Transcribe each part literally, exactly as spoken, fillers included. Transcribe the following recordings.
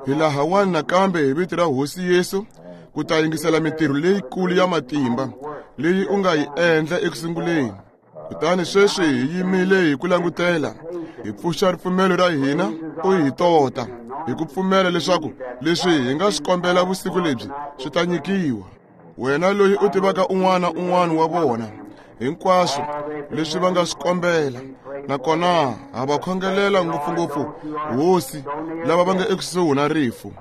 Hi laha wani nakambe hi vito ra Hosi Yesu ku ta yingisela mintirho leyikulu ya matimba leyi u nga yi endla ekusunguleni. Kutani sweswi hi yimile hi ku langutela, hi pfuxa ripfumelo ra hina u hi tota, hi ku pfumela leswaku leswi hi nga swi kombela vusiku lebyi swi ta nyikiwa. Wena loyi u tivaka un'wana un'wana wa vona hinkwaswo leswi va nga swi kombela, nakona ha va khongelela ngopfungopfu Hosi lava va nga ekusuhi na rifu.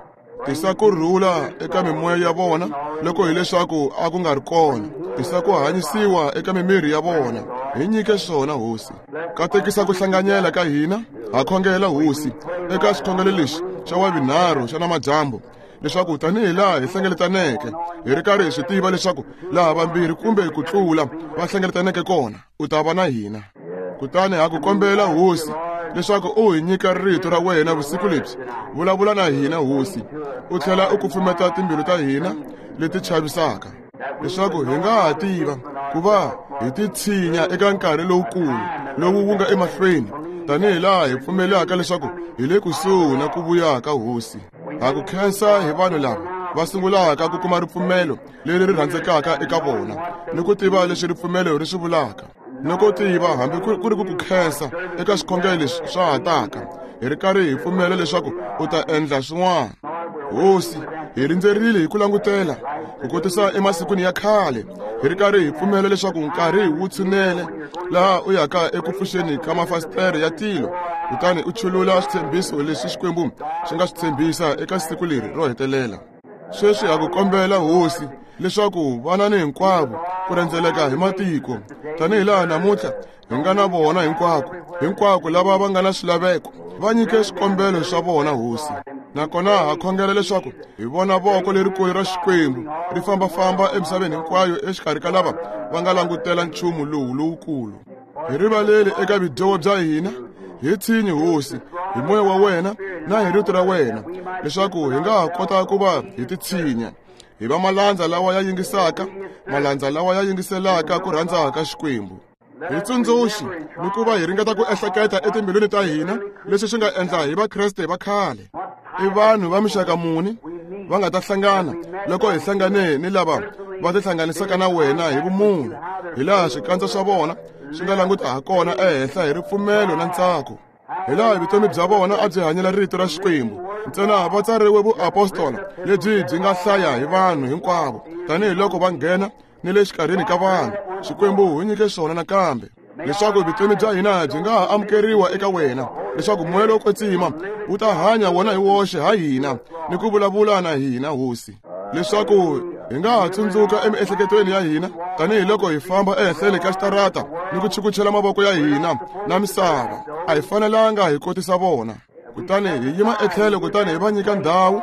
Tisa ku rhula eka mimoya ya vona loko hileswaku a ku nga ri kona. Tisa ku hanyisiwa eka mimiri ya vona. Hi nyike swona Hosi. Katekisa ku hlanganyela ka hina. Ha khongela Hosi eka xikhongelo lexi xa wavunharhu xa namadyambu, leswaku tanihi laha hi hlengeletaneke hi ri karhi hi swi tiva leswaku laha vambirhi kumbe ku tlula va hlengeletaneke kona u ta va na hina. Kutani ha ku kombela Hosi leswaku u hi nyika rito ra wena vusiku lebyi. Vulavula na hina Hosi, u tlhela u kufumeta timbilu ta hina leti chavisaka, leswaku hi nga ha tiva ku va hi titshinya eka nkarhi lowukulu lowu wu nga emahlweni, tanihi laha hi pfumelaka leswaku hi le kusuhi na ku vuya ka Hosi. Ha ku khensa hi vanhu lava va sungulaka ku kuma ripfumelo leri ri rhandzekaka eka vona, ni ku tiva leswi ripfumelo ri swi vulaka, ni ku tiva hambi ku ri ku ku khensa eka swikhongelo leswi swa ha taka, hi ri karhi hi pfumela leswaku u ta endla swin'wana. Hosi, hi rindzerile hi ku langutela ku kotisa emasikwini ya khale, hi ri karhi hi pfumela leswaku nkarhi wu tshunele laha u yaka eku pfuxeni ka mafasitere ya tilo, kutani u chulula switshembiso leswi Xikwembu xi nga swi tshembisa eka siku leri ro hetelela. Sweswi ha ku kombela Hosi leswaku vana ni hinkwavo ku rhendzeleka hi matiko, tanihi laha namuntlha hi nga na vona hinkwako hinkwako lava va nga na swilaveko, va nyike swikombelo swa vona Hosi. Nakona ha khongela leswaku hi vona voko lerikulu ra Xikwembu ri fambafamba emisaveni hinkwayo exikarhi ka lava va nga langutela nchumu lowu lowukulu. Hi rivaleli eka vudyoho bya hina, hi tshinyi Hosi hi moya wa wena na hi rito ra wena, leswaku hi nga ha kota ku va hi titshinya, hi va malandza lawa ya yingisaka, malandza lawa ya yingiselaka ku rhandza ka Xikwembu. Hi tsundzuxi ni ku va hi ringeta ku ehleketa etimbilwini ta hina leswi swi nga endla hi Vakreste va khale. I vanhu va mixaka muni va nga ta hlangana loko hi hlangane ni lava va tihlanganisaka na wena hi vumunhu, hi laha swikandza swa vona swi nga languta ha kona ehenhla hi ripfumelo na ntsako, hi laha vutomi bya vona a byi hanyela rito ra Xikwembu ntsena va tsariwe vuapostola lebyi byi nga hlaya hi vanhu hinkwavo, tanihiloko va nghena ni le xikarhini ka vanhu. Xikwembu hi nyike swona nakambe, leswaku vutomi bya hina byi nga ha amukeriwa eka wena, leswaku moya lowo kwetsima wu ta hanya wona hi woxe ha hina ni ku vulavula na hina Hosi, leswaku hi nga ha tsundzuka emiehleketweni ya hina tanihiloko hi famba ehenhleni ka xitarata ni ku chukuchela mavoko ya hina na misava. A hi fanelanga hi kotisa vona. Kutani hi yima etlhelo, kutani hi va nyika ndhawu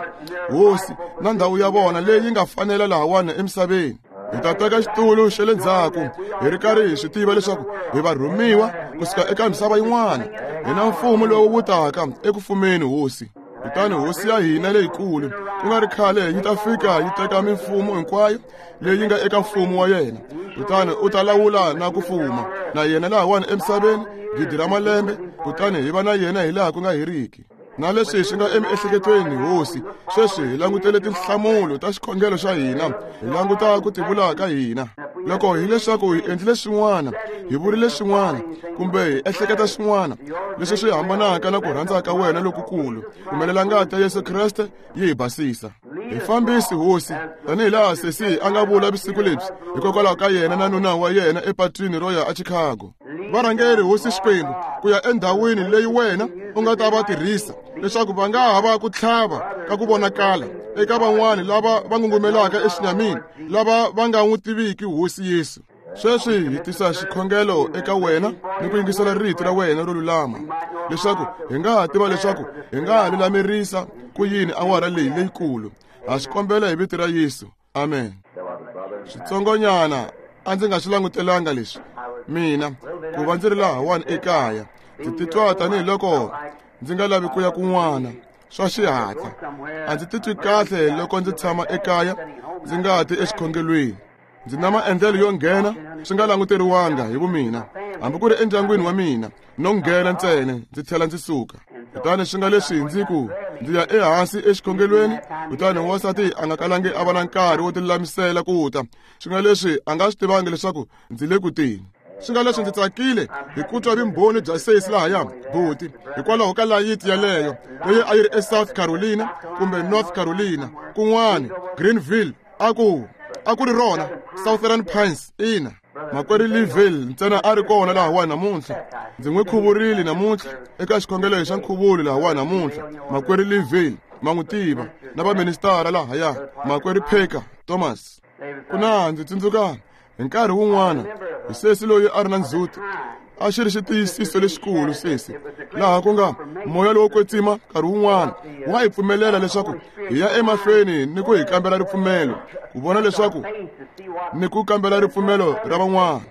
Hosi na ndhawu ya vona leyi nga fanela lahawani emisaveni. Hi ta teka xitulu xa le ndzhaku hi ri karhi hi swi tiva leswaku hi va rhumiwa kusuka eka misava yin'wana, hi na mfumo lowu wu taka eku fumeni Hosi. Kutani Hosi ya hina leyikulu ku nga ri khale yi ta fika yi teka mimfumo hinkwayo leyi nga eka mfumo wa yena, kutani u ta lawula na ku fuma na yena lahawani emisaveni gidi ra malembe, kutani hi va na yena hi laha ku nga heriki. Na leswi swi nga emiehleketweni Hosi, sweswi hi langutele tinhlamulo ta xikhongelo xa hina, hi languta ku tivula ka hina. Loko hileswaku hi endlile swin'wana, hi vurile swin'wana, kumbe hi ehleketa swin'wana leswi swi hambanaka na ku rhandza ka wena lokukulu, pfumelela ngati ya Yesu Kreste yi hi basisa. Hi fambisi Hosi, tanihi laha sesi a nga vula vusiku lebyi hikokwalaho ka yena na nuna wa yena epatwini ro ya eChicago. Va rhangeri Hosi Xikwembu ku ya endhawini leyi wena u nga ta va tirhisa, leswaku va nga ha va ku tlhava ka ku vonakala eka van'wani lava va ngungumelaka exinyamini, lava va nga n'wi tiviki Hosi Yesu. Sweswi hi tisa xikhongelo eka wena ni ku yingisela rito ra wena ro lulama, leswaku hi nga ha tiva leswaku hi nga ha lulamerisa ku yini awara leyi leyikulu. Ha swi kombela hi vito ra Yesu, amen. Switsongonyana a ndzi nga swi langutelanga leswi mina ku va ndzi ri lahawani ekaya, ndzi titwa tanihiloko ndzi nga lavi ku ya kun'wana swa xihatla. A ndzi titwi kahle loko ndzi tshama ekaya ndzi nga ti exikhongelweni. Ndzi na maendlelo yo nghena swi nga languteriwanga hi vumina, hambi ku ri endyangwini wa mina, no nghena ntsena ndzi tlhela ndzi suka. Kutani swi nga leswi ndzi ku ndzi ya ehansi exikhongelweni, kutani wansati a nga kalangi a va na nkarhi wo tilulamisela ku ta. Swi nga leswi a nga swi tivangi leswaku ndzi le ku teni. Swi nga leswi ndzi tsakile hi ku twa vumbhoni bya sesi lahaya buti, hikwalaho ka layiti yaleyo leyi a yi ri eSouth Carolina kumbe North Carolina kun'wani, Greenville, a ku a ku ri rona Southern Pines. Ina, makwerhu Liville ntsena a ri kona lahawani namuntlha. Ndzi n'wi khuvurile namuntlha eka xikhongelo xa nkhuvulo lahawani namuntlha. Makwerhu Liville ma n'wi tiva, na vaministara lahaya, makwerhu Parker Thomas. Ku na ndzi tsundzuka hi nkarhi wun'wana hi sesi loyi a ri na ndzhuti, a xi ri xitiyisiso lexikulu sesi, laha ku nga moya lowo kwetsima nkarhi wun'wana wa hi pfumelela leswaku hi ya emahlweni ni ku hi kambela ripfumelo, ku vona leswaku ni ku kambela ripfumelo ra van'wana.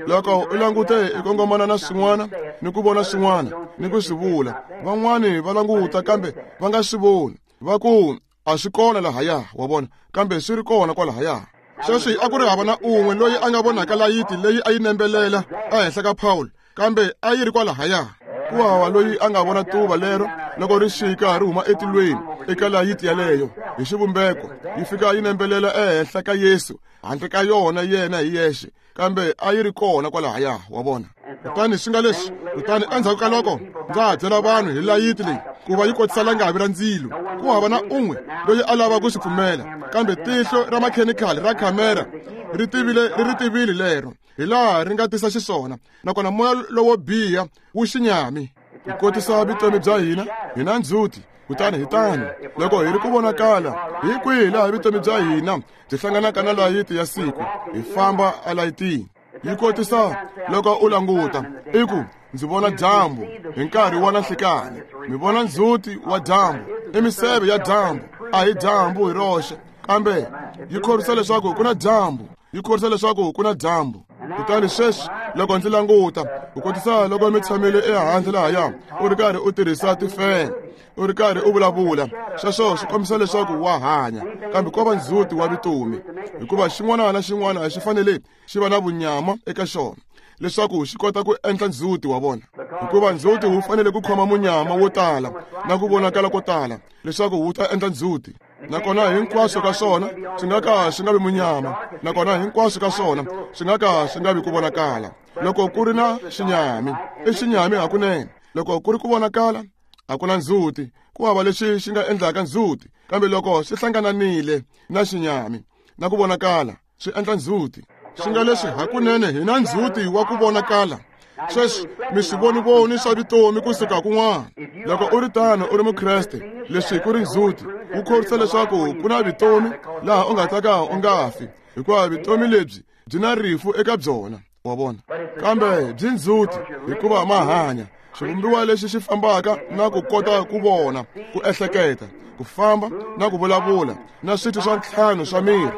Loko u langute i kongomana na swin'wana ni ku vona swin'wana ni ku swi vula, van'wani va languta kambe va nga swi voni, va ku a swi kona lahaya, wa vona, kambe swi ri kona kwalahaya. Sweswi a ku ri hava na un'we loyi a nga vonaka layiti leyi a yi nembelela ehenhla ka Paul, kambe a yi ri kwalahaya. Ku hava loyi a nga vona tuva lero loko ri xika ri huma etilweni eka layiti yaleyo hi xivumbeko, yi fika yi nembelela ehenhla ka Yesu handle ka yona yena hi yexe, kambe a yi ri kona kwalahaya, wa vona. Kutani swi nga leswi, kutani endzhaku ka loko ndza ha byela vanhu hi layiti leyi ku va yi kotisa langavi ra ndzilo, ku hava na un'we loyi a lava ku swi pfumela, kambe tihlo ra makhemikhali ra khamera ri tivile ri ri tivile lero hi laha ri nga tisa xiswona, nakona moya lowo biha wu xinyami. Hi kotisa vutomi bya hina hi na ndzhuti, kutani hi tano loko hi ri ku vonakala hi kwihi laha vutomi bya hina byi hlanganaka na layiti ya siku, hi famba elayitini. Yi kotisa loko u languta i ku ndzi vona dyambu hi nkarhi wa nanhlikani, mi vona ndzhuti wa dyambu, i miseve ya dyambu, a hi dyambu hi roxe, kambe yi khorwisa leswaku ku na dyambu, yi khorwisa leswaku ku na dyambu. Kutani sweswi loko ndzi languta, u kotisa loko mi tshamile ehandle lahaya u ri karhi u tirhisa tifene, u ri karhi u vulavula, sweswo swi kombisa leswaku wa hanya, kambe ko va ndzhuti wa vutomi, hikuva xin'wana na xin'wana xi fanele xi va na vunyama eka xona leswaku xi kota ku endla ndzhuti wa vona, hikuva ndzhuti wu fanele ku khoma munyama wo tala na ku vonakala ko tala leswaku wu ta endla ndzhuti. Nakona hinkwaswo ka swona swi nga ka swi nga vi munyama, nakona hinkwaswo ka swona swi nga ka swi nga vi ku vonakala. Loko ku ri na xinyami, i xinyami hakunene. Loko ku ri ku vonakala, a ku na ndzhuti, ku hava lexi xi nga endlaka ndzhuti, kambe loko swi hlangananile na xinyami na ku vonakala, swi endla ndzhuti. Swi nga leswi hakunene hi na ndzhuti wa ku vonakala. Sweswi mi swi vonivoni swa vutomi kusuka kun'wana. Loko u ri tano u ri mukreste, leswi ku ri ndzhuti wu khorwisa leswaku ku na vutomi laha u nga ta ka u nga fi, hikuva vutomi lebyi byi na rifu eka byona, wa vona, kambe byi ndzhuti hikuva ma hanya. Xivumbiwa lexi xi fambaka na ku kota ku vona, ku ehleketa, ku famba na ku vulavula, na switho swa ntlhanu swa miri,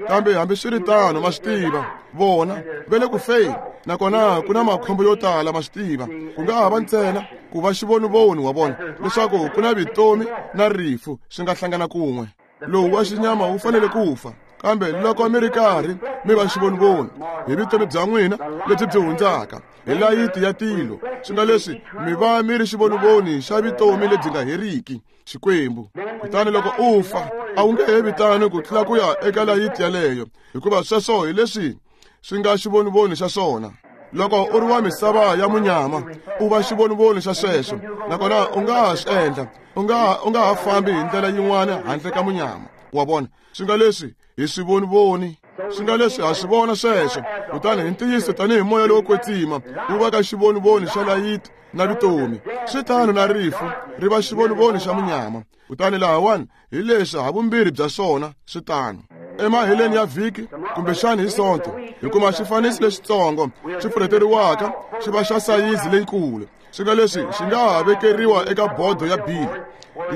kambe hambiswiritano ma swi tiva vona va le ku feni, nakona ku na makhombo yo tala, ma swi tiva. Ku nga ha va ntsena ku va xivonivoni, wa vona, leswaku ku na vutomi na rifu swi nga hlangana kun'we. Lowu wa xinyama wu fanele ku fa, kambe loko mi ri karhi mi va xivonivoni hi vutomi bya n'wina lebyi byi hundzaka hi layiti ya tilo, swi nga leswi mi va mi ri xivonivoni xa vutomi lebyi nga heriki Xikwembu. Kutani loko u fa, a wu nge he vitani ku tlula ku ya eka layiti yaleyo, hikuva sweswo hi leswi swi nga xivonivoni xa swona. Loko u ri wa misava ya munyama, u va xivonivoni xa sweswo, nakona u nga ha swi endla, u nga u nga ha fambi hi ndlela yin'wana handle ka munyama, wa vona. Swi nga leswi hi swivonivoni, swi nga leswi ha swi vona sweswo. Kutani hi ntiyiso tanihi moya lowo kwetsima wu va ka xivonivoni xa layiti na vutomi, swi tano na rifu ri va xivonivoni xa munyama. Kutani lahawani hi leswi havumbirhi bya swona swi tano. Emaheleni ya vhiki kumbexani hi Sonto, hi kuma xifaniso lexitsongo xi pfurheteriwaka xi va xa sayizi leyikulu. Swi nga leswi xi nga ha vekeriwa eka bodo ya bili,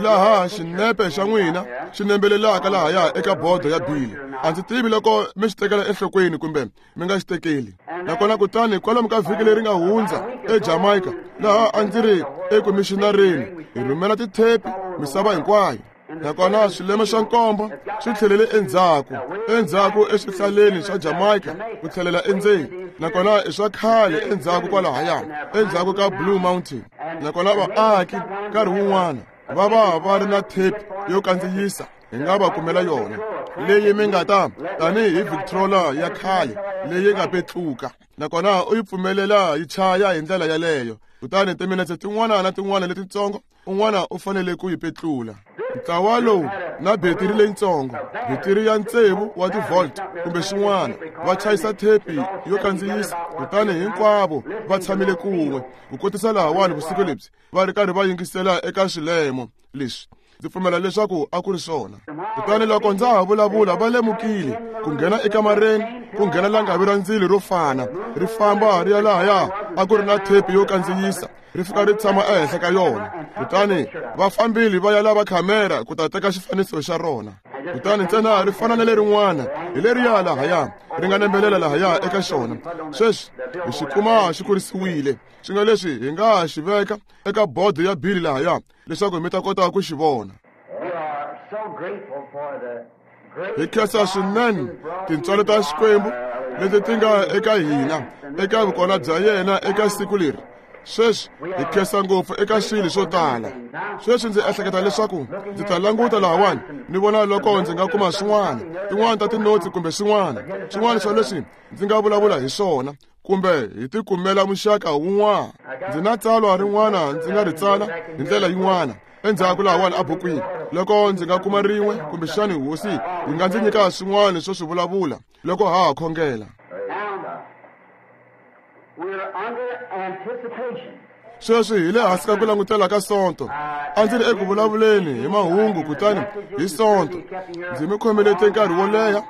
laha xinepe xa n'wina xi nembelelaka lahaya eka bodo ya bili. A ndzi tivi loko mi xi tekela enhlokweni kumbe mi nga xi tekeli. Nakona kutani kwalomu ka vhiki leri nga hundza eJamaica, laha a ndzi ri ekumixinareni, hi rhumela tithepi misava hinkwayo. Nakona swilemo swa nkombo swi tlhelele endzhaku, endzhaku eswihlaleni swa Jamaica ku tlhelela endzeni. Nakona i swa khale endzhaku kwalahaya, endzhaku ka Blue Mountain. Nakona vaaki nkarhi wun'wana va va va ri na tape yo kandziyisa, hi nga va kumela yona leyi mi nga ta tanihi Victrola ya khale leyi nga petluka. Nakona u yi pfumelela yi chaya hi ndlela yaleyo, kutani timinetse tin'wana na tin'wana letitsongo un'wana u fanele ku yi petlula. Ntlawa lowu na betiri leyitsongo, betiri ya tsevu wa ti-volt kumbe swin'wana, va chayisa thepi yo kandziyisa, kutani hinkwavo va tshamile kun'we ku kotisa lahawani vusiku lebyi va ri karhi va yingisela eka swilemo leswi. Ndzi pfumela leswaku a ku ri swona. Kutani loko ndza ha vulavula va lemukile ku nghena ekamareni, ku nghena langavi ra ndzilo ro fana ri famba ri ya lahaya a ku ri na thepi yo kandziyisa, ri fika ri tshama ehenhla ka yona. Kutani va fambile va ya lava khamera ku ta teka xifaniso xa rona. Kutani ntsena ri fana na lerin'wana hi leriya lahaya ri nga nembelela lahaya eka xona. Sweswi hi xi kuma xi kurisiwile, swi nga leswi hi nga xi veka eka bodo ya bili lahaya leswaku mi ta kota ku xi vona. Hi khensa swinene tintswalo ta Xikwembu leti ti nga eka hina eka vukona bya yena eka siku leri. Sweswi hi khensa ngopfu eka swilo swo tala. Sweswi ndzi ehleketa leswaku ndzi ta languta lahawani ni vona loko ndzi nga kuma swin'wana, tin'wana ta tinotsi kumbe swin'wana, swin'wana swa leswi ndzi nga vulavula hi swona, kumbe hi tikumela muxaka wun'wana. Ndzi na tsalwa rin'wana ndzi nga ri tsala hi ndlela yin'wana endzhaku lahawani ebukwini, loko ndzi nga kuma rin'we kumbexani hosi yi nga ndzi nyika swin'wana swo swi vulavula loko ha ha khongela. Sweswi hi le hansi ka ku langutela ka Sonto. A ndzi ri eku vulavuleni hi mahungu, kutani hi Sonto ndzi mi khomelete nkarhi wo leha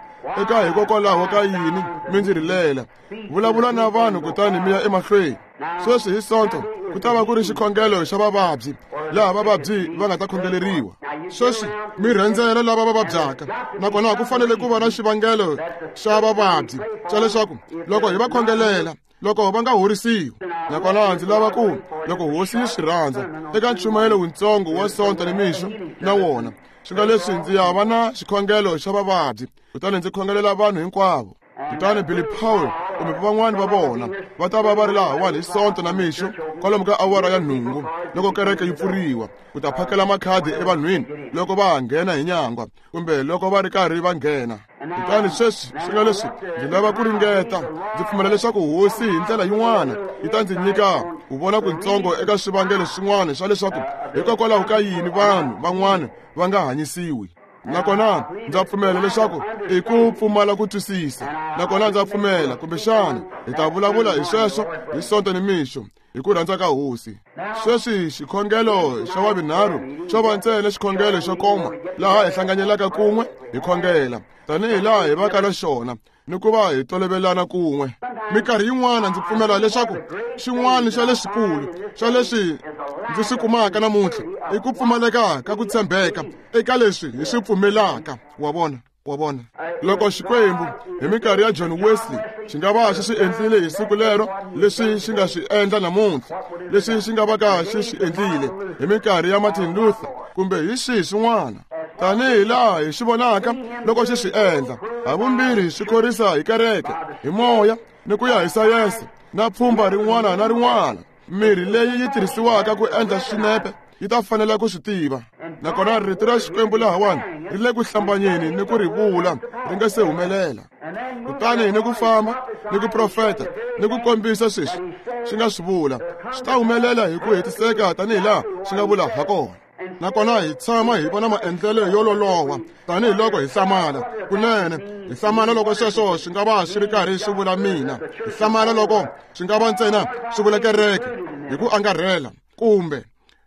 eka hikokwalaho ka yini mi ndzi rilela. Vulavula na vanhu kutani mi ya emahlweni. Sweswi hi Sonto ku ta va ku ri xikhongelo xa vavabyi, laha vavabyi va nga ta khongeleriwa. Sweswi mi rhendzela lava va vabyaka, nakona ku fanele ku va na xivangelo xa vavabyi xa leswaku loko hi va khongelela, loko va nga horisiwi. Nakona ndzi lava ku loko hosi yi swi rhandza eka nchumayelo wutsongo wa Sonto ni mixo na wona, swi nga leswi ndzi ya va na xikhongelo xa vavabyi, kutani ndzi khongelela vanhu hinkwavo. Kutani Billy Paul kumbe van'wani va vona va ta va va ri lahawani hi Sonto na mixo kwalomu ka awara ya nhungu loko kereke yi pfuriwa, ku ta phakela makhadi evanhwini loko va nghena hi nyangwa kumbe loko va ri karhi va nghena. Kutani sweswi swi nga leswi ndzi lava ku ringeta, ndzi pfumela leswaku hosi hi ndlela yin'wana yi ta ndzi nyika ku vona kuntsongo eka swivangelo swin'wana swa leswaku hikokwalaho ka yini vanhu van'wana va nga hanyisiwi. Nakona ndza pfumela leswaku i ku pfumala ku twisisa. Nakona ndza pfumela kumbexana hi ta vulavula hi sweswo hi Sonto ni mixo hi ku rhandza ka hosi. Sweswi xikhongelo xa wavinharhu xo va ntsena xikhongelo xo koma laha hi hlanganyelaka kun'we hi khongela tanihi laha hi vaka na xona ni ku va hi tolovelana kun'we. Minkarhi yin'wana ndzi pfumela leswaku xin'wana xa leswikulu xa leswi ndzi swi kumaka namuntlha i ku pfumaleka ka ku tshembeka eka leswi hi swi pfumelaka. Wa vona, wa vona. Loko Xikwembu hi minkarhi ya John Wesley xi nga va xi swi endlile hi siku lero leswi xi nga swi endla namuntlha, leswi xi nga va ka xi swi endlile hi minkarhi ya Martin Luther kumbe hi swihi swin'wana, tanihi laha hi swi vonaka loko xi swi endla, havumbirhi swi khorisa hi kereke, hi moya ni ku ya hi sayense na pfhumba rin'wana na rin'wana. Mirhi leyi yi tirhisiwaka ku endla swinepe yi ta fanela ku swi tiva. Nakona rito ra Xikwembu lahawani ri le ku hlambanyeni ni ku ri vula ri nga se humelela. Kutani ni ku famba ni ku profeta ni ku kombisa sweswi swi nga swi vula, swi ta humelela hi ku hetiseka tanihi laha swi nga vula hakona. Nakona hi tshama hi vona maendlelo yo loloha tanihiloko hi hlamala kunene. Hi hlamala loko sweswo swi nga va swi ri karhi swi vula mina, hi hlamala loko swi nga va ntsena swi vula kereke hi ku angarhela, kumbe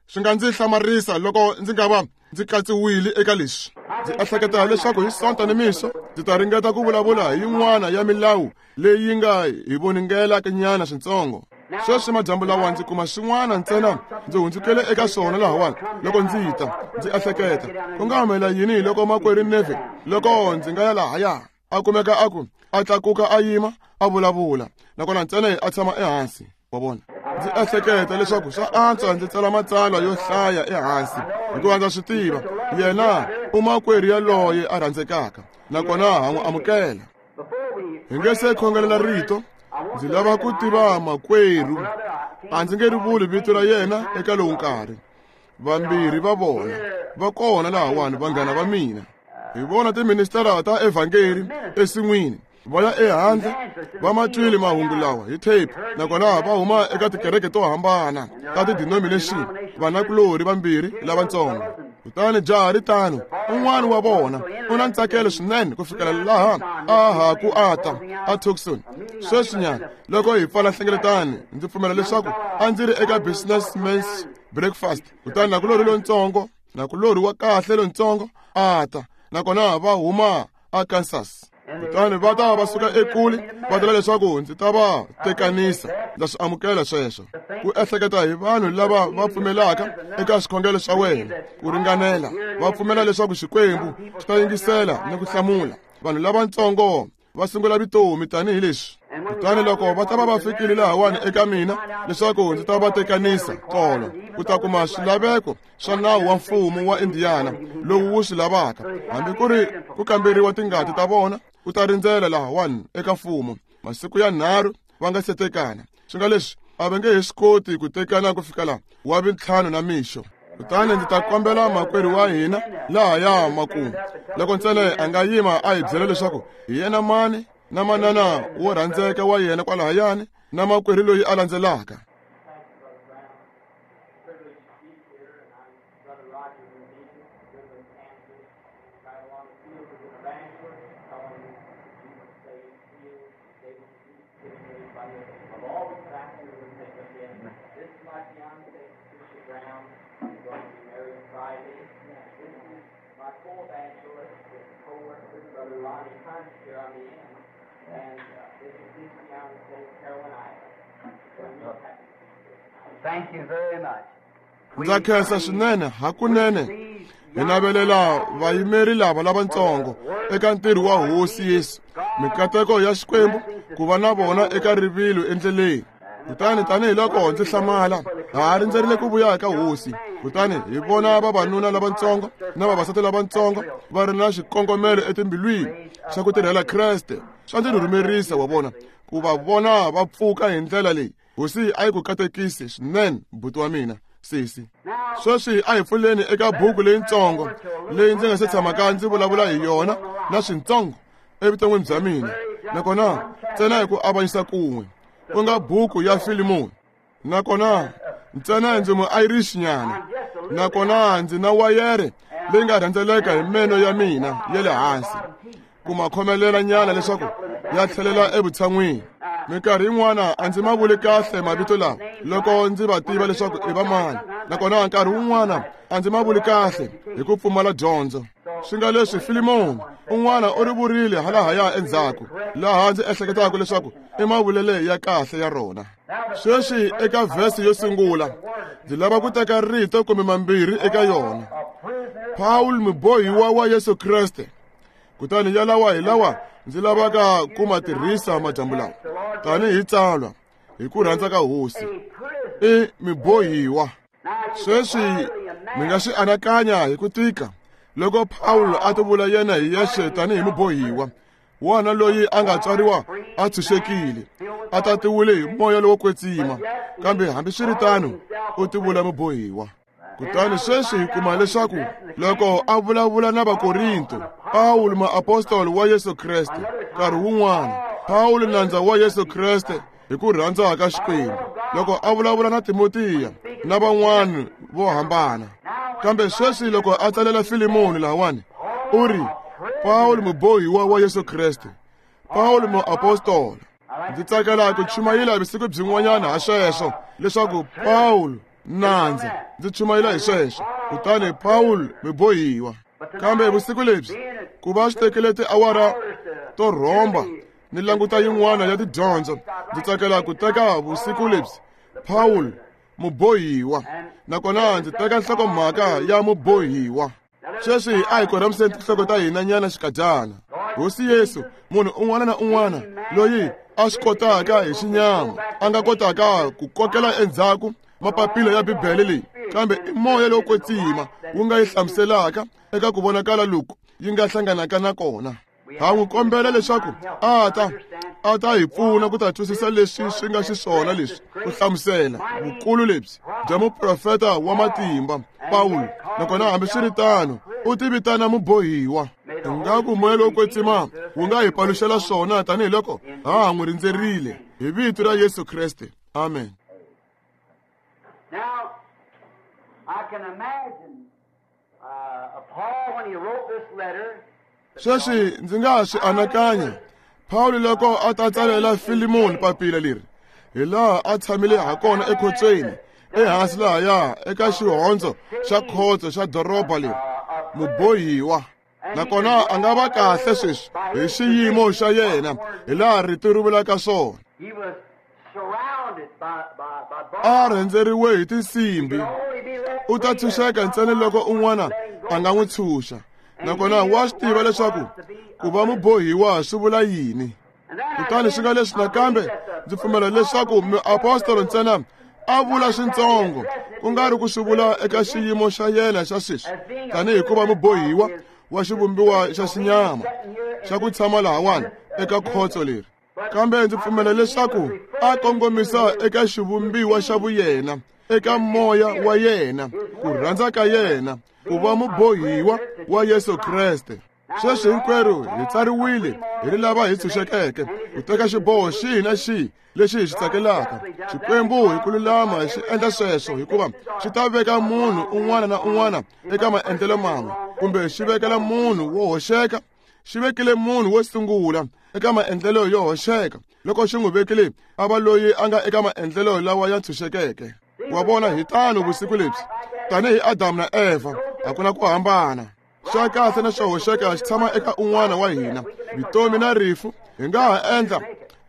swi nga ndzi hlamarisa loko ndzi nga va ndzi katsiwile eka leswi. Ndzi ehleketa leswaku hi Sonto ni mixo ndzi ta ringeta ku vulavula hi yin'wana ya milawu leyi nga hi voningelaka nyana swintsongo. Sweswi madyambu lawa ndzi kuma swin'wana ntsena ndzi hundzukele eka swona lahawani loko ndzi ta ndzi ehleketa ku nga humelela yini loko makwerhu Neville loko ndzi nga ya lahaya a kumeka a ku a tlakuka a yima a vulavula, nakona ntsena a tshama ehansi. Wa vona, ndzi ehleketa leswaku swa antswa ndzi tsala matsalwa yo hlaya ehansi, hikuva ndza swi tiva Yena u makwerhu yaloye a rhandzekaka, nakona ha n'wi amukela. Hi nge se khongelela rito, ndzi lava ku tiva makwerhu. A ndzi nge ri vuli vito ra yena eka lowu nkarhi. Vambirhi va vona va kona lahawani, vanghana va mina. Hi vona tiministara ta evhangeri ensin'wini va ya ehandle, va ma twile mahungu lawa hi tape, nakona va huma eka tikereke to hambana ta ti-denomination, vanakulorhi vambirhi lavatsongo. Kutani jaha ri tano, un'wana wa vona u na ntsakelo swinene ku fikela laha a ha ku ata a Tucson. Sweswinyana loko hi pfala nhlengeletano, ndzi pfumela leswaku a ndzi ri eka businessman's breakfast. Kutani nakulorhi lontsongo, nakulorhi wa kahle lontsongo a ta, nakona va huma a Kansas. Kutani va ta va suka ekule va tela leswaku ndzi ta va tekanisa. Ndza swi amukela sweswo. Ku ehleketa hi vanhu lava va pfumelaka eka swikhongelo swa wena ku ringanela, va pfumela leswaku Xikwembu xi ta yingisela ni ku hlamula. Vanhu lavatsongo va sungula vutomi tanihileswi. Kutani loko va ta va va fikile lahawani eka mina leswaku ndzi ta va tekanisa tolo, ku ta kuma swilaveko swa nawu wa mfumo wa Indiana lowu wu swi lavaka, hambi ku ri ku kamberiwa tingati ta vona, u ta rindzela lahawani eka mfumo masiku ya nharhu va nga se tekana. Swi nga leswi a va nge he swi koti ku tekana ku fika laha wa vintlhanu na mixo. Kutani ndzi ta kombela makwerhu wa hina lahaya makumu, loko ntsena a nga yima a hi byela leswaku hi yena mani na manana wo rhandzeka wa yena kwalahayani na makwerhu loyi a landzelaka. Ndza khensa swinene hakunene. Hi navelela vayimeri lava lavatsongo eka ntirho wa Hosi Yesu, mikateko ya Xikwembu ku va na vona eka rivilo endleleni. Kutani tanihiloko ndzi hlamala, ha rindzerile ku vuya eka Hosi. Kutani hi vona vavanuna lavatsongo na vavasati lavatsongo va ri na xikongomelo etimbilwini xa ku tirhela Kreste. Swa ndzi rhumerisa wa vona ku va vona va pfuka hi ndlela leyi. Hosi a yi ku katekisi swinene, buti wa mina sesi. Sweswi a hi pfuleni eka buku leyitsongo leyi ndzi nga se tshamaka ndzi vulavula hi yona na swintsongo evuton'wini bya mina, nakona ntsena hi ku avanyisa kun'we, ku nga buku ya Filimoni. Nakona ntsena ndzi mu Irish nyana, nakona ndzi na wayere leyi nga rhendzeleka hi meno ya mina ya le hansi ku ma khomelela nyana leswaku ya tlhelela evutshan'wini. Minkarhi yin'wana a ndzi ma vuli kahle mavito lawa loko ndzi va tiva leswaku i va mani, nakona nkarhi wun'wana a ndzi ma vuli kahle hi ku pfumala dyondzo. Swi nga leswi Filimoni un'wana u ri vurile halahaya endzhaku, laha ndzi ehleketaka leswaku i mavulele ya kahle ya rona. Sweswi eka vhesi yo sungula ndzi lava ku teka rito kumbe mambirhi eka yona. Paul mubohiwa wa Yesu Kreste. Kutani yalawa hi lawa ndzi lavaka ku ma tirhisa madyambu lawa tanihi tsalwa hi ku rhandza ka Hosi. I mibohiwa. Sweswi mi nga swi anakanya hi ku tika loko Paulo a tivula yena hi yexe tanihi mubohiwa, wana loyi a nga tswariwa a tshunxekile, a tatiwile hi moya lowo kwetsima, kambe hambiswiritano u tivula mubohiwa. Kutani sweswi hi kuma leswaku loko a vulavula na Vakorinto, Pawulo muapostoli wa Yesu Kreste, nkarhi wun'wana Pawulo nandza wa Yesu Kreste hi ku rhandza ka Xikwembu, loko a vulavula na Timotiya na van'wana vo hambana. Kambe sweswi loko a tsalela Filimoni lahawani, u ri Pawulo mubohiwa wa Yesu Kreste, Pawulo muapostola. Ndzi tsakela ku chumayela vusiku byin'wanyana ha sweswo, leswaku Pawulo nandza, ndzi chumayela hi sweswo, kutani Pawulo mubohiwa. Kambe vusiku lebyi ku va swi tekile tiawara to rhomba ni languta yin'wana ya tidyondzo, ndzi tsakela ku teka vusiku lebyi Pawulo mubohiwa, nakona ndzi teka nhlokomhaka ya mubohiwa. Sweswi a hi korhamiseni tinhloko ta hina nyana xikadyana. Hosi Yesu, munhu un'wana na un'wana loyi a swi kotaka hi xinyama a nga kotaka ku kokela endzhaku mapapila ya Bibele leyi Kambe i moya lowo kwetsima wu nga yi hlamuselaka eka ku vonakala loku yi nga hlanganaka na kona. Ha n'wi kombela leswaku a ta a ta hi pfuna ku ta twisisa leswi swi nga xiswona leswi ku hlamusela vukulu lebyi bya muprofeta wa matimba Pawulo. Nakona hambiswiritano u ti vitana mubohiwa. Ingaku moya lowo kwetsima wu nga hi paluxela swona tanihiloko ha ha n'wi rindzerile hi vito ra Yesu Kreste. Amen. Now, I can imagine uh, Paul when he wrote this letter. Sweswi ndzi nga swi anakanya Pawulo loko a ta tsalela Filimoni papila leri hi laha a tshamile ha kona ekhotsweni ehansi lahaya eka xihondzo xa khotso xa doroba leri mubohiwa. Nakona a nga va kahle sweswi hi xiyimo xa yena hi laha rito ri vulaka swona. A rhendzeriwe hi tinsimbi. U ta tshunxeka ntsena loko un'wana a nga n'wi tshunxa. Nakona wa swi tiva leswaku ku va mubohiwa swi vula yini. Kutani swi nga leswi nakambe ndzi pfumela leswaku muapostolo ntsena a vula swintsongo ku nga ri ku swi vula eka xiyimo xa yena xa sweswi tanihi ku va mubohiwa wa xivumbiwa xa xinyama xa ku tshama lahawani eka khotso leri. Kambe ndzi pfumela leswaku a kongomisa eka xivumbiwa xa vuyena, eka moya wa yena, ku rhandza ka yena, ku va mubohiwa wa Yesu Kreste. Sweswi hinkwerhu hi tsariwile hi ri lava hi tshunxekeke ku teka xiboho xihi na xihi lexi hi xi tsakelaka. Xikwembu hi ku lulama xi endla sweswo hikuva xi ta veka munhu un'wana na un'wana eka maendlelo man'we, kumbe xi vekela munhu wo hoxeka. Xi vekile munhu wo sungula eka maendlelo yo hoxeka loko xi n'wi vekile a va loyi a nga eka maendlelo lawa ya tshunxekeke. Wa vona, hi tano vusiku lebyi tanihi Adamu na Eva, a ku na ku hambana. Swa kahle na swo hoxeka xi tshama eka un'wana wa hina. Vutomi na rifu hi nga ha endla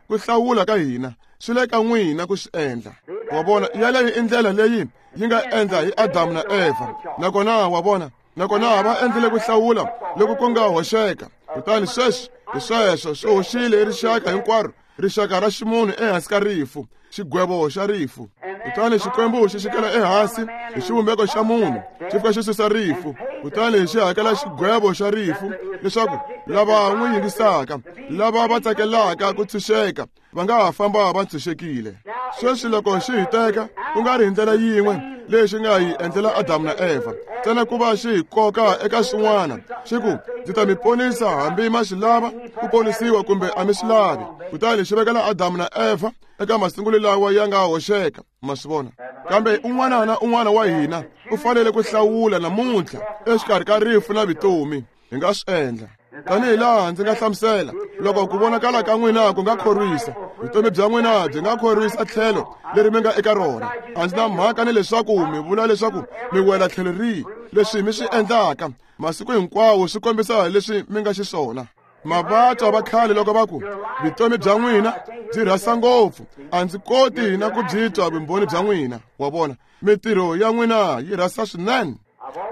ku hlawula ka hina, swi le ka n'wina ku swi endla. Wa vona, yaleyo i ndlela leyi yi nga endla hi Adamu na Eva. Nakona wa vona, nakona va endlile ku hlawula loko ku nga hoxeka. Kutani sweswi hi sweswo swi hoxile hi rixaka hinkwaro, rixaka ra ximunhu ehansi ka rifu, xigwevo xa rifu. Kutani Xikwembu xi xikela ehansi hi xivumbeko xa munhu, xi fika xi susa rifu, kutani xi hakela xigwevo xa rifu leswaku lava n'wi yingisaka, lava va tsakelaka ku tshunxeka, va nga ha famba va tshunxekile. Sweswi loko xi hi teka ku nga ri hi ndlela yin'we leyi xi nga hi endlela Adamu na Eva, ntsena ku va xi hi koka eka swin'wana, xi ku ndzi ta mi ponisa hambi ma swi lava ku ponisiwa kumbe a mi swi lavi. Kutani xi vekela Adamu na Eva eka masungulo lawa ya nga hoxeka. Ma swi vona? Kambe un'wana na un'wana wa hina u fanele ku hlawula namuntlha exikarhi ka rifu na vutomi. Hi nga swi endla tanihi laha ndzi nga hlamusela. Loko ku vonakala ka n'wina ku nga khorwisa, vutomi bya n'wina byi nga khorwisa tlhelo leri mi nga eka rona. A ndzi na mhaka ni leswaku mi vula leswaku mi wela tlhelo rihi. Leswi mi swi endlaka masiku hinkwawo swi kombisa leswi mi nga xiswona. Mavatwa va khale loko va ku vutomi bya n'wina byi rhasa ngopfu, a ndzi koti na ku byi twa vumbhoni bya n'wina. Wa vona, mitirho ya n'wina yi rhasa swinene.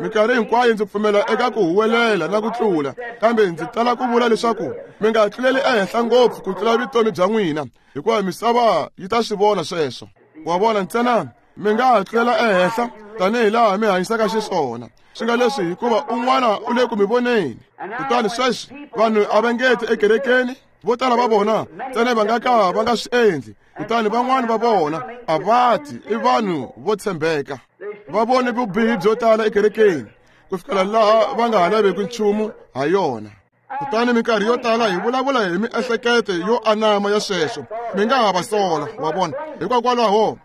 Minkarhi hinkwayo ndzi pfumela eka ku huwelela na ku tlula, kambe ndzi tala ku vula leswaku mi nga tluleli ehenhla ngopfu ku tlula vutomi bya n'wina, hikuva misava yi ta swi vona sweswo. Wa vona, ntsena mi nga ha tlulela ehenhla tanihi laha mi hanyisaka xiswona. Swi nga leswi hikuva un'wana u le ku mi voneni. Kutani sweswi vanhu a va nge ti ekerekeni, vo tala va vona ntsena va nga ka va nga swi endli. Kutani van'wani va vona a va ti, i vanhu vo tshembeka. Va vone vubihi byo tala ekerekeni ku fikela laha va nga ha laveki nchumu ha yona. Kutani minkarhi yo tala hi vulavula hi miehleketo yo anama ya sweswo, mi nga ha va sola. Wa vona, hikokwalaho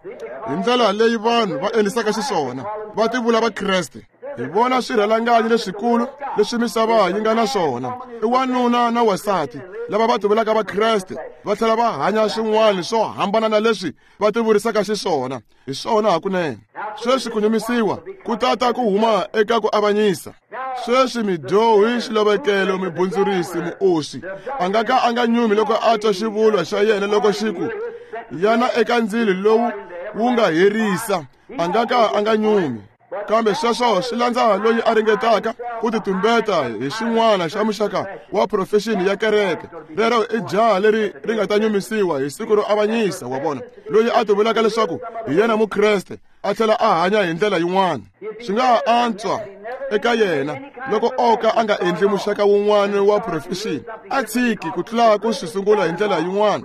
hi ndlela leyi vanhu va endlisaka xiswona, va tivula Vakreste. Hi vona swirhalanganyi leswikulu leswi misava yi nga na swona i wanuna na wansati lava va tivulaka Vakreste va tlhela va hanya swin'wana swo hambana na leswi va tivurisaka xiswona. Hi swona hakunene. Sweswi ku nyumisiwa ku tata ku huma eka ku avanyisa. Sweswi midyohi, xilovekelo, mibundzurisi, muoswi a nga ka a nga nyumi loko a twa xivulwa xa yena loko xi ku yana eka ndzilo lowu wu nga herisa, a nga ka a nga nyumi. Kambe sweswo swi landza loyi a ringetaka ku titumbeta hi xin'wana xa muxaka wa profession ya kereke. Rero i jaha leri ri nga ta nyumisiwa hi siku ro avanyisa, wa vona, loyi a tivulaka leswaku hi yena mukreste a tlhela a hanya hi ndlela yin'wana. Swi nga antswa eka yena loko o ka a nga endli muxaka wun'wana wa profession, a tshiki ku tlula ku swi sungula hi ndlela yin'wana,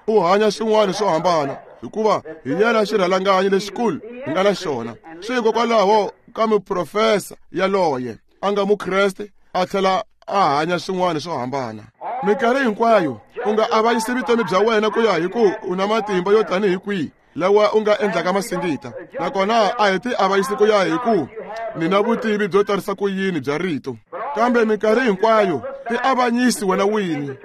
u hanya swin'wana swo hambana, hikuva hi yena xirhalanganyi lexikulu hi nga na xona. Swi hikokwalaho ka muprofesa yaloye a nga mukreste a tlhela a hanya swin'wana swo hambana. Minkarhi hinkwayo u nga avanyisi vutomi bya wena ku ya hi ku u na matimba yo tanihi kwihi lawa u nga endlaka masingita, nakona a hi ti avanyisi ku ya hi ku ni na vutivi byo tarisa ku yini bya rito, kambe minkarhi hinkwayo ti avanyisi wena wini.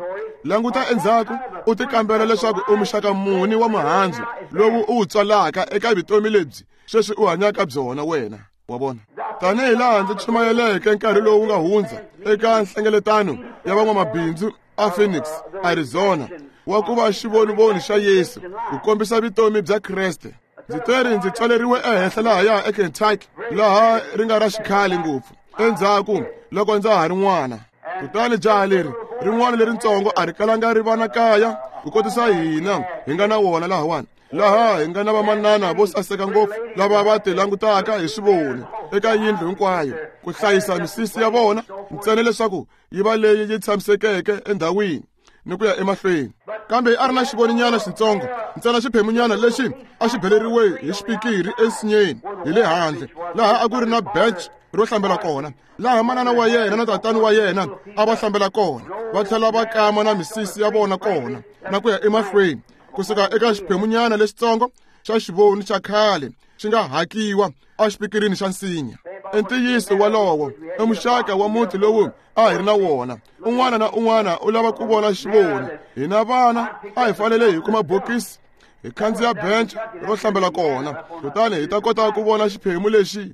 Languta endzhaku u ti kambela leswaku u muxaka muni wa mihandzu lowu u wu tswalaka eka vutomi lebyi sweswi u hanyaka byona wena, wa vona. Tanihi laha ndzi chumayeleke nkarhi lowu nga hundza eka nhlengeletano ya van'wamabindzu a Phoenix, Arizona, wa ku va xivonivoni xa Yesu ku kombisa vutomi bya Kreste. Ndzi teri ndzi tswaleriwe ehenhla lahaya eKentucky, laha ri nga ra xikhale ngopfu endzhaku loko ndza ha ri n'wana. Kutani jaha leri rin'wana leritsongo a ri kalanga ri va na kaya ku kotisa hina hi nga na wona lahawani, laha hi nga na vamanana vo saseka ngopfu lava va ti langutaka hi swivoni eka yindlu hinkwayo ku hlayisa misisi ya vona ntsena leswaku yi va leyi yi tshamisekeke endhawini ni ku ya emahlweni. Kambe a ri na xivoninyana xitsongo ntsena xiphemunyana lexi a xi beleriwe hi xipikiri ensinyeni hi le handle, laha a ku ri na bench ro hlambela kona, laha manana wa yena na tatani wa yena a va hlambela kona, va tlhela va kama na misisi ya vona kona na ku ya emahlweni, kusuka eka xiphemunyana lexitsongo xa xivoni xa khale xi nga hakiwa exipikirini xa nsinya. I ntiyiso walowo i muxaka wa muti lowu a hi ri na wona. Un'wana na un'wana u lava ku vona xivoni. Hina vana a hi fanele hi kuma bokisi hi khandziya bench ro hlambela kona, kutani hi ta kota ku vona xiphemu lexi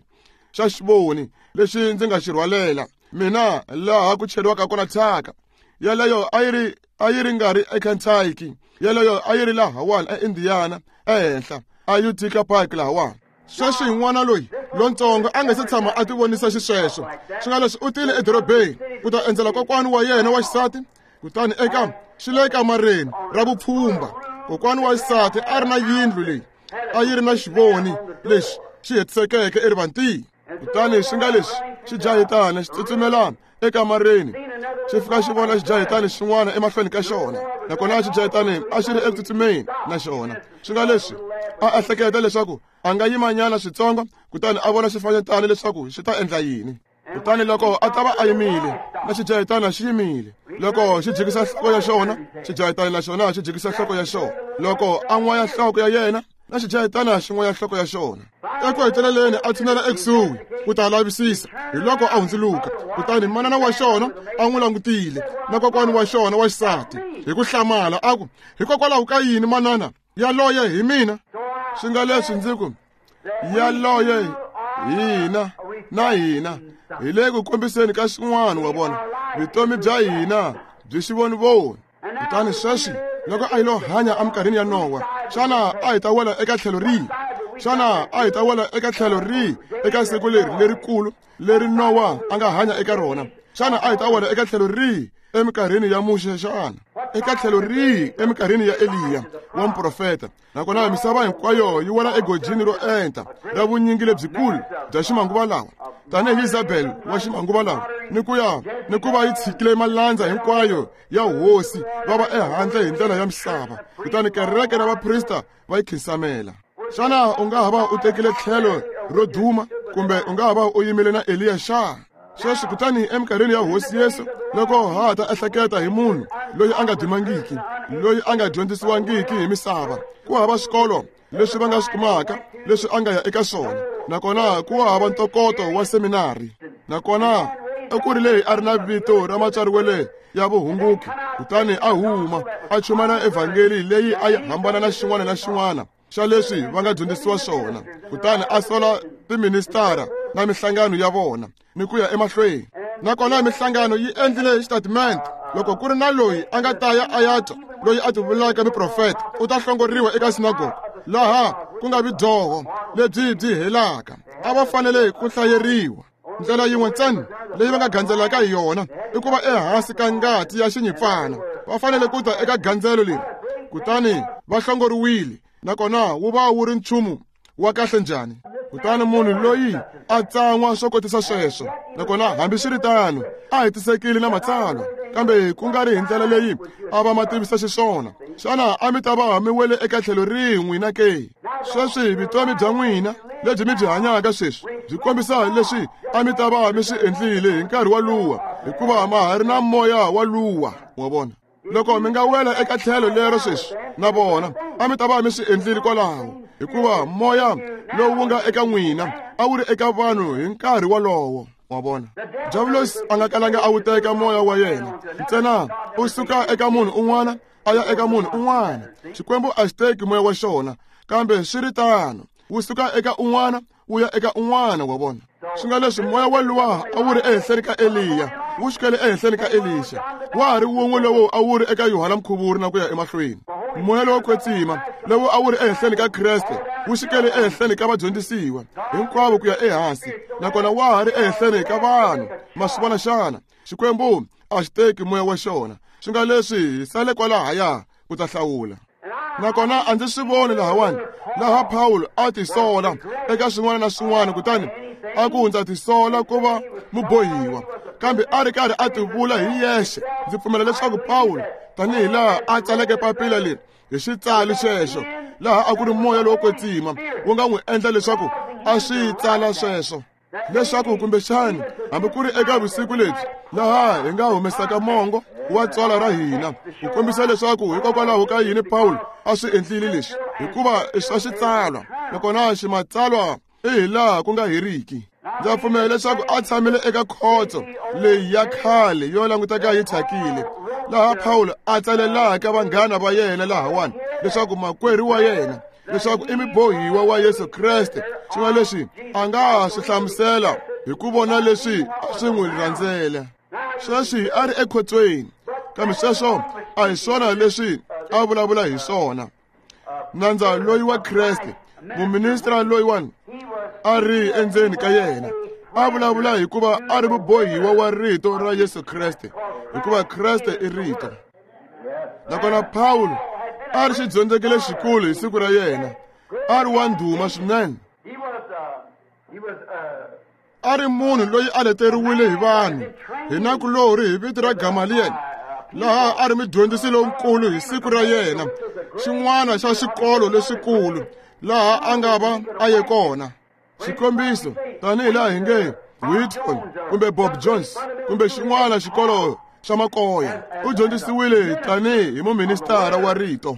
xa xivoni lexi ndzi nga xi rhwalela mina laha ku cheriwaka kona thyaka. Yaleyo a yi ri a yi ri nga ri eKentucky, yaleyo a yi ri lahawani eIndiana ehenhla a Utica Park lahawani. Sweswi n'wana loyi lontsongo a nga se tshama a tivonisa xisweswo. Swi nga leswi u tile edorobeni ku ta endzela kokwani wa yena wa xisati, kutani eka xi le kamareni ra vupfhumba kokwani wa xisati a ri na yindlu leyi a yi ri na xivoni lexi xi hetisekeke erivantini. Kutani swi nga leswi xi jahitana xi tsutsumelana ekamareni xi fika xi vona xijahitani xin'wana emahlweni ka xona, nakona xijahitani a xi ri eku tsutsumeni na xona. Swi nga leswi a ehleketa leswaku a nga yimanyana switsongo, kutani a vona xifanyetana leswaku xi ta endla yini. Kutani loko a ta va a yimile na xijahitana xi yimile, loko xi jikisa nhloko ya xona, xijahitana na xona xi jikisa nhloko ya xona, loko a n'waya nhloko ya yena na xijahitana xi n'waya nhloko ya xona. Eku heteleleni a tshinela ekusuhi ku ta lavisisa, hi loko a hundzuluka, kutani manana wa xona a n'wi langutile na kokwani wa xona wa xisati hi ku hlamala a ku, hikokwalaho ka yini manana yaloye hi mina? Swi nga leswi ndzi ku yaloye hina na hina hi le ku kombiseni ka xin'wana, wa vona, vutomi bya hina byi xivonivoni. Kutani sweswi loko a hi lo hanya eminkarhini ya Nowa, xana a hi ta wela eka tlhelo rihi? Xana a hi ta wela eka tlhelo rihi eka siku leri lerikulu leri Nowa a nga hanya eka rona? Xana a hi ta wela eka tlhelo rihi eminkarhini ya Muxe xana? Eka tlhelo rihi eminkarhini ya Eliya wa muprofeta? Nakona misava hinkwayo yi wela egojini ro enta ra vunyingi lebyikulu bya ximanguva lawa, tanihi Isabel wa ximanguva lawa, ni ku ya ni ku va yi tshikile malandza hinkwayo ya hosi va va ehandle hi ndlela ya misava, kutani kereke ra vaprista va yi khinsamela. Xana u nga ha va u tekile tlhelo ro duma, kumbe u nga ha va u yimile na Eliya xana? Sweswi kutani eminkarhini ya Hosi Yesu, loko ha ta ehleketa hi munhu loyi a nga dumangiki, loyi a nga dyondzisiwangiki hi misava, ku hava swikolo leswi va nga swi kumaka leswi a nga ya eka swona, nakona ku hava ntokoto wa seminari, nakona i ku ri leyi a ri na vito ra matswariwele ya vuhunguki, kutani a huma a chumana evhangeli leyi a yi hambana na xin'wana na xin'wana xa leswi va nga dyondzisiwa swona, kutani a sola tiministara na mihlangano ya vona ni ku ya emahlweni. Nakona mihlangano yi endlile xitatimende, loko ku ri na loyi a nga ta ya a ya twa loyi a tivulaka muprofeta u ta hlongoriwa eka sinagoga, laha ku nga vi dyoho lebyi byi helaka. A va fanele ku hlayeriwa. Ndlela yin'we ntsena leyi va nga gandzelaka hi yona i ku va ehansi ka ngati ya xinyimpfana. Va fanele ku ta eka gandzelo leri, kutani va hlongoriwile, nakona wu va wu ri nchumu wa kahle njhani. Kutani munhu loyi a tsan'wa swo kotisa sweswo, nakona hambiswiritano a hetisekile na matsalwa, kambe ku nga ri hi ndlela leyi a va ma tivisa xiswona. Xana a mi ta va mi wele eka tlhelo rin'we na ke? Sweswi vutomi bya n'wina lebyi mi byi hanyaka sweswi byi kombisa leswi a mi ta va mi swi endlile hi nkarhi wa luwa, hikuva ma ha ri na moya wa luwa. Wa vona, loko mi nga wela eka tlhelo lero sweswi na vona a mi ta va mi swi endlile kwalaho, hikuva moya lowu wu nga eka n'wina a wu ri eka vanhu hi nkarhi wolowo. Wa vona, Diabolos a nga kalanga a wu teka moya wa yena ntsena, u suka eka munhu un'wana a ya eka munhu un'wana. Xikwembu a xi teki moya wa xona, kambe swi ri tano wu suka eka un'wana wu ya eka un'wana. Wa vona, swi nga leswi moya wa luwa a wu ri ehenhleni ka Eliya wu xikele ehenhleni ka Elisha, wa ha ri wun'we lowu a wu ri eka Yohana Mukhuvuri na ku ya emahlweni. Moya lowo kwetsima lowu a wu ri ehenhleni ka Kreste wu xikele ehenhleni ka vadyondzisiwa hinkwavo ku ya ehansi, nakona wa ha ri ehenhleni ka vanhu. Ma swi vona xana? Xikwembu a xi teki moya wa xona. Swi nga leswi hi sale kwalahaya ku ta hlawula. Nakona a ndzi swi voni lahawani laha Pawulo a tisola eka swin'wana na swin'wana, kutani a ku ndza tisola ku va mubohiwa, kambe a ri karhi a tivula hi yexe. Ndzi pfumela leswaku Pawulo, tanihi laha a tsaleke papila leri hi xitsalo xexo, laha a ku ri moya lowo kwetsima wu nga n'wi endla leswaku a swi tsala sweswo, leswaku kumbexani hambi ku ri eka vusiku lebyi laha hi nga humesaka mongo wa tswala ra hina ku kombisa leswaku hikokwalaho ka yini Pawulo a swi endlile leswi, hikuva i swa xitsalwa, nakona ximatsalwa i hi laha ku nga heriki. Ndza pfumela leswaku a tshamile eka khotso leyi ya khale yo languteka yi thyakile, laha Pawulo a tsalelaka vanghana va yena lahawani leswaku makwerhu wa yena leswaku i mubohiwa wa Yesu Kreste. Swi nga leswi a nga ha swi hlamusela hi ku vona leswi a swi n'wi rhandzela. Sweswi a ri ekhotsweni, kambe sweswo a hi swona leswi a vulavula hi swona. Nandza loyi wa Kreste, muministra loyiwani a ri endzeni ka yena, a vulavula hikuva a ri mubohiwa wa rito ra Yesu Kreste, hikuva Kreste i rito. Nakona Pawulo a ri xidyondzeki lexikulu hi siku ra yena, a ri wa ndhuma swinene. A ri munhu loyi a leteriwile hi vanhu hi nakulorhi hi vito ra Gamaliel, laha a ri mudyondzisi lonkulu hi siku ra yena, xin'wana xa xikolo lexikulu laha a nga va a ye kona. Xikombiso, tanihi laha hi nge Whitton kumbe Bob Jones kumbe xin'wana xikolo xa makoya, u dyondzisiwile tanihi hi muministara wa rito,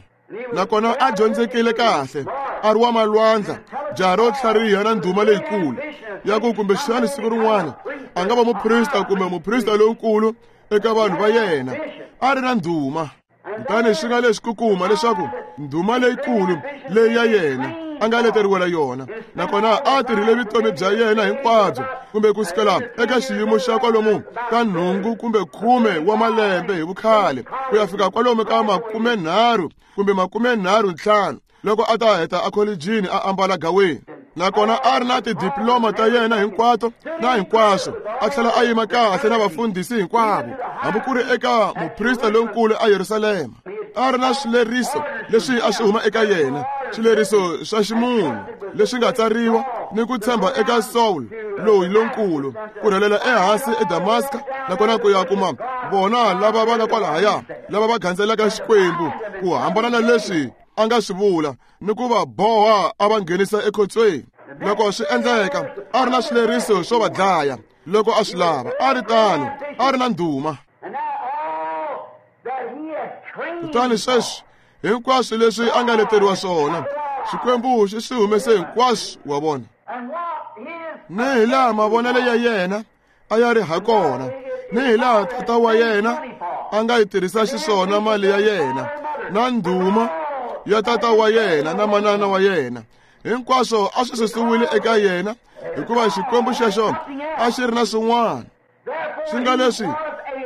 nakona a dyondzekile kahle, a ri wa malwandla, jaha ro tlhariha na ndhuma leyikulu ya ku kumbexani siku rin'wana a nga va muprista kumbe muprista lonkulu eka vanhu va yena. A ri na ndhuma. Kutani swi nga leswi ku kuma leswaku ndhuma leyikulu leyi ya yena a nga leteriwela yona, nakona a tirhile vutomi bya yena hinkwabyo, kumbe kusukela eka xiyimo xa kwalomu ka nhungu kumbe khume wa malembe hi vukhale ku ya fika kwalomu ka makumenharhu kumbe makumenharhu ntlhanu loko a ta heta ekholejini a ambala gaweni. Nakona a ri na tidiploma ta yena hinkwato na hinkwaswo, a tlhela a yima kahle na vafundhisi hinkwavo, hambi ku ri eka muprista lonkulu eYerusalema. A ri na swileriso leswi a swi huma eka yena, swileriso swa ximunhu leswi nga tsariwa, ni ku tshemba eka Saul loyi lonkulu ku rhelela ehansi eDamaska, nakona ku ya kuma vona lava va nga kwalahaya lava va gandzelaka Xikwembu ku hambana na leswi a nga swi vula, ni ku va boha a va nghenisa ekhotsweni. Loko swi endleka, a ri na swileriso swo va dlaya loko a swi lava. A ri tano, a ri na ndhuma. Kutani sweswi hinkwaswo leswi a nga leteriwa swona, Xikwembu xi swi humese hinkwaswo. Wa vona, ni hi laha mavonelo ya yena a ya ri ha kona, ni hi laha tata wa yena a nga yi tirhisa xiswona mali ya yena na ndhuma ya tata wa yena na manana wa yena, hinkwaswo a swi susiwile eka yena, hikuva Xikwembu xexo a xi ri na swin'wana. Swi nga leswi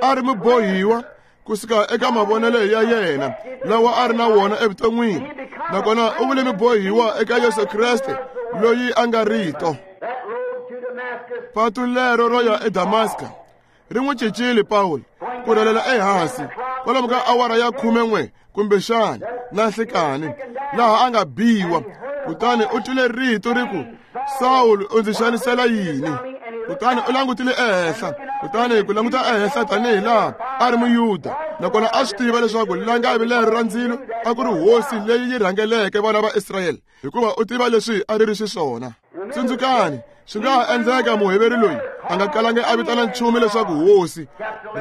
a ri mubohiwa kusuka eka mavonelo ya yena lawa a ri na wona evuton'wini, nakona u vule mubohiwa eka Yesu Kreste loyi a nga rito. Patu lero ro ya eDamaska Ri n'wi cincile Pawulo ku rhelela ehansi kwalomu ka awara ya khumen'we kumbexana na nhlikani laha a nga biwa. Kutani u twile rito ri ku, Sawulo, u ndzi xanisela yini? Kutani u langutile ehenhla, kutani ku languta ehenhla tanihi laha a ri Muyuda, nakona a swi tiva leswaku langavi lero ra ndzilo a ku ri hosi leyi yi rhangeleke vana va Israyele, hikuva u tiva leswi a ri ri xiswona. Tsundzukani, swi nga ha endleka muheveri loyi a nga kalangi a vitana nchumu leswaku hosi,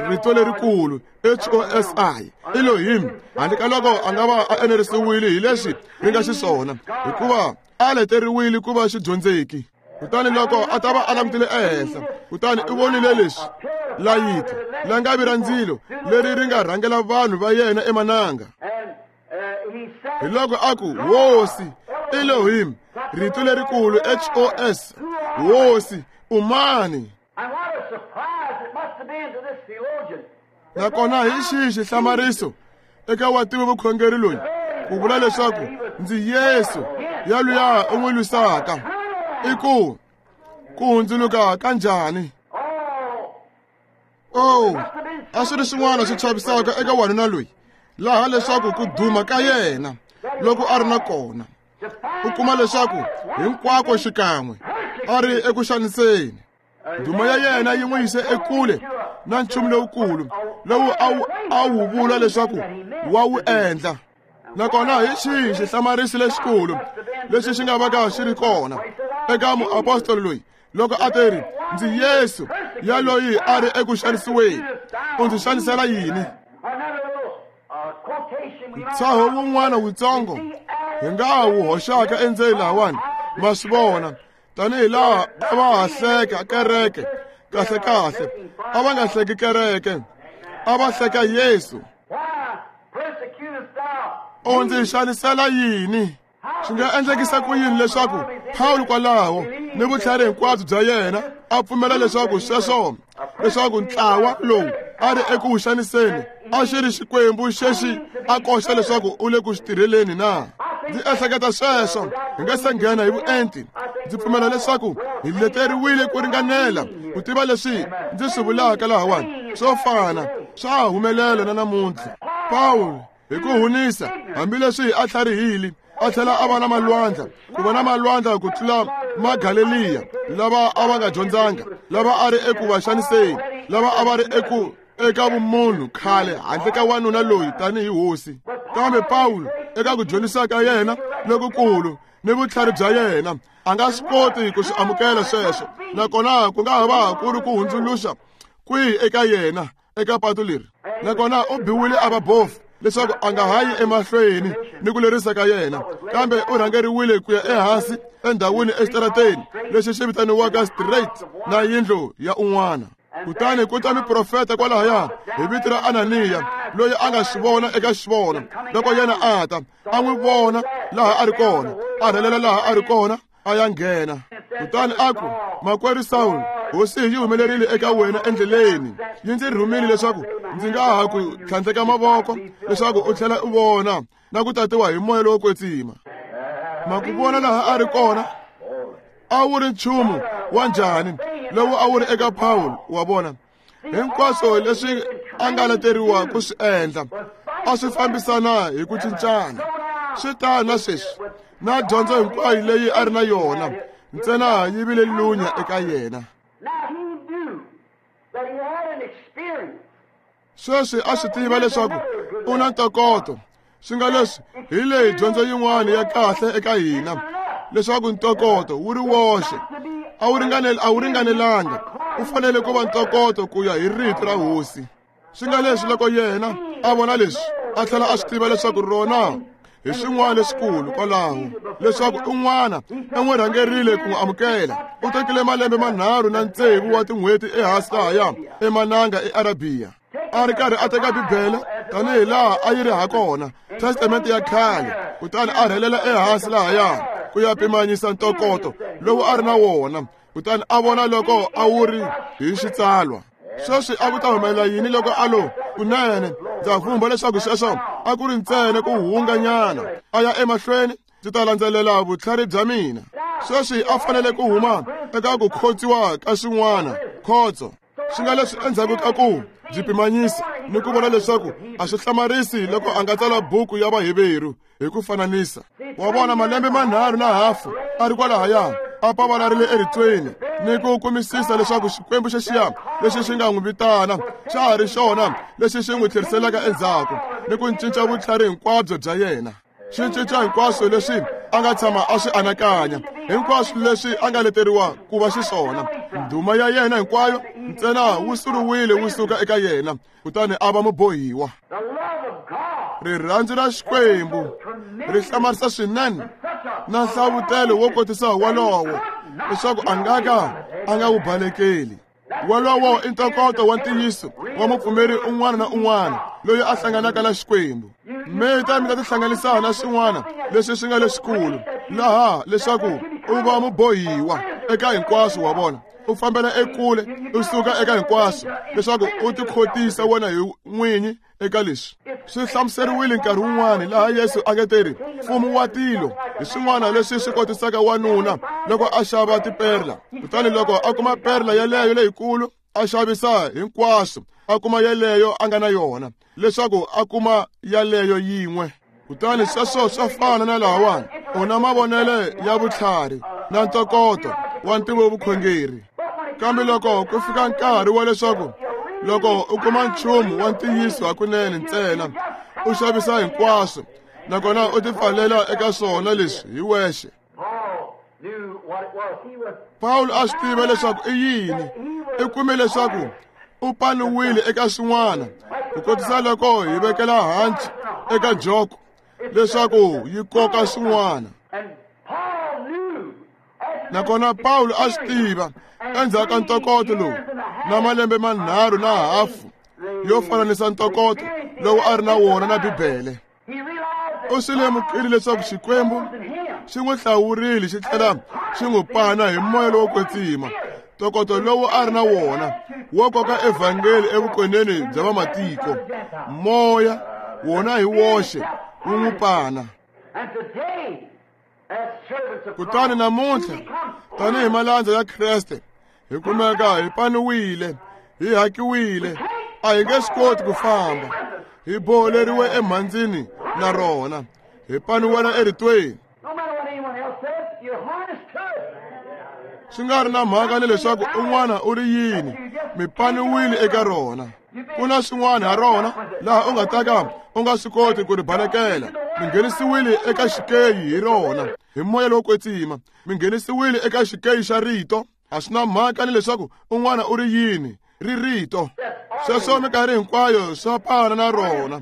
rito lerikulu H O S I, Elohim, handle ka loko a nga va a enerisiwile hi leswi ri nga xiswona, hikuva a leteriwile ku va xidyondzeki. Kutani loko a ta va a langutile ehenhla, kutani u vonile leswi layiti langavi ra ndzilo leri ri nga rhangela vanhu va yena emananga. Hi loko a ku, Hosi, Elohim, rito lerikulu H O S, Hosi, u mani? Nakona hi xihi xihlamariso eka wativi vukhongeri loyi ku vula leswaku ndzi Yesu ya luya u n'wi lwisaka? I ku ku hundzuluka ka njhani? Oh, a swi ri swin'wana swi chavisaka eka wanuna loyi laha leswaku ku duma ka yena loko a ri na kona, u kuma leswaku hinkwako xikan'we a ri eku xaniseni. Ndhuma ya yena yi n'wi yise ekule na nchumu lowukulu lowu a wu a wu vula leswaku wa wu endla. Nakona hi xihi xihlamariso lexikulu lexi xi nga vaka xi ri kona eka muapostoli loyi loko a teri, ndzi Yesu ya loyi a ri eku xanisiweni, u ndzi xanisela yini? Ntshaho wun'wana wutsongo hi nga wu hoxaka endzeni lahawani, ma swi vona, tanihi laha a va ha hleka kereke. Kahle kahle a va nga hleki kereke, a va hleka Yesu. U ndzi xanisela yini? Swi nga endlekisa ku yini leswaku Pawulo kwalaho ni vutlhari hinkwabyo bya yena a pfumela leswaku sweswo leswaku ntlawa lowu a ri eku wu xaniseni a xi ri Xikwembu xexi a koxa leswaku u le ku xi tirheleni na? Ndzi ehleketa sweswo hi nga se nghena hi vuenti. Ndzi pfumela leswaku hi leteriwile ku ringanela ku tiva leswi ndzi swi vulaka lahawani swo fana swa ha humelela na namuntlha. Pawulo hi ku hunisa, hambileswi a tlharihile, a tlhela a va na malwandla, ku va na malwandla ku tlula Magaleliya lava a va nga dyondzanga, lava a ri eku va xaniseni, lava a va ri eku eka vumunhu khale handle ka wanuna loyi tanihi hosi. Kambe Pawulo eka ku dyondzisa ka yena lokukulu ni vutlhari bya yena a nga swi koti ku swi amukela sweswo, nakona ku nga ha va ku ri ku hundzuluxa kwihi eka yena eka patu leri. Nakona u biwile a va bofu leswaku a nga ha yi emahlweni ni ku lerisa ka yena, kambe u rhangeriwile ku ya ehansi endhawini exitarateni lexi xi vitaniwaka Straight na yindlu ya un'wana. Kutani ku ta muprofeta kwalahaya hi vito ra Ananiya loyi a nga swi vona eka xivono loko yena a ta a n'wi vona laha a ri kona, a rhelela laha a ri kona a ya nghena. Kutani a ku, makwerhu Sawulo, hosi yi humelerile eka wena endleleni, yi ndzi rhumile leswaku ndzi nga ha ku tlhandleka mavoko leswaku u tlhela u vona na ku tatiwa hi moya lowo kwetsima. Ma ku vona laha a ri kona a wu ri nchumu wa njhani lowu a wu ri eka Pawulo? Wa vona hinkwaswo leswi a nga leteriwa ku swi endla a swi fambisana hi ku cincana. Swi tano na sweswi na dyondzo hinkwayo leyi a ri na yona ntsena yi vile lunya eka yena. Sweswi a swi tiva leswaku u na ntokoto, swi nga leswi hi leyi dyondzo yin'wana ya kahle eka hina leswaku ntokoto wu ri woxe a wu ringaneli a wu ringanelanga, u fanele ku va ntokoto ku ya hi rito ra hosi. Swi nga leswi loko yena a vona leswi a tlhela a swi tiva leswaku rona hi swin'wana leswikulu kwalaho, leswaku un'wana u n'wi rhangerile ku n'wi amukela. U tekile malembe manharhu na tsevu wa tin'hweti ehansi lahaya emananga eArabiya, a ri karhi a teka Bibele tanihi laha a yi ri ha kona, Testamente ya khale, kutani a rhelela ehansi lahaya ku ya pimanyisa ntokoto lowu a ri na wona, kutani a vona loko a wu ri hi xitsalwa. Sweswi a ku ta humelela yini loko a lo kunene? Ndza vumba leswaku sweswo a ku ri ntsena ku hunganyana a ya emahlweni, ndzi ta landzelela vutlhari bya mina. Sweswi a fanele ku huma eka ku khotsiwa ka swin'wana khotso. Swi nga leswi endzhaku ka ku byi pimanyisa ni ku vona leswaku a swi hlamarisi loko a nga tsala buku ya Vaheveru hi ku fananisa. Wa vona malembe manharhu na hafu a ri kwalahaya a pavalarile eritweni ni ku kumisisa leswaku Xikwembu xexiya lexi xi nga n'wi vitana xa ha ri xona lexi xi n'wi tlheriselaka endzhaku ni ku cinca vutlhari hinkwabyo bya yena. Xi cinca hinkwaswo leswi a nga tshama a swi anakanya, hinkwaswo leswi a nga leteriwa ku va xiswona. Ndhuma ya yena hinkwayo ntsena wu suriwile wu suka eka yena, kutani a va mubohiwa. Rirhandzu ra Xikwembu ri hlamarisa swinene na nhlavutelo wo kotisa wolowo leswaku a nga ka a nga wu balekeli. Wolowo i ntokoto wa ntiyiso wa mupfumeri un'wana na un'wana loyi a hlanganaka na Xikwembu. Mi ta mi ta tihlanganisa na swin'wana leswi swi nga leswikulu laha leswaku u va mubohiwa eka hinkwaswo wa vona. U fambela ekule u suka eka hinkwaswo leswaku u tikhotisa wena hi n'winyi eka leswi. Swi hlamuseriwile nkarhi wun'wana laha Yesu a nge teri mfumo wa tilo hi swin'wana leswi swi kotisaka wanuna loko a xava tiperla, kutani loko a kuma perla yeleyo leyikulu a xavisa hinkwaswo a kuma yeleyo a nga na yona leswaku a kuma yaleyo yin'we. Kutani sweswo swa fana na lahawani u na mavonelo ya vutlhari na ntokoto wa ntivo vukhongeri, kambe loko ku fika nkarhi wa leswaku loko u kuma nchumu wa ntiyiso hakunene ntsena u xavisa hinkwaswo nakona u tipfalela eka swona leswi hi wexe. Pawulo a swi tiva leswaku i yini. I kume leswaku u paniwile eka swin'wana ku kotisa loko hi vekela hanci eka joko leswaku yi koka swin'wana. Nakona Pawulo a swi tiva endzhaku ka ntokoto lowu na malembe manharhu na hafu yo fananisa ntokoto lowu a ri na wona na Bibele. U swi lemukile leswaku Xikwembu xi n'wi hlawurile xi tlhela xi n'wi pana hi moya lowo kwetsima. Ntokoto lowu a ri na wona wo koka evhangeli evukoneni bya vamatiko, moya wona hi woxe wu n'wi pana. Kutani namuntlha tanihi malandza ya Kreste hi kumeka hi paniwile, hi hakiwile, a hi nge swi koti ku famba, hi boholeriwe emhandzini na rona, hi paniwela eritweni. Swi nga ri na mhaka ni leswaku un'wana u ri yini, mi paniwile eka rona. Ku na swin'wana ha rona laha u nga ta ka u nga swi koti ku ri balekela. Mi nghenisiwile eka xikeyi hi rona hi moya lowo kwetsima. Mi nghenisiwile eka xikeyi xa rito. A swi na mhaka ni leswaku un'wana u ri yini, ri rito. Sweswo minkarhi hinkwayo swa pana na rona,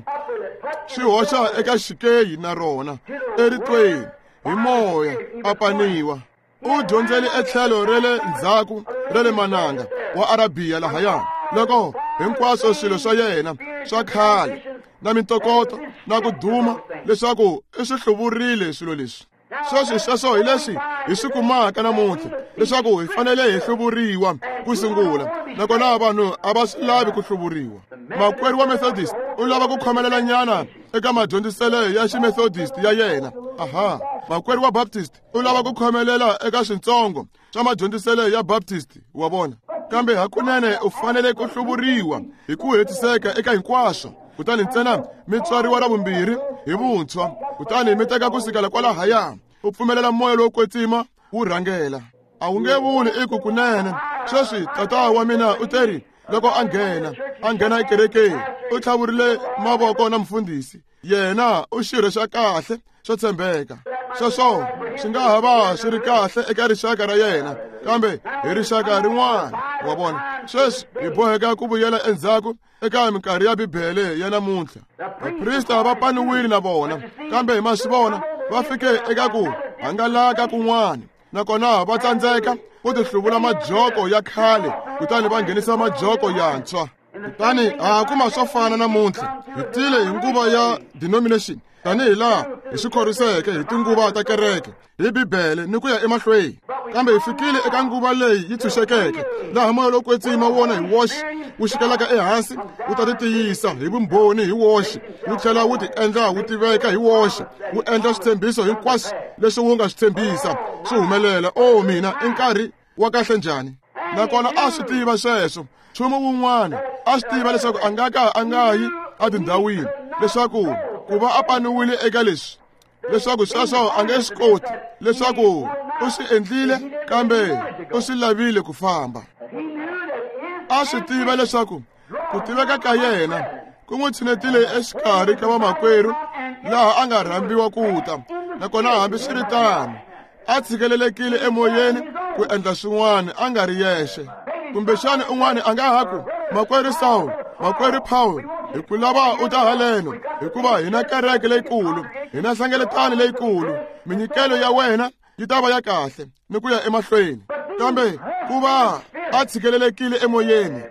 swi hoxa eka xikeyi na rona eritweni hi moya a paniwa. U dyondzele etlhelo ra le ndzhaku ra le mananga wa Arabiya lahaya loko hinkwaswo swilo swa yena swa khale na mintokoto na ku duma leswaku i swi hluvurile swilo leswi. Sweswi sweswo hi leswi hi swi kumaka namuntlha leswaku hi fanele hi hluvuriwa ku sungula, nakona vanhu a va swi lavi ku hluvuriwa. Makwerhu wa Methodist u lava ku khomelela nyana eka madyondziselo ya ximethodist ya yena. Aha, makwerhu wa Baptist u lava ku khomelela eka swintsongo swa madyondziselo ya Baptist wa vona, kambe hakunene u fanele ku hluvuriwa hi ku hetiseka eka hinkwaswo. Kutani ntsena mi tswariwa ra vumbirhi hi vuntshwa, kutani mi teka ku sukela kwalahaya u pfumelela moya lowo kwetsima wu rhangela. A wu nge vuli i ku kunene sweswi tata wa mina u teri loko a nghena a nghena ekerekeni u tlhavurile mavoko na mfundhisi, yena u xirho xa kahle xo tshembeka. Sweswo swi nga ha va swi ri kahle eka rixaka ra yena, kambe hi rixaka rin'wana wa vona. Sweswi hi boheka ku vuyela endzhaku eka minkarhi ya Bibele ya namuntlha. Vaprista va paniwile na vona, kambe hi ma swi vona va fike eka ku hangalaka kun'wana, nakona va tsandzeka ku tihluvula majoko ya khale kutani va nghenisa majoko yantshwa. Kutani ha kuma swo fana namuntlha. Hi tile hi nguva ya denomination tanihi laha hi swi khoriseke hi tinguva ta kereke hi Bibele ni ku ya emahlweni, kambe hi fikile eka nguva leyi yi tshunxekeke laha moya lowo kwetsima wona hi woxe wu xikelaka ehansi wu ta ti tiyisa hi vumbhoni hi woxe, wu tlhela wu ti endla wu tiveka hi woxe, wu endla switshembiso hinkwaswo leswi wu nga swi tshembisa swi humelela. O mina i nkarhi wa kahle njhani! Nakona a swi tiva sweswo. Nchumu wun'wana a swi tiva leswaku a nga ka a nga yi etindhawini, leswaku ku va a paniwile eka leswi, leswaku sweswo a nge swi koti, leswaku u swi endlile kambe u swi lavile ku famba. A swi tiva leswaku ku tiveka ka yena ku n'wi tshinetile exikarhi ka vamakwerhu laha a nga rhambiwa ku ta, nakona hambiswiritano a tshikelelekile emoyeni ku endla swin'wana a nga ri yexe. Kumbexana un'wana a nga ha ku, makwerhu Saul, makwerhu Paul, hi ku lava u ta haleno, hikuva hi na kereke leyikulu, hi na hlengeletano leyikulu, minyikelo ya wena yi ta va ya kahle ni ku ya emahlweni. Kambe ku va a tshikelelekile emoyeni,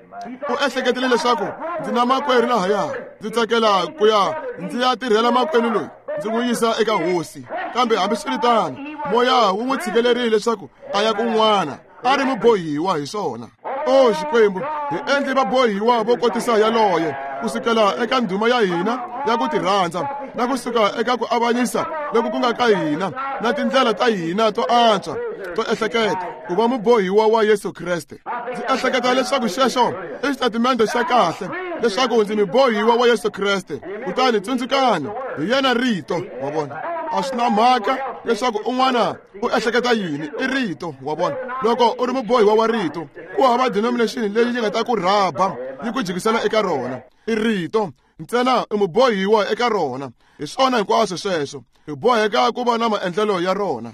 u ehleketile leswaku ndzi na makwerhu lahaya, ndzi tsakela ku ya ndzi ya tirhela makwenu loyi, ndzi n'wi yisa eka hosi. Kambe hambiswiritano moya wu n'wi tshikelerile leswaku a ya kun'wana, a ri mubohiwa hi swona. O Xikwembu, hi endle vabohiwa vo kotisa yaloye kusukela eka ndhuma ya hina ya ku tirhandza, na kusuka eka ku avanyisa loku ku nga ka hina na tindlela ta hina to antswa to ehleketa ku va mubohiwa wa Yesu Kreste. Ndzi ehleketa leswaku xexo i xitatimende xa kahle, leswaku ndzi mubohiwa wa Yesu Kreste. Kutani tsundzukani, hi yena rito, wa vona. A swi na mhaka leswaku un'wana u ehleketa yini, i rito, wa vona. Loko u ri mubohiwa wa rito, ku hava denomination leyi yi nga ta ku rhaba yi ku jikisela eka rona. I rito ntsena, i mubohiwa eka rona. Hi swona hinkwaswo sweswo, hi boheka ku va na maendlelo ya rona.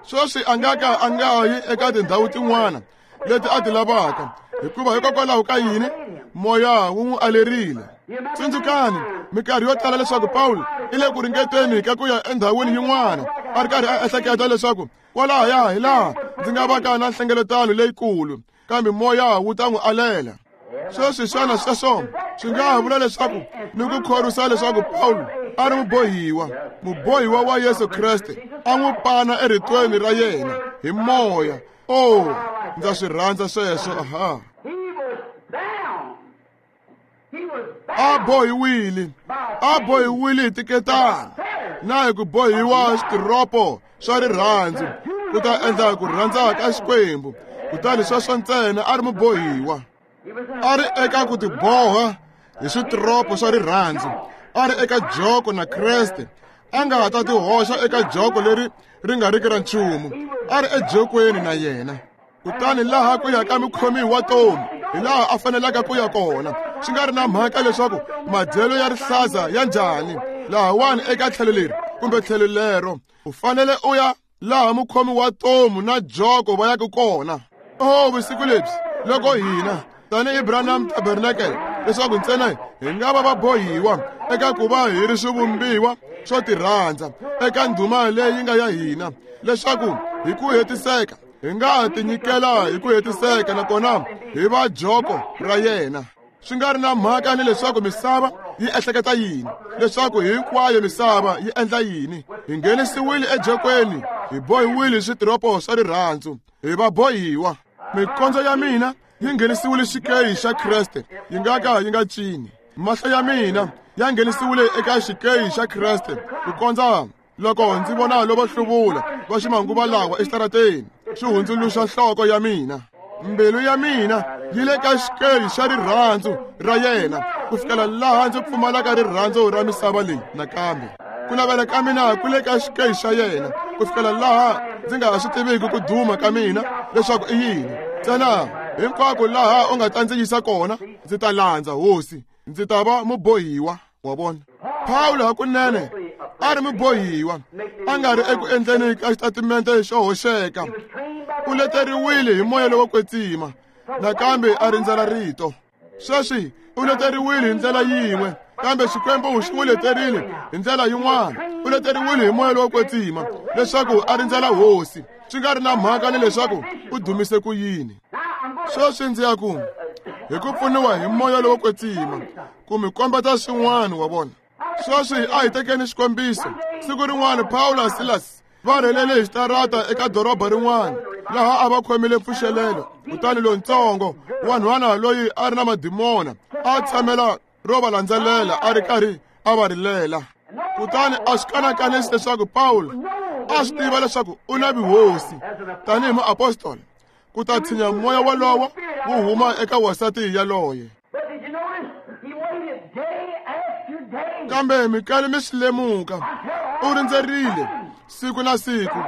Sweswi a nga ka a nga yi eka tindhawu tin'wana leti a ti lavaka, hikuva hikokwalaho ka yini? Moya wu n'wi alerile. Tsundzukani minkarhi yo tala leswaku Pawulo i le ku ringeteni ka ku ya endhawini yin'wana, a ri karhi a ehleketa leswaku kwalahaya hi laha ndzi nga va ka na nhlengeletano leyikulu, kambe moya wu ta n'wi alela. Sweswi xana sweswo swi nga ha vula leswaku ni ku khorwisa leswaku Pawulo a ri mubohiwa, mubohiwa wa Yesu Kreste, a n'wi pana eritweni ra yena hi moya. Oh, ndza swi rhandza sweswo. Aha, a bohiwile, a bohiwile hi tiketana na hi ku bohiwa switiropo swa rirhandzu ku ta endla ku rhandza ka Xikwembu. Kutani sweswo ntsena a ri mubohiwa, a ri eka ku tiboha hi switiropo swa rirhandzu, a ri eka joko na Kreste. A nga ha ta tihoxa eka joko leri ri nga riki ra nchumu, a ri ejokweni na yena. Kutani laha ku ya ka mukhomi wa tomu hi laha a fanelaka ku ya kona, swi nga ri na mhaka leswaku madyelo ya rihlaza ya njhani, lahawani eka tlhelo leri kumbe tlhelo lero, u fanele u ya laha mukhomi wa tomu na joko va yaka kona. Oh, vusiku lebyi loko hina tanihi Branham Tabernacle, leswaku ntsena hi nga va vabohiwa eka ku va hi ri swivumbiwa swo tirhandza eka ndhuma leyi nga ya hina, leswaku hi ku hetiseka hi nga tinyikela hi ku hetiseka nakona hi va joko ra yena. Swi nga ri na mhaka ni leswaku misava yi ehleketa yini, leswaku hinkwayo misava yi endla yini, hi nghenisiwile ejokweni, hi bohiwile hi switiropo swa rirhandzu, hi vabohiwa. Mikondzo ya mina yi nghenisiwile xikeyi xa Kreste, yi nga ka yi nga cini. Mahlo ya mina ya nghenisiwile eka xikeyi xa Kreste, ku kondza loko ndzi vona lovo hluvula va ximanguva lawa exitarateni, swi hundzuluxa nhloko ya mina. Mbilu ya mina yi le ka xikeyi xa rirhandzu ra yena, ku fikela laha ndzi pfumalaka rirhandzu ra misava leyi nakambe. Ku navela ka mina ku le ka xikeyi xa yena, ku fikela laha ndzi nga ha swi tiviki ku duma ka mina leswaku i yini. Ntsena hinkwako laha u nga ta ndzi yisa kona, ndzi ta landza hosi, ndzi ta va mubohiwa, wa vona. Pawulo hakunene a ri mubohiwa, a nga ri eku endleni ka xitatimende xo hoxeka. U leteriwile hi moya lowo kwetsima, nakambe a rindzela rito. Sweswi u leteriwile hi ndlela yin'we, kambe Xikwembu xi n'wi leterile hi ndlela yin'wana. U leteriwile hi moya lowo kwetsima leswaku a rindzela hosi, swi nga ri na mhaka ni leswaku u dumise ku yini. Sweswi ndzi ya ku hi ku pfuniwa hi moya lowo kwetsima ku mi kombeta swin'wana, wa vona. Sweswi a hi tekeni xikombiso. Siku rin'wana Pawulo na Silas va rhelele hi xitarata eka doroba rin'wana laha a va khomile mpfuxelelo. Kutani lontsongo wanhwana loyi a ri na madimona a tshamela ro va landzelela a ri karhi a va rilela. Kutani a swi kanakanisi leswaku Pawulo a swi tiva leswaku u na vuhosi tanihi muapostola ku ta tshinya moya walowo wu huma eka wasati yaloye. Kambe mikali mi swi lemuka, u rindzerile siku na siku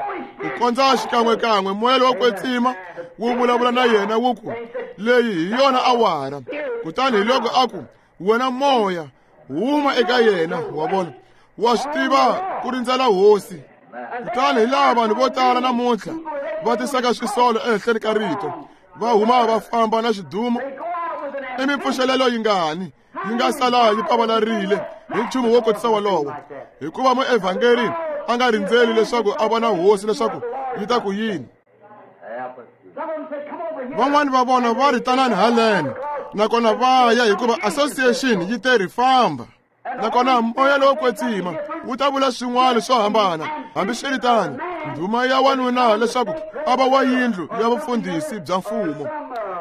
ku kondza xikan'wekan'we moya lowo kwetsima wu vulavula na yena wu ku, leyi hi yona awara. Kutani hi loko a ku, wena moya huma eka yena. Wa vona, wa swi tiva ku rindzela hosi. Kutani hi laha vanhu vo tala namuntlha va tisaka swisolo ehenhleni ka rito, va huma va famba na xidumo. I mipfuxelelo yingani yi nga sala yi pavalarile hi nchumu wo kotisa wolowo, hikuva muevhangeri a nga rindzeli leswaku a vona hosi leswaku yi ta ku yini. Van'wani va vona va ri tanani haleno, nakona va ya hikuva association yi te ri famba. Nakona moya lowo kwetsima wu ta vula swin'wana swo hambana. Hambiswiritano, ndhuma ya wanuna leswaku a va wa yindlu ya vufundhisi bya mfumo,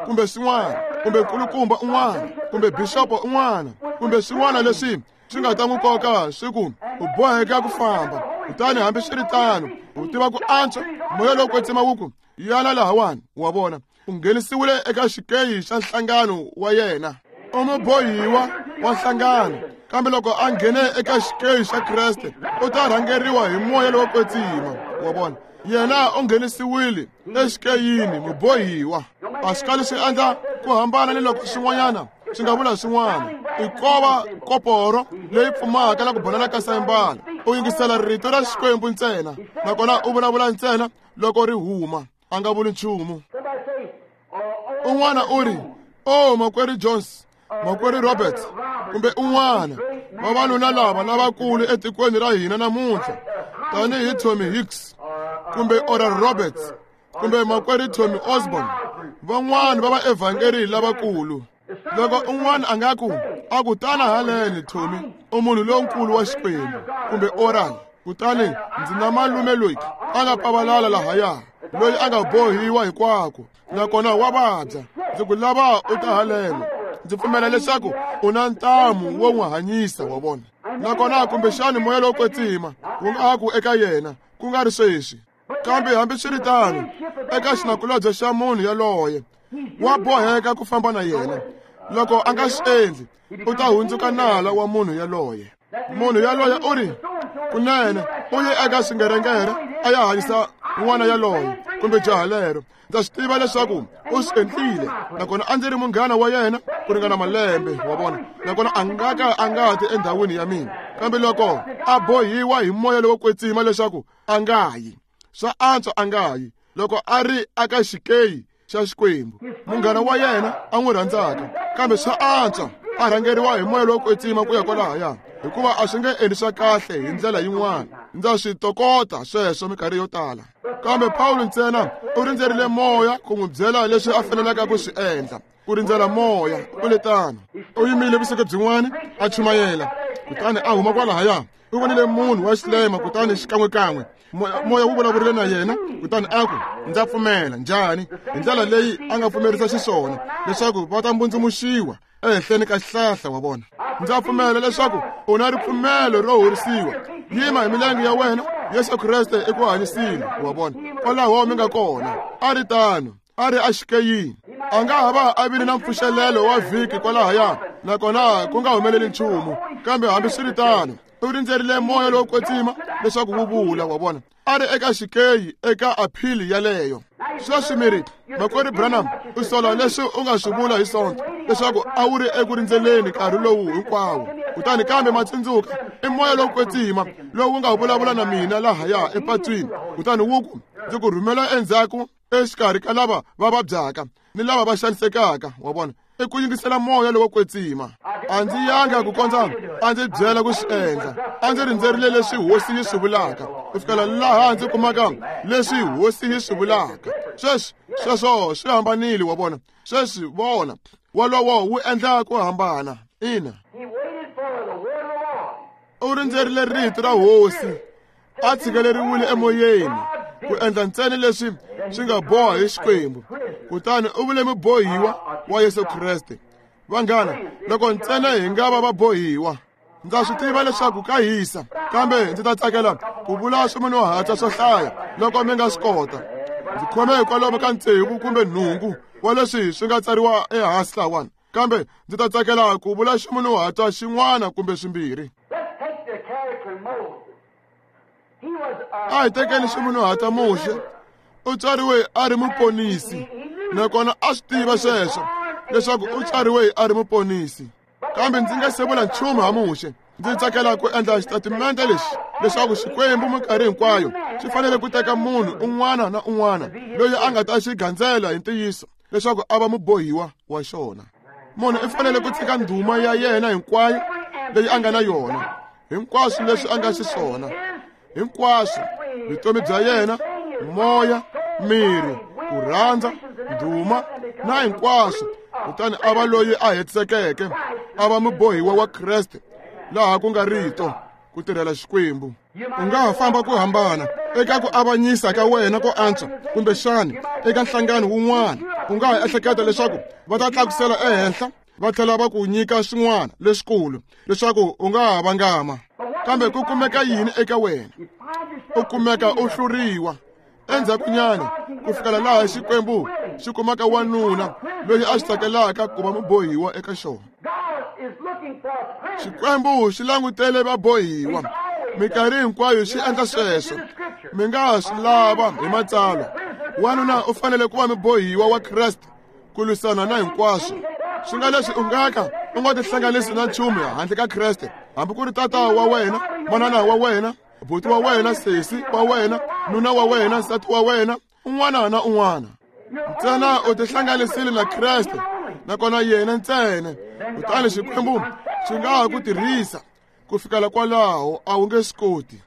kumbe swin'wana, kumbe nkulukumba un'wana, kumbe bixopo un'wana, kumbe swin'wana leswi swi nga ta n'wi koka swi ku u boheka ku famba. Kutani hambiswiritano u tiva ku antswa, moya lowo kwetsima wu ku yana lahawani. Wa vona, u nghenisiwile eka xikeyi xa nhlangano wa yena, u mubohiwa wa nhlangano. Kambe loko a nghene eka xikeyi xa Kreste, u ta rhangeriwa hi moya lowo kwetsima. Wa vona, yena u nghenisiwile exikeyini, mubohiwa. A swi kali swi endla ku hambana ni loko swin'wanyana swi nga vula swin'wana. I kova koporo leyi pfumaka na ku bonana ka sayimbala. U yingisela rito ra Xikwembu ntsena, nakona u vulavula ntsena loko ri huma, a nga vuli nchumu. Un'wana u ri, o makwerhu Jones, makwerhu Roberts, kumbe un'wana vavanuna lava lavakulu etikweni ra hina namuntlha, tanihi Tommy Hicks kumbe Oral Roberts kumbe makwerhu Tommy Osborne, van'wana va vaevhangeri lavakulu. Loko un'wana a nga ku, a ku tana haleni Tommy, u munhu lonkulu wa Xikwembu, kumbe Oral, kutani ndzi na malume loyi a nga pavalala lahaya, loyi a nga bohiwa hinkwako, nakona wa vabya, ndzi ku lava u ta haleno, ndzi pfumela leswaku u na ntamu wo n'wi hanyisa. Wa vona, nakona kumbexani moya lowo kwetsima wu nga ku eka yena, ku nga ri sweswi. Kambe hambiswiritano, eka xinakulobye xa munhu yaloye, wa boheka ku famba na yena. Loko a nga swi endli, u ta hundzuka nala wa munhu yaloye. Munhu yaloye u ri, kunene u ye eka swingerengere a ya hanyisa n'wana yaloye kumbe jaha lero. Ndza swi tiva leswaku u swi endlile, nakona a ndzi ri munghana wa yena ku ringana malembe. Wa vona, nakona a nga ka a nga ti endhawini ya mina. Kambe loko a bohiwa hi moya lowo kwetsima leswaku a nga yi, swa antswa a nga yi. Loko a ri aka xikeyi xa Xikwembu, munghana wa yena a n'wi rhandzaka, kambe swa antswa a rhangeriwa hi moya lowo kwetsima ku ya kwalahaya, hikuva a swi nge endli swa kahle hi ndlela yin'wana. Ndza swi tokota sweswo minkarhi yo tala. Kambe Pawulo ntsena u rindzerile moya ku n'wi byela leswi a fanelaka ku swi endla. Ku rindzela moya u le tano. U yimile vusiku byin'wana a chumayela, kutani a huma kwalahaya. U vonile munhu wa xilema, kutani xikan'wekan'we moya wu vulavurile na yena, kutani a ku, ndza pfumela. Njhani? Hi ndlela leyi a nga pfumerisa xiswona leswaku va ta mbundzumuxiwa ehenhleni ka xihlahla. Wa vona, ndza pfumela leswaku u na ripfumelo ro horisiwa. Yima hi milenge ya wena, Yesu Kreste i ku hanyisile. Wa vona, kwalaho mi nga kona. A ri tano, a ri axikeyini. A nga ha va a vile na mpfuxelelo wa vhiki kwalahaya, nakona ku nga humeleli nchumu. Kambe hambiswiritano, u rindzerile moya lowo kwetsima leswaku wu vula. Wa vona, a ri eka xikeyi eka aphili yaleyo. Sweswi mi ri, makwerhu Branham, u sola leswi u nga swi vula hi Sonto, leswaku a wu ri eku rindzeleni nkarhi lowu hinkwawo. Kutani kambe matsundzuka, i moya lowo kwetsima lowu nga vulavula na mina lahaya epatwini, kutani wu ku, ndzi ku rhumela endzhaku exikarhi ka lava va vabyaka ni lava va xanisekaka. Wa vona, i ku yingisela moya lowo kwetsima. A ndzi yanga ku kondza a ndzi byela ku swi endla. A ndzi rindzerile leswi hosi yi swi vulaka, ku fikela laha ndzi kumaka leswi hosi yi swi vulaka. Sweswi sweswo swi hambanile. Wa vona, sweswi vona wolowo wu endla ku hambana. Ina, u rindzerile rito ra hosi, a tshikeleriwile emoyeni ku endla ntsena leswi swi nga boha hi Xikwembu. Kutani u vule mubohiwa wa Yesu Kreste. Vanghana, loko ntsena hi nga va vabohiwa, ndza swi tiva leswaku ka hisa, kambe ndzi ta tsakela ku vula swimunhuhatwa swo hlaya loko mi nga swi kota. Ndzi khome kwalomu ka tsevu kumbe nhungu wa leswi swi nga tsariwa ehansi lahawani, kambe ndzi ta tsakela ku vula ximunhuhatwa xin'wana kumbe swimbirhi. A hi tekeni ximunhuhatwa Muxe. U tswariwe a ri muponisi, nakona a swi tiva sweswo leswaku u tswariwe a ri muponisi. Kambe ndzi nga se vula nchumu ha Muxe. Ndzi tsakela ku endla xitatimende lexi leswaku Xikwembu minkarhi hinkwayo xi fanele ku teka munhu un'wana na un'wana loyi a nga ta xi gandzela hi ntiyiso leswaku a va mubohiwa wa xona. Munhu i fanele ku tshika ndhuma ya yena hinkwayo leyi a nga na yona, hinkwaswo leswi a nga xiswona, hinkwaswo vutomi bya yena, moya, miri, ku rhandza, ndhuma na hinkwaswo, kutani a va loyi a hetisekeke, a va mubohiwa wa Kreste, laha ku nga rito ku tirhela Xikwembu. U nga ha famba ku hambana eka ku avanyisa ka wena ko antswa, kumbexani eka nhlangano wun'wana u nga ha ehleketa leswaku va ta tlakusela ehenhla va tlhela va ku nyika swin'wana leswikulu leswaku u nga ha vangama. Kambe ku kumeka yini eka wena? U kumeka u hluriwa endzhakunyana ku fikela laha Xikwembu xi kumaka wanuna loyi a xi tsakelaka ku va mubohiwa eka xona. Xikwembu xi langutele vabohiwa minkarhi hinkwayo, xi endla sweswo. Mi nga swi lava hi matsalwa. Wanuna u fanele ku va mubohiwa wa Kreste ku lwisana na hinkwaswo. Swi nga leswi u nga ka u nga tihlanganisi na nchumu handle ka Kreste, hambi ku ri tata wa wena, manana wa wena, buti wa wena, sesi wa wena, nuna wa wena, nsati wa wena, un'wana na un'wana. Ntsena u tihlanganisile na Kreste, nakona yena ntsena. Kutani Xikwembu xi nga ha ku tirhisa ku fikela kwalaho, a wu nge swi koti.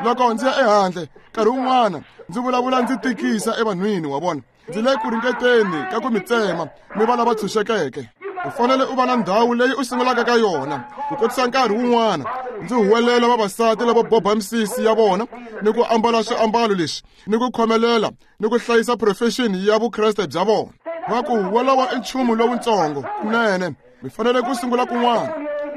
Loko ndzi ya ehandle nkarhi wun'wana ndzi vulavula ndzi tikisa evanhwini wa vona, ndzi le ku ringeteni ka ku mi tsema mi va lava tshunxekeke. U fanele u va na ndhawu leyi u sungulaka ka yona. Ku kotisa nkarhi wun'wana ndzi huwelela vavasati lava boba misisi ya vona ni ku ambala swiambalo leswi ni ku khomelela ni ku hlayisa profession ya Vukreste bya vona. Va ku wolowo i nchumu lowutsongo kunene, mi fanele ku sungula kun'wana.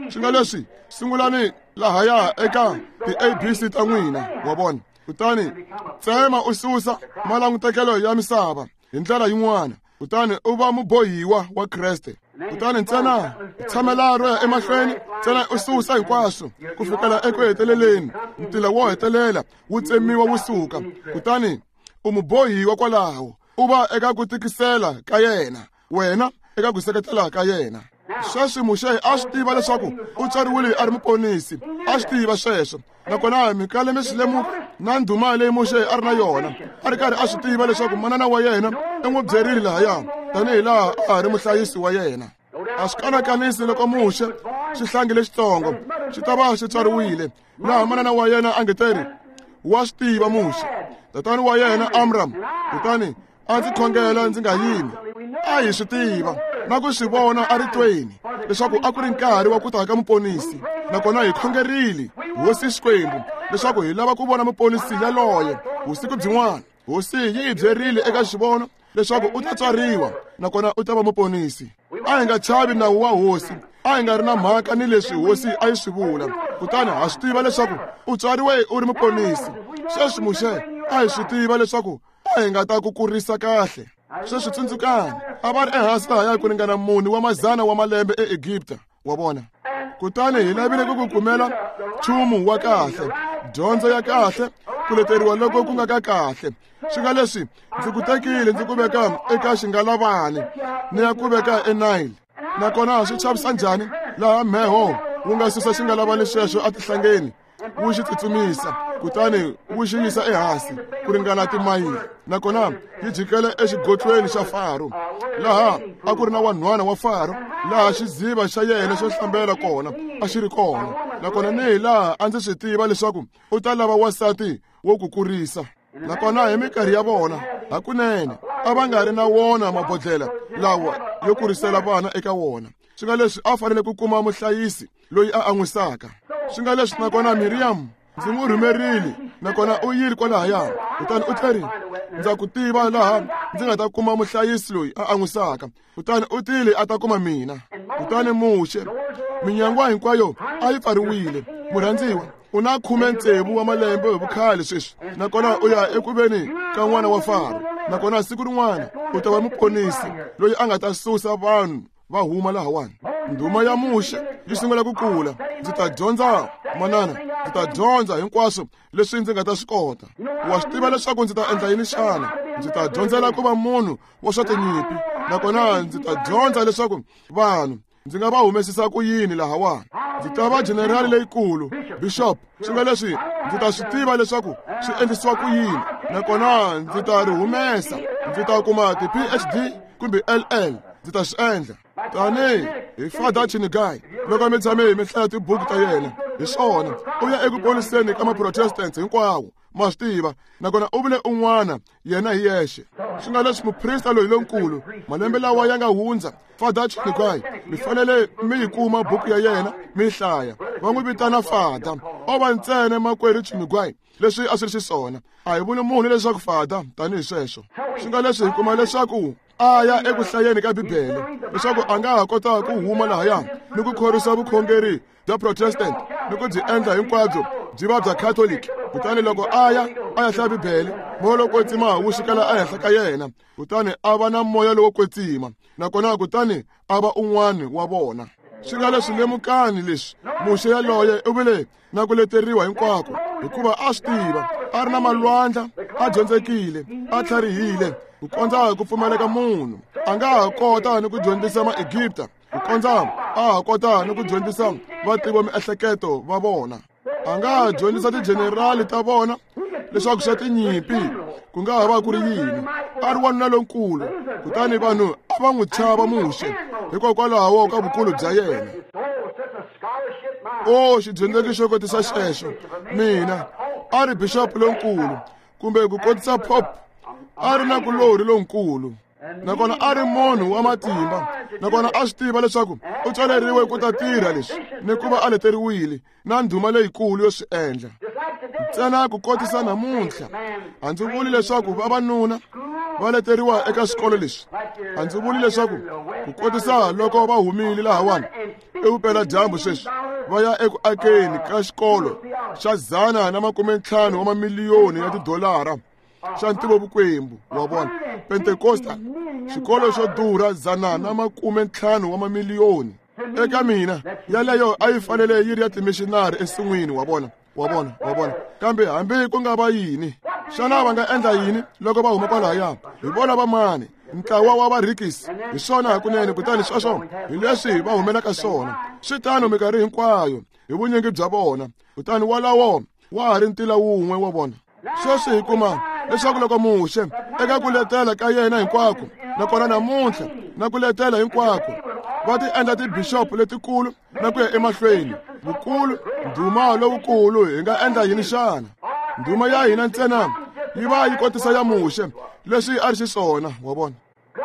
Swi nga leswi sungulani lahaya eka ti-A B C ta n'wina, wa vona. Kutani tsema u susa malangutekelo ya misava hi ndlela yin'wana, kutani u va mubohiwa wa Kreste. Kutani ntsena tshamela ro ya emahlweni, ntsena u susa hinkwaswo ku fikela eku heteleleni, ntila wo hetelela wu tsemiwa wu suka, kutani u mubohiwa kwalaho, u va eka ku tikisela ka yena, wena eka ku seketela ka yena. Sweswi Muxe a swi tiva leswaku u tswariwile a ri muponisi, a swi tiva sweswo. Nakona mi kale mi swi lemuka na ndhuma leyi Muxe a ri na yona, a ri karhi a swi tiva leswaku manana wa yena i n'wi byerile lahaya tanihi laha a ha ri muhlayisi wa yena. A swi kanakanisi loko Muxe xihlangi lexitsongo xi ta va xi tswariwile laha manana wa yena a nge teri wa swi tiva Muxe, tatani wa yena Amram, kutani a ndzi khongela ndzi nga yimi. A hi swi tiva na ku swi vona eritweni leswaku a ku ri nkarhi wa ku ta ka muponisi, nakona hi khongerile Hosi Xikwembu leswaku hi lava ku vona muponisi yaloye vusiku byin'wana. Hosi yi hi byerile eka xivono leswaku u ta tswariwa nakona u ta va muponisi. A hi nga chavi nawu wa Hosi, a hi nga ri na mhaka ni leswi Hosi a yi swi vula, kutani ha swi tiva leswaku u tswariwe u ri muponisi. Sweswi Muxe a hi swi tiva leswaku a hi nga ta ku kurisa kahle. Sweswi tsundzukani, a va ri ehansi lahaya ku ringana mune wa mazana wa malembe eEgipta, wa vona. Kutani hi lavile ku ku kumela nchumu wa kahle, dyondzo ya kahle, ku leteriwa loko ku nga ka kahle. Swi nga leswi ndzi ku tekile ndzi ku veka eka xingalavani ni ya ku veka eNile. Nakona swi chavisa njhani laha mheho wu nga susa xingalavani sweswo etihlangeni wu xi tsutsumisa, kutani wu xi yisa ehansi ku ringana timayili, nakona yi jikela exigotlweni xa Faro, laha a ku ri na wanhwana wa Faro, laha xiziva xa yena xo hlambela kona a xi ri kona. Nakona ni hi laha a ndzi swi tiva leswaku u ta lava wansati wo ku kurisa. Nakona hi minkarhi ya vona hakunene a va nga ri na wona mabodlela lawa yo kurisela vana eka wona. Swi nga leswi a fanele ku kuma muhlayisi loyi a an'wisaka. Swi nga leswi nakona Miriam ndzi n'wi rhumerile, nakona u yile kwalahaya, kutani u tlherile, ndza ku tiva laha ndzi nga ta kuma muhlayisi loyi a an'wisaka. Kutani u tile a ta kuma mina. Kutani Muxe, minyangwa hinkwayo a yi pfariwile. Murhandziwa, u na khume tsevu wa malembe hi vukhale sweswi, nakona u ya eku veni ka n'wana wa Faro. Nakona siku rin'wana u ta va muponisi loyi a nga ta susa vanhu va huma lahawani. Ndhuma ya Muxe yi sungula ku kula. Ndzi ta dyondza, manana, ndzi ta dyondza hinkwaswo leswi ndzi nga ta swi kota. Wa swi tiva leswaku ndzi ta endla yini xana? Ndzi ta dyondzela ku va munhu wa swa tinyimpi, nakona ndzi ta dyondza leswaku vanhu ndzi nga va humesisa ku yini lahawani. Ndzi ta va generali leyikulu, bishop, swi nga leswi ndzi ta swi tiva leswaku swi endlisiwa ku yini, nakona ndzi ta ri humesa. Ndzi ta kuma ti-P H D kumbe L L, ndzi ta swi endla. Tani hi Father Chinigai, loko mi tshame mi hlaya tibuku ta yena, hi swona u ya eku poniseni ka ma-Protestants hinkwawo, ma swi tiva, nakona u vule un'wana yena hi yexe. Swi nga leswi muprista loyi lonkulu malembe lawa ya nga hundza, Father Chinigai, mi fanele mi yi kuma buku ya yena mi yi hlaya. Va n'wi vitana Father, o va ntsena makwerhu Chinigai, leswi a swi ri xiswona. A hi vuli munhu leswaku Father tanihi sweswo. Swi nga leswi hi kuma leswaku a ya eku hlayeni ka Bibele leswaku a nga ha kota ku huma lahaya ni ku khorwisa vukhongeri bya Protestant ni ku byi endla hinkwabyo byi va bya Catholic. Kutani loko a ya a ya hlaya Bibele, moya lowo kwetsima wu xikela ehenhla ka yena, kutani a va na moya lowo kwetsima, nakona kutani a va un'wana wa vona. Swi nga leswi lemukani leswi Muxe yaloye u vile na ku leteriwa hinkwako, hikuva a swi tiva a ri na malwandla, a dyondzekile, a tlharihile ku kondza ku pfumaleka munhu. A nga ha kota ni ku dyondzisa ma-Egipta, ku kondza a ha kota ni ku dyondzisa vativi va miehleketo va vona. A nga ha dyondzisa tijenerali ta vona leswaku swa tinyimpi ku nga ha va ku ri yini. A ri wanuna lonkulu, kutani vanhu a va n'wi chava Muxe hikokwalaho ka vukulu bya yena. O xidyondzeki xo kotisa xexo, mina a ri bishop lonkulu kumbe ku kotisa pope, a ri na kulori lonkulu, nakona a ri munhu wa matimba, nakona a swi tiva leswaku u tswaleriwe ku ta tirha leswi ni ku va a leteriwile na ndhuma leyikulu yo swi endla. Ntsena ku kotisa namuntlha, a ndzi vuli leswaku vavanuna va leteriwa eka swikolo leswi. A ndzi vuli leswaku ku kotisa loko va humile lahawani evupeladyambu sweswi va ya eku akeni ka xikolo xa dzana na makume ntlhanu wa mamiliyoni ya tidolara xa ntivovukwembu wa vona Pentecosta, xikolo xo durha dzana na makume ntlhanu wa mamiliyoni. Eka mina yaleyo a yi fanele yi ri ya timishinari ensin'wini, wa vona, wa vona, wa vona. Kambe hambi ku nga va yini, xana va nga endla yini loko va huma kwalahaya? Hi vona va mani? Ntlawa wa varhikisi hi swona hakunene. Kutani sweswo hi leswi va humelaka swona. Swi tano minkarhi hinkwayo hi vunyingi bya vona. Kutani walawo wa ha ri ntila wun'we wa vona. Sweswi hi kuma leswaku loko Muxe eka ku letela ka yena hinkwako, nakona namuntlha na ku letela hinkwako, va ti endla tibishopu letikulu na ku ya emahlweni, vukulu, ndhuma lowukulu, hi nga endla yini xana? Ndhuma ya hina ntsena yi va yi kotisa ya Muxe leswi a ri xiswona, wa vona.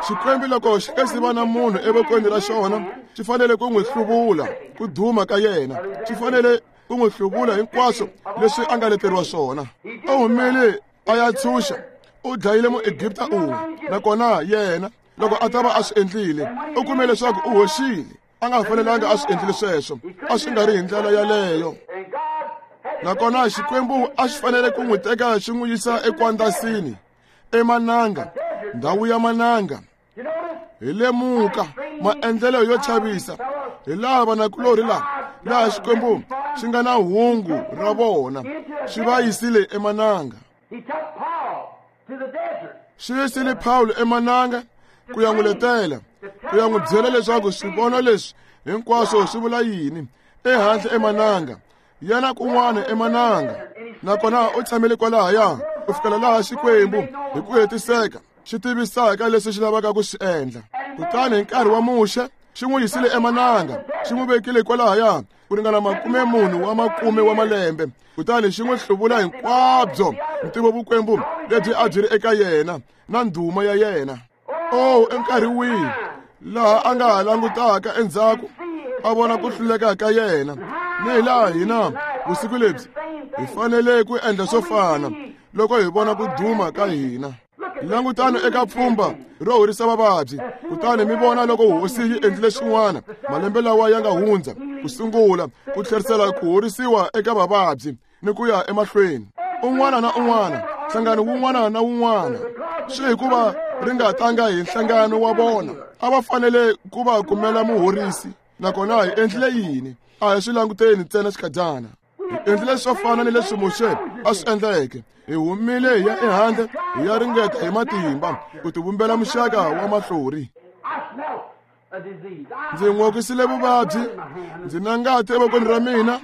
Xikwembu loko xi nga si va na munhu evokweni ra xona, xi fanele ku n'wi hluvula ku duma ka yena, xi fanele ku n'wi hluvula hinkwaswo leswi a nga leteriwa swona. U humile a ya tshunxa, u dlayile Muegipta un'we, nakona yena loko a ta va a swi endlile, u kume leswaku u hoxile. A nga fanelanga a swi endlile sweswo, a swi nga ri hi ndlela yaleyo. Nakona Xikwembu a xi fanele ku n'wi teka xi n'wi yisa ekwandasini, emananga, ndhawu ya mananga. Hi lemuka maendlelo yo chavisa hi laha vanakulorhi laha laha Xikwembu xi nga na hungu ra vona, xi va yisile emananga. Xi yisile Pawulo emananga ku ya n'wi letela, ku ya n'wi byela leswaku swivono leswi hinkwaswo swi vula yini. Ehandle emananga, yena kun'wana emananga, nakona u tshamile kwalahaya ku fikela laha Xikwembu hi ku hetiseka xi tivisaka leswi xi lavaka ku swi endla. Kutani hi nkarhi wa Muxe xi n'wi yisile emananga, xi n'wi vekile kwalahaya ku ringana makume munhu wa makume wa malembe, kutani xi n'wi hluvula hinkwabyo ntivovukwembu lebyi a byi ri eka yena na ndhuma ya yena. O enkarhi wihi laha a nga ha langutaka endzhaku a vona ku hluleka ka yena, ni hi laha hina vusiku lebyi hi fanele ku endla swo fana loko hi vona ku duma ka hina. Langutani eka pfhumba ro horisa vavabyi, kutani mi vona loko hosi yi endlile swin'wana malembe lawa ya nga hundza ku sungula ku tlherisela ku horisiwa eka vavabyi ni ku ya emahlweni. Un'wana na un'wana, nhlangano wun'wana na wun'wana, Swi hikuva ri nga tanga hi nhlangano wa vona. A va fanele ku va kumela muhorisi. Nakona hi endlile yini? A hi swi languteni ntsena xikadyana. Hi endlile swo fana ni leswi Muxe a swi endleke. Hi humile hi ya ehandle hi ya ringeta hi matimba ku tivumbela muxaka wa mahlori. Ndzi n'okisile vuvabyi, ndzi na ngati evokweni ra mina,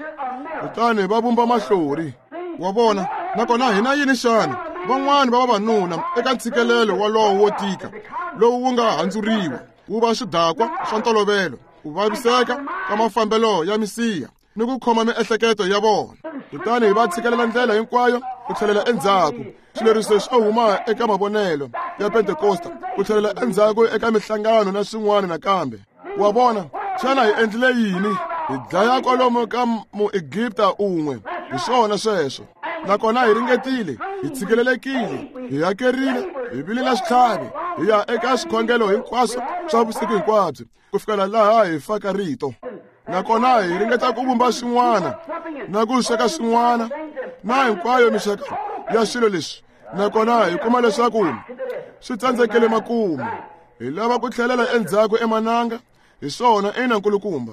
kutani va vumba mahlori. Wa vona, nakona hina yini xana? Van'wani va vavanuna eka ntshikelelo wolowo wo tika lowu wu nga handzuriwa wu va swidakwa swa ntolovelo, ku vaviseka ka mafambelo ya misiha ni ku khoma miehleketo ya vona. Kutani va tshikelela ndlela hinkwayo ku tlhelela endzhaku. Swileriso swo huma eka mavonelo ya Pentekosta ku tlhelela endzhaku eka mihlangano na swin'wana nakambe. Wa vona, xana hi endlile yini? Hi dlaya kwalomu ka Muegipta un'we. Hi swona sweswo. Nakona hi ringetile, hi tshikelelekile, hi hakerile, hi vile na switlhavi, hi ya eka swikhongelo hinkwaswo swa vusiku hinkwabyo ku fikela laha hi faka rito. Nakona hi ringeta ku vumba swin'wana na ku sweka swin'wana na hinkwayo mixaka ya swilo leswi. Nakona hi kuma leswaku swi tsandzekele makumu. Hi lava ku tlhelela endzhaku emananga. Hi swona ina nkulukumba.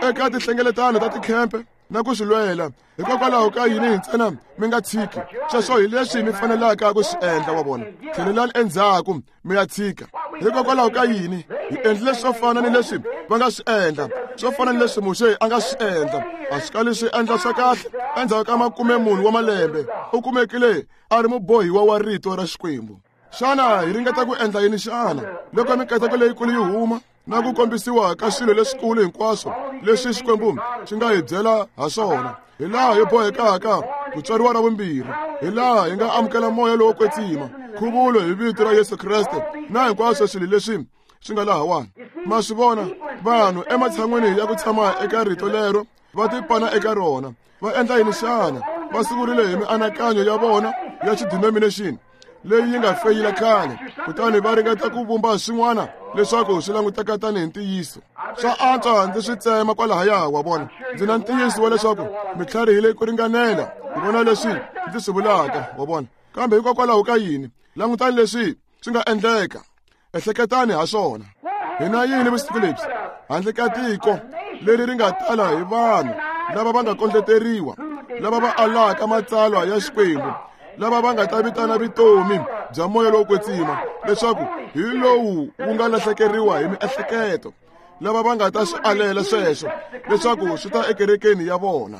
Eka tinhlengeletano ta tikhempe na ku swi lwela. Hikokwalaho ka yini ntsena mi nga tshiki? Sweswo hi leswi mi fanelaka ku swi endla, wa vona. Tlhelelani endzhaku mi ya tshika. Hikokwalaho ka yini? Hi endlile swo fana ni leswi va nga swi endla, swo fana ni leswi Muxe a nga swi endla. A swi kali swi endla swa kahle. Endzhaku ka makume mune wa malembe u kumekile a ri mubohiwa wa rito ra Xikwembu. Xana hi ringeta ku endla yini xana? Loko mikateko leyikulu yi huma na ku kombisiwa ka swilo leswikulu hinkwaswo leswi Xikwembu xi nga hi byela ha swona, hi laha hi bohekaka ku tswariwa ra vumbirhi, hi laha hi nga amukela moya lowo kwetsima, nkhuvulo hi vito ra Yesu Kreste na hinkwaswo swilo leswi swi nga lahawani. Ma swi vona, vanhu ematshan'wini ya ku tshama eka rito lero va tipana eka rona. Va endla yini xana? Va sungurile hi mianakanyo ya vona ya xidenomination leyi yi nga feyila khale, kutani va ringeta ku vumba swin'wana leswaku swi languteka tanihi ntiyiso. Swa antswa ndzi swi tsema kwalahaya, wa vona. Ndzi na ntiyiso wa leswaku mi tlharihile ku ringanela ku vona leswi ndzi swi vulaka, wa vona. Kambe hikokwalaho ka yini? Langutani leswi swi nga endleka. Ehleketani ha swona. Hina yini vusiku lebyi? Handle ka tiko leri ri nga tala hi vanhu lava va nga kondleteriwa, lava va alaka matsalwa ya Xikwembu, lava va nga ta vitana vutomi bya moya lowo kwetsima leswaku hi lowu wu nga lahlekeriwa hi miehleketo, lava va nga ta swi alela sweswo leswaku swi ta ekerekeni ya vona.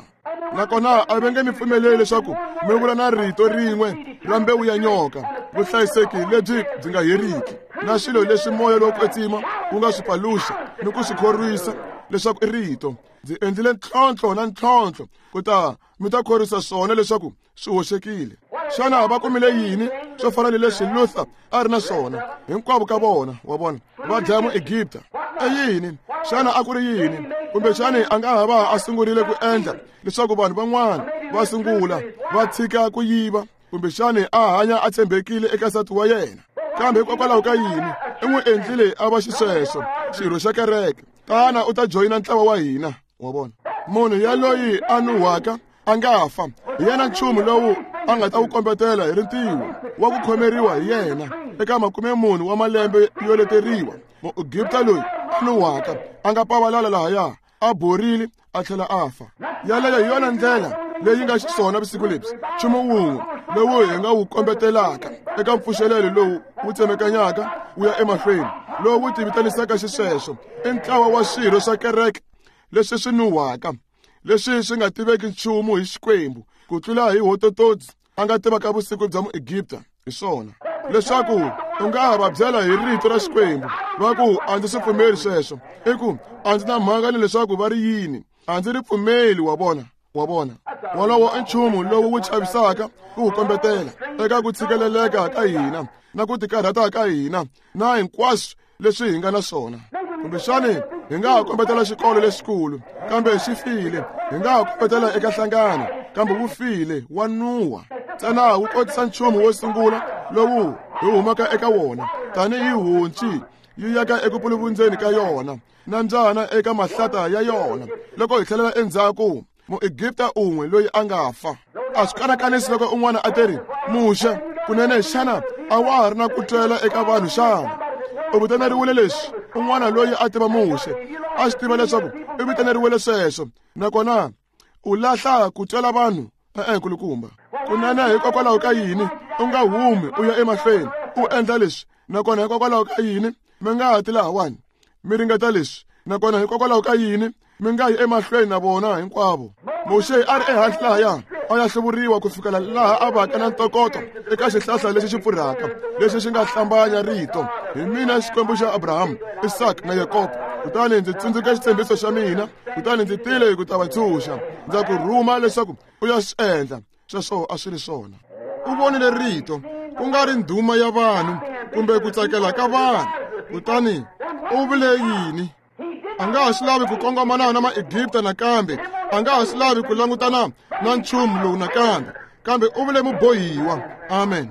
Nakona a va nge mi pfumeleli leswaku mi vula na rito rin'we ra mbewu ya nyoka, vuhlayiseki lebyi byi nga heriki na swilo leswi moya lowo kwetsima wu nga swi paluxa ni ku swi khorwisa leswaku i rito. Ndzi endlile ntlhontlho na ntlhontlho ku ta mi ta khorwisa swona leswaku swi hoxekile. Xana va kumile yini swo fana ni leswi Luther a ri na swona? Hinkwavo ka vona, wa vona, va dlaya Muegipta. I yini? Xana a ku ri yini? Kumbexani a nga ha va a sungurile ku endla leswaku vanhu van'wana va sungula va tshika ku yiva, kumbexani a hanya a tshembekile eka nsati wa yena. Kambe hikokwalaho ka yini? I n'wi endlile a va xisweswo xirho xa kereke. Tana u ta joyina ntlawa wa hina, wa vona. Munhu yaloyi a nuhwaka a nga fa, hi yena nchumu lowu a nga ta wu kombetela hi rintiwo wa ku khomeriwa hi yena eka makume mune wa malembe yo leteriwa. Muegipta loyi a nuhwaka a nga pavalala lahaya, a borile a tlhela a fa. Yaleyo hi yona ndlela leyi nga xiswona vusiku lebyi. Nchumu wun'we lowu hi nga wu kombetelaka eka mpfuxelelo lowu wu tsemekanyaka wu ya emahlweni, lowu wu tivitanisaka xisweswo, i ntlawa wa swirho swa kereke leswi swi nuhwaka, leswi swi nga tiveki nchumu hi Xikwembu ku tlula hi hotototsi a nga tivaka vusiku bya Muegipta. Hi swona leswaku u nga ha va byela hi rito ra Xikwembu va ku a ndzi swi pfumeli sweswo, i ku a ndzi na mhaka ni leswaku va ri yini, a ndzi ri pfumeli, wa vona, wa vona. Wolowo i nchumu lowu wu chavisaka ku wu kombetela eka ku tshikeleleka ka hina na ku tikarhata ka hina na hinkwaswo leswi hi nga na swona. Kumbexani hi nga ha kombetela xikolo lexikulu, kambe xi file. Hi nga ha kombetela eka nhlangano, kambe wu file, wa nuha. Ntsena wu kotisa nchumu wo sungula lowu hi humaka eka wona, tanihi honci yi yaka eku puluvundzeni ka yona na mbyana eka mahlata ya yona. Loko hi tlhelela endzhaku, Muegipta un'we loyi a nga fa. A swi kanakanisi loko un'wana a teri, Muxe, Kunene xana a wa ha ri na ku twela eka vanhu xana? U vitaneriwile leswi un'wana loyi a tiva Muxe a swi tiva leswaku u vitaneriwile sweswo, nakona u lahla ku twela vanhu. E-e, nkulukumba, kunene hikokwalaho ka yini u nga humi u ya emahlweni u endla leswi? Nakona hikokwalaho ka yini mi nga ha ti lahawani mi ringeta leswi? Nakona hikokwalaho ka yini mi nga yi emahlweni na vona hinkwavo? Muxe a ri ehansi lahaya a ya hluvuriwa ku fikela laha a vaka na ntokoto eka xihlahla lexi xi pfurhaka lexi xi nga hlambanya rito, hi mina Xikwembu xa Abraham, Isaka na Yakobo. Kutani ndzi tsundzuka xitshembiso xa mina, kutani ndzi tile ku ta va tshunxa. Ndza ku rhuma leswaku u ya swi endla. Sweswo a swi ri swona. U vonile rito, ku nga ri ndhuma ya vanhu kumbe ku tsakela ka vanhu. Kutani u vule yini? A nga ha swi lavi ku kongomana na Maegipta nakambe, a nga ha swi lavi ku langutana na nchumu lowu nakambe, kambe u vule mubohiwa. Amen.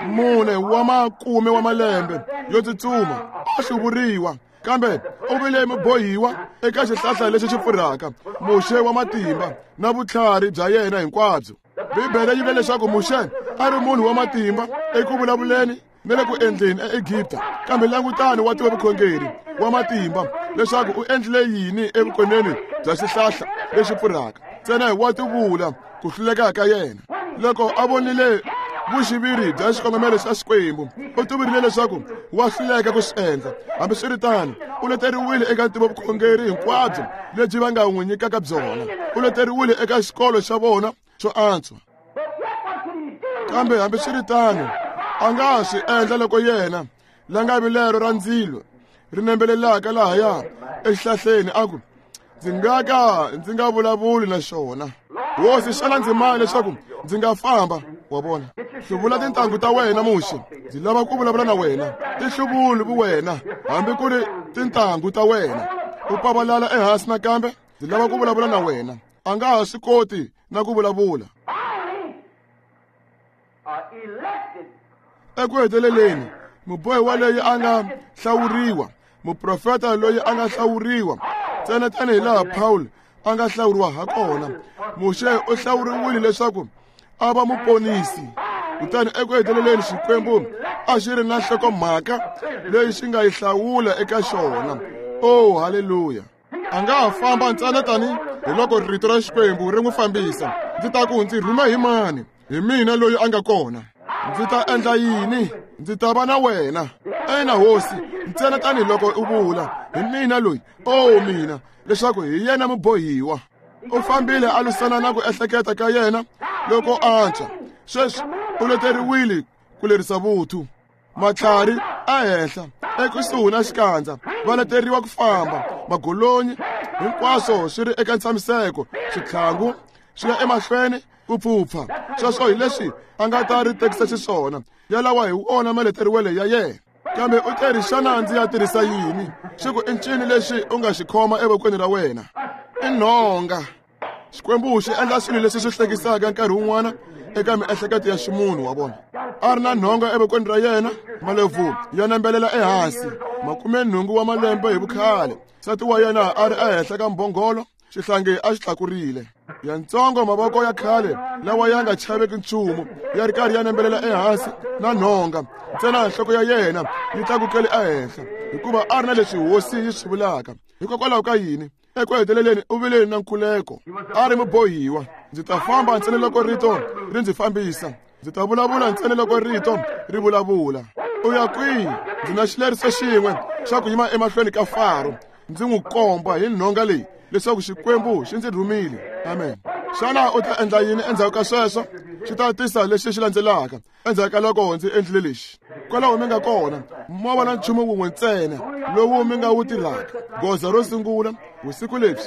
Mune wa makume wa malembe yo tsutsuma a hluvuriwa, kambe u vile mubohiwa eka xihlahla lexi xi pfurhaka. Muxe wa matimba na vutlhari bya yena hinkwabyo. Bibele yi vule leswaku Muxe a ri munhu wa matimba eku vulavuleni na le ku endleni eEgipta, kambe langutani wa tiva vukhongeri wa matimba leswaku u endlile yini evukoneni bya xihlahla lexi pfurhaka. Ntsena wa tivula ku hluleka ka yena. Loko a vonile vuxiviri bya xikongomelo xa Xikwembu, u tivirile leswaku wa hluleka ku swi endla. Hambiswiritano, u leteriwile eka ntivovukhongeri hinkwabyo lebyi va nga n'wi nyikaka byona. U leteriwile eka xikolo xa vona xo antswa. Kambe hambiswiritano, a nga swi endla loko yena la nga vilero ra ndzilo ri nembelelaka lahaya exihlahleni a ku, ndzi nga ka ndzi nga vulavuli na xona. Hosi, xana ndzi mani leswaku ndzi nga famba? Wa vona, hluvula tintangu ta wena Muxe, ndzi lava ku vulavula na wena. Ti hluvuli vuwena hambi ku ri tintangu ta wena. U pavalala ehansi nakambe, ndzi lava ku vulavula na wena. A nga ha swi koti na ku vulavula. Eku heteleleni, mubohiwa loyi a nga hlawuriwa, muprofeta loyi a nga hlawuriwa, ntsena tanihi laha Paul a nga hlawuriwa ha kona, Muxe u hlawuriwile leswaku a va muponisi. Kutani eku heteleleni Xikwembu a xi ri na nhlokomhaka leyi xi nga yi hlawula eka xona. Oh, haleluya! A nga ha famba ntsena tani hi loko rito ra Xikwembu ri n'wi fambisa. Ndzi ta ku ndzi rhuma hi mani? Hi mina loyi a nga kona. Ndzi ta endla yini? Ndzi ta va na wena. Ena hosi, ntsena tanihiloko u vula, hi mina loyi, oh mina, leswaku hi yena mubohiwa. U fambile a lwisana na ku ehleketa ka yena loko antswa. Sweswi u leteriwile ku lerisa vuthu. Matlhari ehenhla ekusuhi na xikandza va leteriwa ku famba. Magolonyi hinkwaswo swi ri eka ntshamiseko, switlhangu swi ya emahlweni ku pfupfa. Sweswo hi leswi a nga ta ri tekisa xiswona. Yalawa hi wona maleteriwele ya yena. Kambe u teri, xana ndzi ya tirhisa yini? Xi ku i ncini lexi u nga xi khoma evokweni ra wena? I nhonga. Xikwembu xi endla swilo leswi swi hlekisaka nkarhi wun'wana eka miehleketo ya ximunhu wa vona. A ri na nhonga evokweni ra yena, malebvu ya nembelela ehansi, makumenhungu wa malembe hi vukhale. Nsati wa yena a ri ehenhla ka mbhongolo, xihlangi a xi tlakurile. Yantsongo mavoko ya khale lawa ya nga chaveki nchumu ya ri karhi ya nembelela ehansi na nhonga, ntsena nhloko ya yena yi tlakukele ehenhla, hikuva a ri na leswi hosi yi swi vulaka. Hikokwalaho ka yini? Eku heteleleni u vile na nkhuleko. A ri mubohiwa. Ndzi ta famba ntsena loko rito ri ndzi fambisa. Ndzi ta vulavula ntsena loko rito ri vulavula. U ya kwihi? Ndzi na xileriso xin'we xa ku yima emahlweni ka Faro, ndzi n'wi komba hi nhonga leyi leswaku Xikwembu xi ndzi rhumile. Amen. Xana u ta endla yini endzhaku ka sweswo? Xi ta tisa lexi xi landzelaka endzhaku ka loko ndzi endlile lexi. Kwalaho mi nga kona, mo va na nchumu wun'we ntsena lowu mi nga wu tirhaka. Goza ro sungula vusiku lebyi,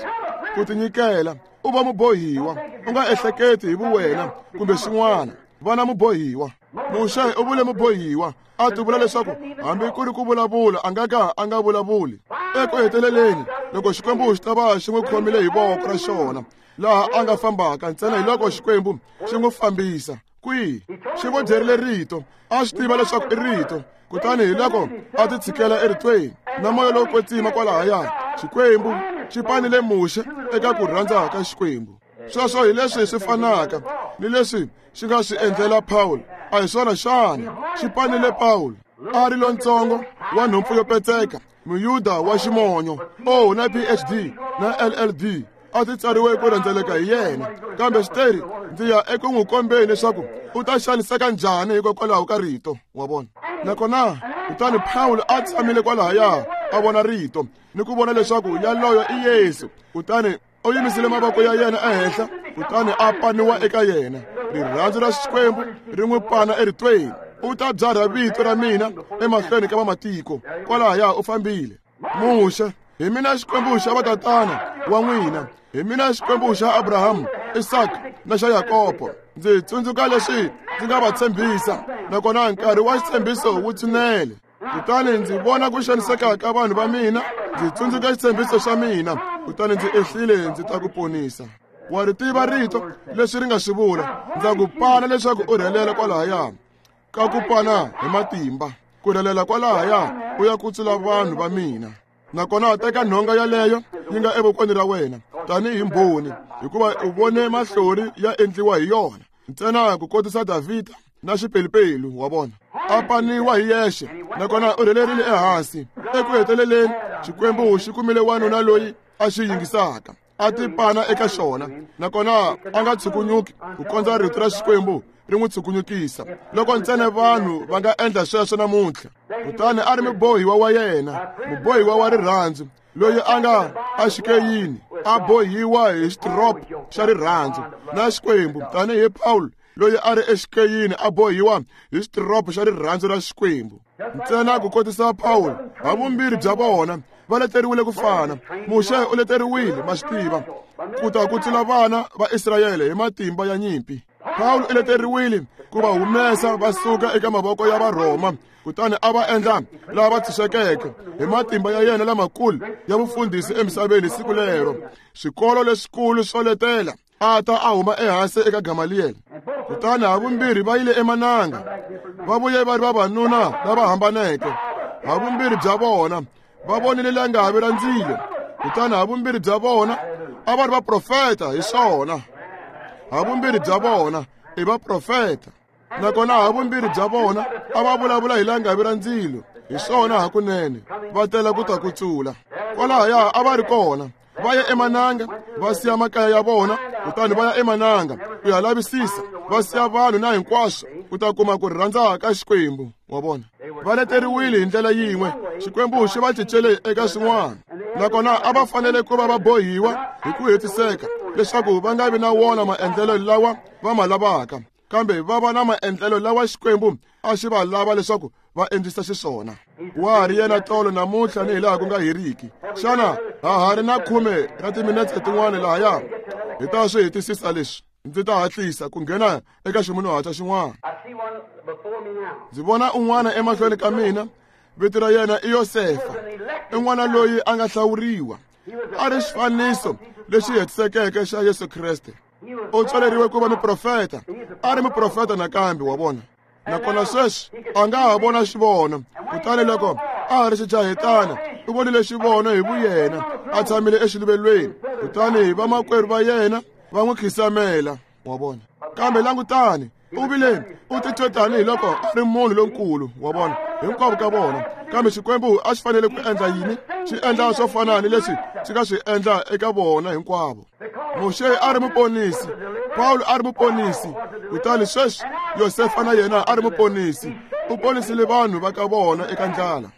ku tinyikela, u va mubohiwa. U nga ehleketi hi vuwena kumbe xin'wana. Va na mubohiwa. Muxe u vule mubohiwa, a tivula leswaku hambi ku ri ku vulavula a nga ka a nga vulavuli. Eku heteleleni, loko Xikwembu xi ta va xi n'wi khomile hi voko ra xona, laha a nga fambaka ntsena hi loko Xikwembu xi n'wi fambisa. Kwihi? Xi vo byerile rito, a swi tiva leswaku i rito. Kutani hi loko a ti tshikela eritweni na moya lowo kwetsima kwalahaya, Xikwembu xi panile Muxe eka ku rhandza ka Xikwembu. Sweswo hi leswi swi fanaka ni leswi xi nga swi endlela Paul A hi swona xana? Xi panile Pawulo. A ri lontsongo wa nhompfu yo petseka, muyuda wa ximonyo. Oh, na P H D na L L D a ti tsariwe ku rhendzeleka hi yena. Kambe xiteri ndzi ya eku n'wi kombeni leswaku u ta xaniseka njhani hikokwalaho ka rito, wa vona. Nakona kutani Pawulo a tshamile kwalahaya a vona rito ni ku vona leswaku yaloyo i Yesu. Kutani u yimisile mavoko ya yena ehenhla, kutani a paniwa eka yena. Rirhandzu ra Xikwembu ri n'wi pana eritweni. U ta byarha vito ra mina emahlweni ka vamatiko. Kwalahaya u fambile. Muxe, hi mina Xikwembu xa vatatana wa n'wina, hi mina Xikwembu xa Abrahamu, Isaka na xa Yakobo. Ndzi tsundzuka leswi ndzi nga va tshembisa, nakona nkarhi wa xitshembiso wu tshinele. Kutani ndzi vona ku xaniseka ka vanhu va mina, ndzi tsundzuka xitshembiso xa mina, kutani ndzi ehlile ndzi ta ku ponisa. Wa ri tiva rito leswi ri nga swi vula. Ndza ku pana leswaku u rhelela kwalahaya, ka ku pana hi matimba, ku rhelela kwalahaya u ya kutsula vanhu va mina. Nakona teka nhonga yaleyo yi nga evokweni ra wena tanihi mbhoni, hikuva u vone mahlori ya endliwa hi yona. Ntsena ku kotisa Davhida na xipelupelu, wa vona. A paniwa hi yexe, nakona u rhelerile ehansi. Eku heteleleni Xikwembu xi kumile wanuna loyi a xi yingisaka, a ti pana eka xona, nakona a nga tshukunyuki ku kondza rito ra Xikwembu ri n'wi tshukunyukisa. Loko ntsena vanhu va nga endla sweswo namuntlha. Kutani a ri mubohiwa wa yena, mubohiwa wa rirhandzu, loyi a nga axikeyini, a bohiwa hi xitropo xa rirhandzu na Xikwembu, tanihi Pawulo loyi a ri exikeyini a bohiwa hi xitropo xa rirhandzu ra Xikwembu. Ntsena ku kotisa Pawulo, havumbirhi bya vona va leteriwile ku fana. Muxe u leteriwile, ma swi tiva, ku ta kutsula vana va Israyele hi matimba ya nyimpi. Pawulo u leteriwile ku va humesa va suka eka mavoko ya Varhoma, kutani a va endla lava tshunxekeke hi matimba ya yena lamakulu ya vufundhisi emisaveni siku lero. Swikolo leswikulu swo letela a ta a huma ehansi eka Gamaliel. Kutani havumbirhi va yile emananga, va vuye va ri vavanuna lava hambaneke. Havumbirhi bya vona va vonile langavi ra ndzilo, kutani havumbirhi bya vona a va ri vaprofeta hi swona. Havumbirhi bya vona i vaprofeta, nakona havumbirhi bya vona a va vulavula hi langavi ra ndzilo hi swona hakunene, va tela ku ta kutsula. Kwalahaya a va ri kona, va ya emananga, va siya makaya ya vona, kutani va ya emananga ku ya lavisisa, va siya vanhu na hinkwaswo ku ta kuma ku rhandza ka Xikwembu, wa vona. Va leteriwile hi ndlela yin'we, Xikwembu xi va cincele eka swin'wana, nakona a va fanele ku va va bohiwa hi ku hetiseka leswaku va nga vi na wona maendlelo lawa va ma lavaka, kambe va va na maendlelo lawa Xikwembu a xi va lava leswaku va endlisa xiswona. Wa ha ri yena tolo namuntlha ni hilaha ku nga heriki. Xana ha ha ri na khume ra timinetse tin'wana lahaya? Hi ta swi hetisisa leswi. Ndzi ta hatlisa ku nghena eka ximunhuhatwa xin'wana. Ndzi vona un'wana emahlweni ka mina, vito ra yena i Yosefa, i n'wana loyi a nga hlawuriwa, a ri xifaniso lexi hetisekeke xa Yesu Kreste. U tswaleriwe ku va muprofeta, a ri muprofeta nakambe, wa vona. Nakona sweswi a nga ha vona xivono. Kutani loko a ha ri xijahetana, u vonile xivono hi vuyena, a tshamile exiluvelweni. Kutani vamakwerhu va yena va n'wi khisamela, wa vona. Kambe langutani, u vile u titwe tanihiloko a ri munhu lonkulu, wa vona, hinkwavo ka vona. Kambe Xikwembu a xi fanele ku endla yini? Xi endla swo fana ni leswi xi nga swi endla eka vona hinkwavo. Muxe a ri muponisi, Pawulo a ri muponisi, kutani sweswi Yosefa na yena a ri muponisi. U ponisile vanhu va ka vona eka ndlala.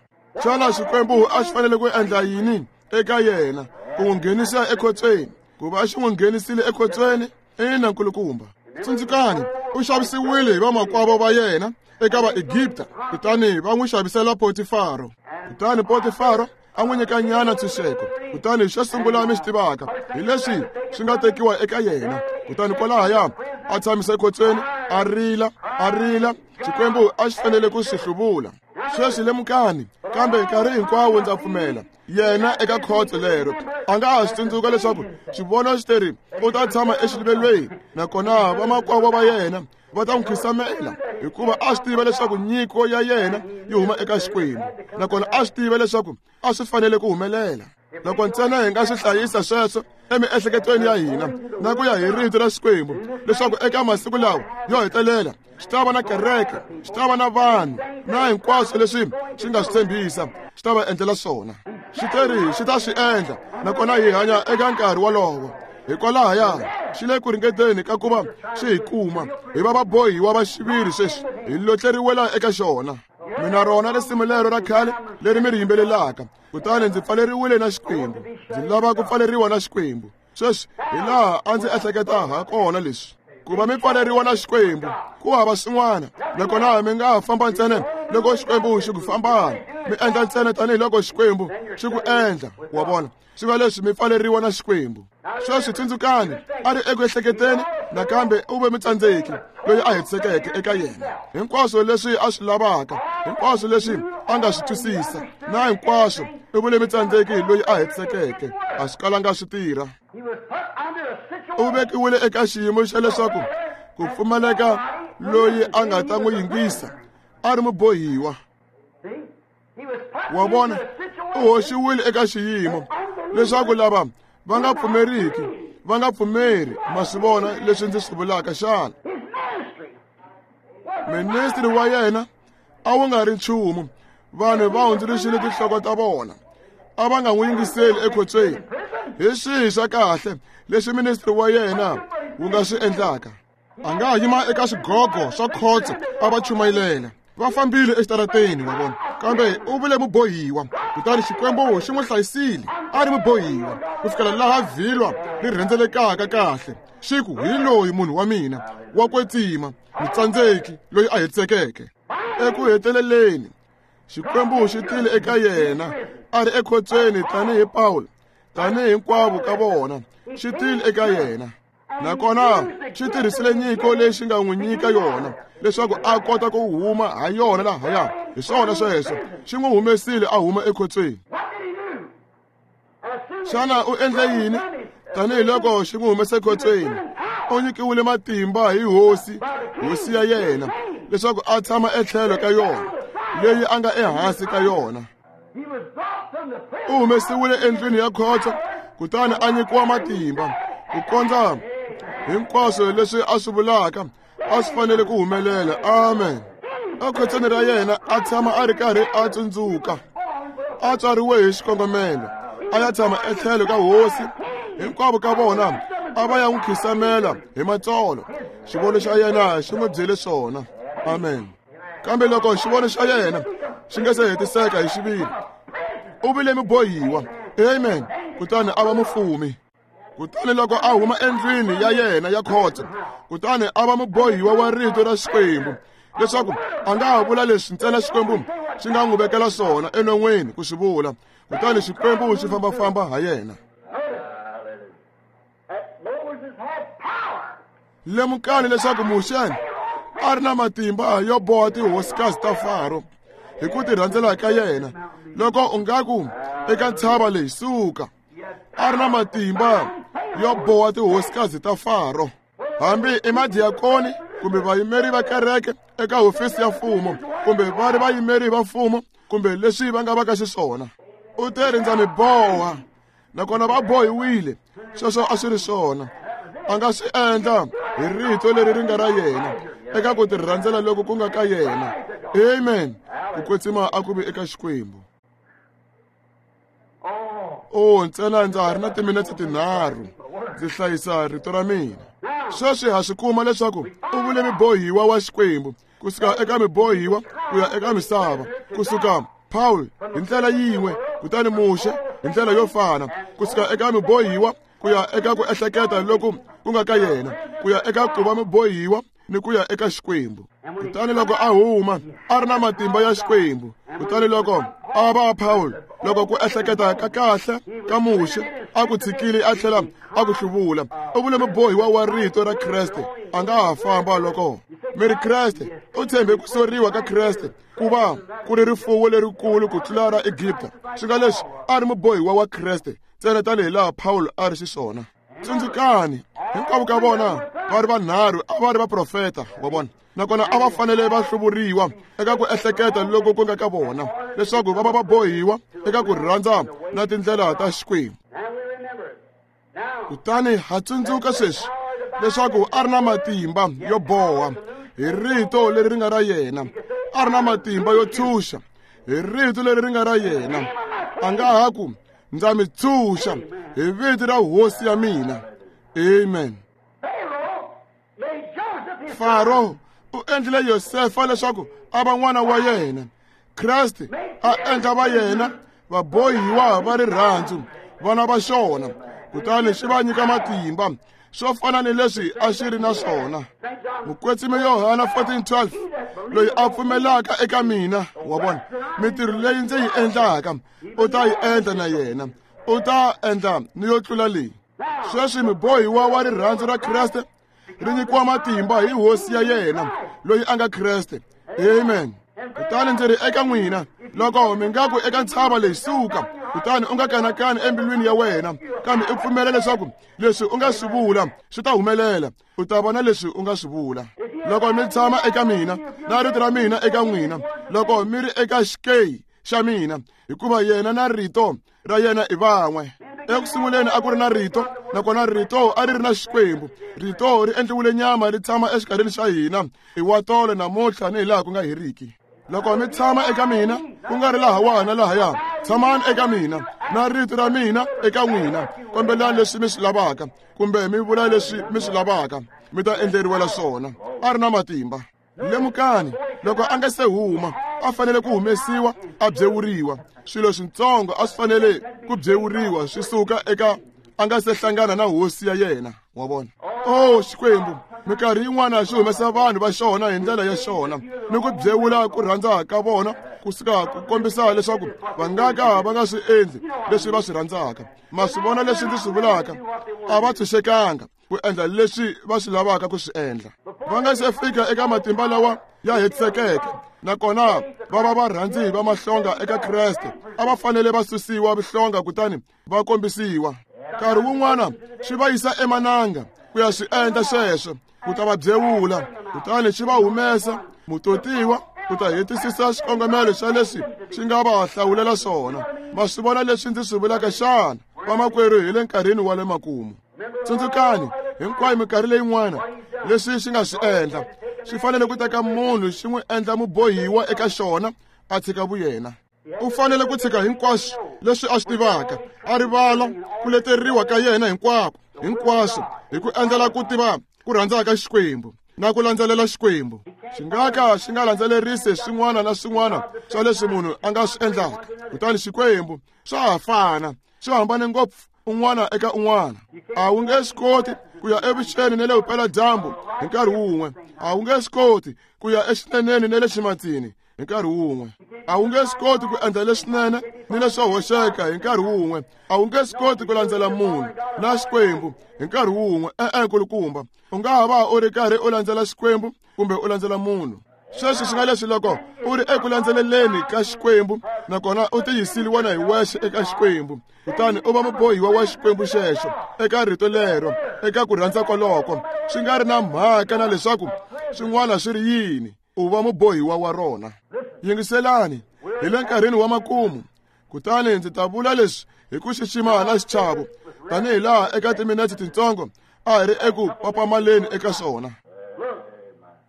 Xana Xikwembu a xi fanele ku endla yini eka yena? Ku n'wi nghenisa ekhotsweni. Ku va xi n'wi nghenisile ekhotsweni, ina nkulukumba. Tsundzukani, u xavisiwile hi vamakwavo va yena eka Vaegipta, kutani va n'wi xavisela Potifaro. Kutani Potifaro a n'wi nyika nyana ntshunxeko. Kutani xo sungula mi xi tivaka hi leswi swi nga tekiwa eka yena. Kutani kwalahaya a tshamisa ekhotsweni, a rila, a rila. Xikwembu a xi fanele ku swi hluvula. Sweswi lemukani, kambe nkarhi hinkwawo ndza pfumela yena eka khotso lero a nga ha swi tsundzuka leswaku xivono xi teri u ta tshama exiluvelweni, nakona vamakwavo va yena va ta n'wi khisamela, hikuva a swi tiva leswaku nyiko ya yena yi huma eka Xikwembu, nakona a swi tiva leswaku a swi fanele ku humelela. Loko ntsena hi nga swi hlayisa sweswo emiehleketweni ya hina na ku ya hi rito ra Xikwembu leswaku eka masiku lawa yo hetelela xi ta va na kereke, xi ta va na vanhu na hinkwaswo leswi xi nga swi tshembisa xi ta va endlela swona. Xi teri xi ta swi endla, nakona hi hanya eka nkarhi wolowo. Hikwalahaya xi le ku ringeteni ka ku va xi hi kuma hi va vabohiwa va xiviri sweswi hi lotleriwela eka xona. Mina rona risimu lero ra khale leri mi ri yimbelelaka, kutani ndzi pfaleriwile na Xikwembu, ndzi lava ku pfaleriwa na Xikwembu. Sweswi hi laha a ndzi ehleketa ha kona leswi ku va mi pfaleriwa na Xikwembu ku hava swin'wana, nakona mi nga ha famba ntsena loko Xikwembu xi ku fambana, mi endla ntsena tanihiloko Xikwembu xi ku endla. Wa vona, swi va leswi mi pfaleriwa na Xikwembu. Sweswi tsundzukani, a ri eku ehleketeni nakambe u ve mutsandzeki loyi a hetisekeke eka yena. Hinkwaswo leswi a swi lavaka, hinkwaswo leswi a nga swi twisisa, na hinkwaswo u vule mutsandzeki loyi a hetisekeke. A swi kalanga swi tirha. U vekiwile eka xiyimo xa leswaku ku pfumaleka loyi a nga ta n'wi yingisa, a ri mubohiwa. Wa vona, u hoxiwile eka xiyimo leswaku lava va nga pfumeriki va nga pfumeri. Ma swi vona leswi ndzi swi vulaka xana? Ministri wa yena a wu nga ri nchumu. Vanhu va hundzuluxile tinhloko ta vona, a va nga n'wi yingiseli ekhotsweni. Hi swihi swa kahle leswi ministri wa yena wu nga swi endlaka? A nga yima eka swigogo swa khotso a va chumayilela. Va fambile exitarateni, wa vona, kambe u vule mubohiwa. Kutani Xikwembu xi n'wi hlayisile a ri mubohiwa ku fikela laha vhilwa ri rhendzelekaka kahle, xi ku hi loyi munhu wa mina wa kwetsima, mutsandzeki loyi a hetisekeke. Eku heteleleni Xikwembu xi tile eka yena a ri ekhotsweni tanihi Pawulo, tanihi hinkwavo ka vona. Xi tile eka yena, nakona xi tirhisile nyiko leyi xi nga n'wi nyika yona leswaku a kota ku huma ha yona lahaya. Hi swona sweswo, xi n'wi humesile a huma ekhotsweni. Xana u endle yini? Tanihiloko xi n'wi humese ekhotsweni, u nyikiwile matimba hi hosi, hosi ya yena, leswaku a tshama etlhelo ka yona leyi a nga ehansi ka yona. U humesiwile endlwini ya khotso, kutani a nyikiwa matimba ku kondza hinkwaswo leswi a swi vulaka a swi fanele ku humelela. Amen. Ekhotsweni ra yena a tshama a ri karhi a tsundzuka, a tswariwe hi xikongomelo, a ya tshama etlhelo ka hosi. Hinkwavo ka vona a va ya n'wi khisamela hi matsolo. Xivono xa yena xi n'wi byele swona. Amen. Kambe loko xivono xa yena xi nga se hetiseka hi xiviri, u vile mubohiwa. Amen. Kutani a va mufumi. Kutani loko a huma endlwini ya yena ya khotso, kutani a va mubohiwa wa rito ra Xikwembu, leswaku a nga ha vula leswi ntsena Xikwembu xi nga n'wi vekela swona enon'weni ku swi vula. Kutani Xikwembu xi fambafamba ha yena. Lemukani leswaku Muxe a ri na matimba yo boha tihosikazi ta Faro hi ku tirhandzela ka yena. Loko u nga ku eka ntshava leyi suka, a ri na matimba yo boha tihosikazi ta Faro. Hambi i madiakoni kumbe vayimeri va kereke eka hofisi ya mfumo, kumbe va ri vayimeri va mfumo, kumbe leswi va nga va ka xiswona, u te ri ndza mi boha, nakona va bohiwile. Sweswo a swi ri swona. A nga swi endla hi rito leri ri nga ra yena eka ku tirhandzela loko ku nga ka yena. Amen. Ku kwetsima a ku vi eka Xikwembu. O ntsena ndza ha ri na timinetse tinharhu ndzi hlayisa rito ra mina. Sweswi ha swi kuma leswaku u vule mubohiwa wa Xikwembu kusuka eka mibohiwa ku ya eka misava, kusuka Paul hi ndlela yin'we, kutani Muxe hi ndlela yo fana, kusuka eka mibohiwa ku ya eka ku ehleketa loku ku nga ka yena, ku ya eka ku va mubohiwa ni ku ya eka Xikwembu. Kutani loko a huma a ri na matimba ya Xikwembu. Kutani loko a va Paul, loko ku ehleketa ka kahle ka Muxe a ku tshikile a tlhela a ku hluvula, u vule mubohiwa wa rito ra Kreste. A nga ha famba loko mi ri Kreste u tshembe ku soriwa ka Kreste ku va ku ri rifuwo lerikulu ku tlula ra Egipta. Swi nga leswi a ri mubohiwa wa Kreste ntsena tanihi laha Paul a ri xiswona. Tsundzukani, hinkwavo ka vona va ri vanharhu a va ri vaprofeta wa vona, nakona a va fanele va hluvuriwa eka ku ehleketa loko ku nga ka vona. leswaku va va va bohiwa eka ku rhandza na tindlela ta Xikwembu. Kutani ha tsundzuka sweswi leswaku a ri na matimba yo boha hi rito leri ri nga ra yena, a ri na matimba yo tshunxa hi rito leri ri nga ra yena. A nga ha ku ndza mi tshunxa hi vito ra hosi ya mina. Amen. Faro u endlile Yosefa leswaku a va n'wana wa yena. Kreste a endla va yena vabohiwa va rirhandzu, vana va xona, kutani xi va nyika matimba swo fana ni leswi a xi ri na swona. Mukwetsimi Yohana fourteen twelve, loyi a pfumelaka eka mina, wa vona, mintirho leyi ndzi yi endlaka u ta yi endla na yena, u ta endla ni yo tlula leyi. Sweswi mubohiwa wa rirhandzu ra Kreste ri nyikiwa matimba hi hosi ya yena loyi a nga Kreste. Amen. Kutani ndzi ri eka n'wina, loko mi nga ku eka ntshava leyi suka, kutani u nga kanakani embilwini ya wena, kambe u pfumela leswaku leswi u nga swi vula swi ta humelela, u ta vona leswi u nga swi vula. Loko mi tshama eka mina na rito ra mina eka n'wina, loko mi ri eka xikeyi xa mina, hikuva yena na rito ra yena i van'we. Eku sunguleni a ku ri na rito, nakona rito a ri ri na Xikwembu. Rito ri endliwile nyama ri tshama exikarhini xa hina, i wa tolo namuntlha ni hi laha ku nga heriki. Loko mi tshama eka mina, ku nga ri laha na lahaya, tshamani eka mina na rito ra mina eka n'wina, kombelani leswi mi swi lavaka kumbe mi vula leswi mi swi lavaka, mi ta endleriwela swona. A ri na matimba. Lemukani, loko a nga se huma a fanele ku humesiwa a byewuriwa. Swilo switsongo a swi fanele ku byewuriwa swi suka eka a nga se hlangana na hosi ya yena, wa vona. Oh Xikwembu, minkarhi yin'wana xi humesa vanhu va xona hi ndlela ya xona ni ku byewula ku rhandza ka vona kusuka ku kombisa leswaku va nga ka va nga swi endli leswi va swi rhandzaka. Ma swi vona leswi ndzi swi vulaka? A va tshunxekanga ku endla leswi va swi lavaka ku swi endla. Va nga se fika eka matimba lawa ya hetisekeke, nakona va va varhandzi va mahlonga eka Kreste. A va fanele va susiwa vuhlonga kutani va kombisiwa. Nkarhi wun'wana xi va yisa emananga ku ya swi endla sweswo, ku ta va byewula, kutani xi va humesa mutotiwa ku ta hetisisa xikongomelo xa leswi xi nga va hlawulela swona. Ma swi vona leswi ndzi swi vulaka xana, vamakwerhu? Hi le nkarhini wa le makumu. Tsundzukani hinkwayo minkarhi leyin'wana leswi xi nga swi endla, swi fanele ku teka munhu xi n'wi endla mubohiwa eka xona, a tshika vuyena. U fanele ku tshika hinkwaswo leswi a swi tivaka, a rivala ku leteriwa ka yena hinkwako hinkwaswo, hi ku endlela ku tiva ku rhandza ka Xikwembu na ku landzelela Xikwembu. Xi nga ka xi nga landzelerisi swin'wana na swin'wana swa leswi munhu a nga swi endlaka. Kutani Xikwembu swa ha fana, swi hambane ngopfu un'wana eka un'wana. A wu nge swi koti ku ya evuxeni na le vupeladyambu hi nkarhi wun'we. A wu nge swi koti ku ya exineneni na le ximatsini hi nkarhi wun'we. A wu nge swi koti ku endla leswinene ni leswo hoxeka hi nkarhi wun'we. A wu nge swi koti ku landzela munhu na Xikwembu hi nkarhi wun'we. E-e, nkulukumba, u nga ha va u ri karhi u landzela Xikwembu kumbe u landzela munhu. Sweswi swi nga leswi loko u ri eku landzeleleni ka Xikwembu nakona u tiyisile wena hi wexe eka Xikwembu, kutani u va mubohiwa wa Xikwembu xexo eka rito lero, eka ku rhandza koloko, swi nga ri na mhaka na leswaku swin'wana swi ri yini, u va mubohiwa wa rona. Yingiselani, hi le nkarhini wa makumu, kutani ndzi ta vula leswi hi ku xixima na xichavo, tanihi laha eka timinetse tintsongo a hi ri eku papamaleni eka swona.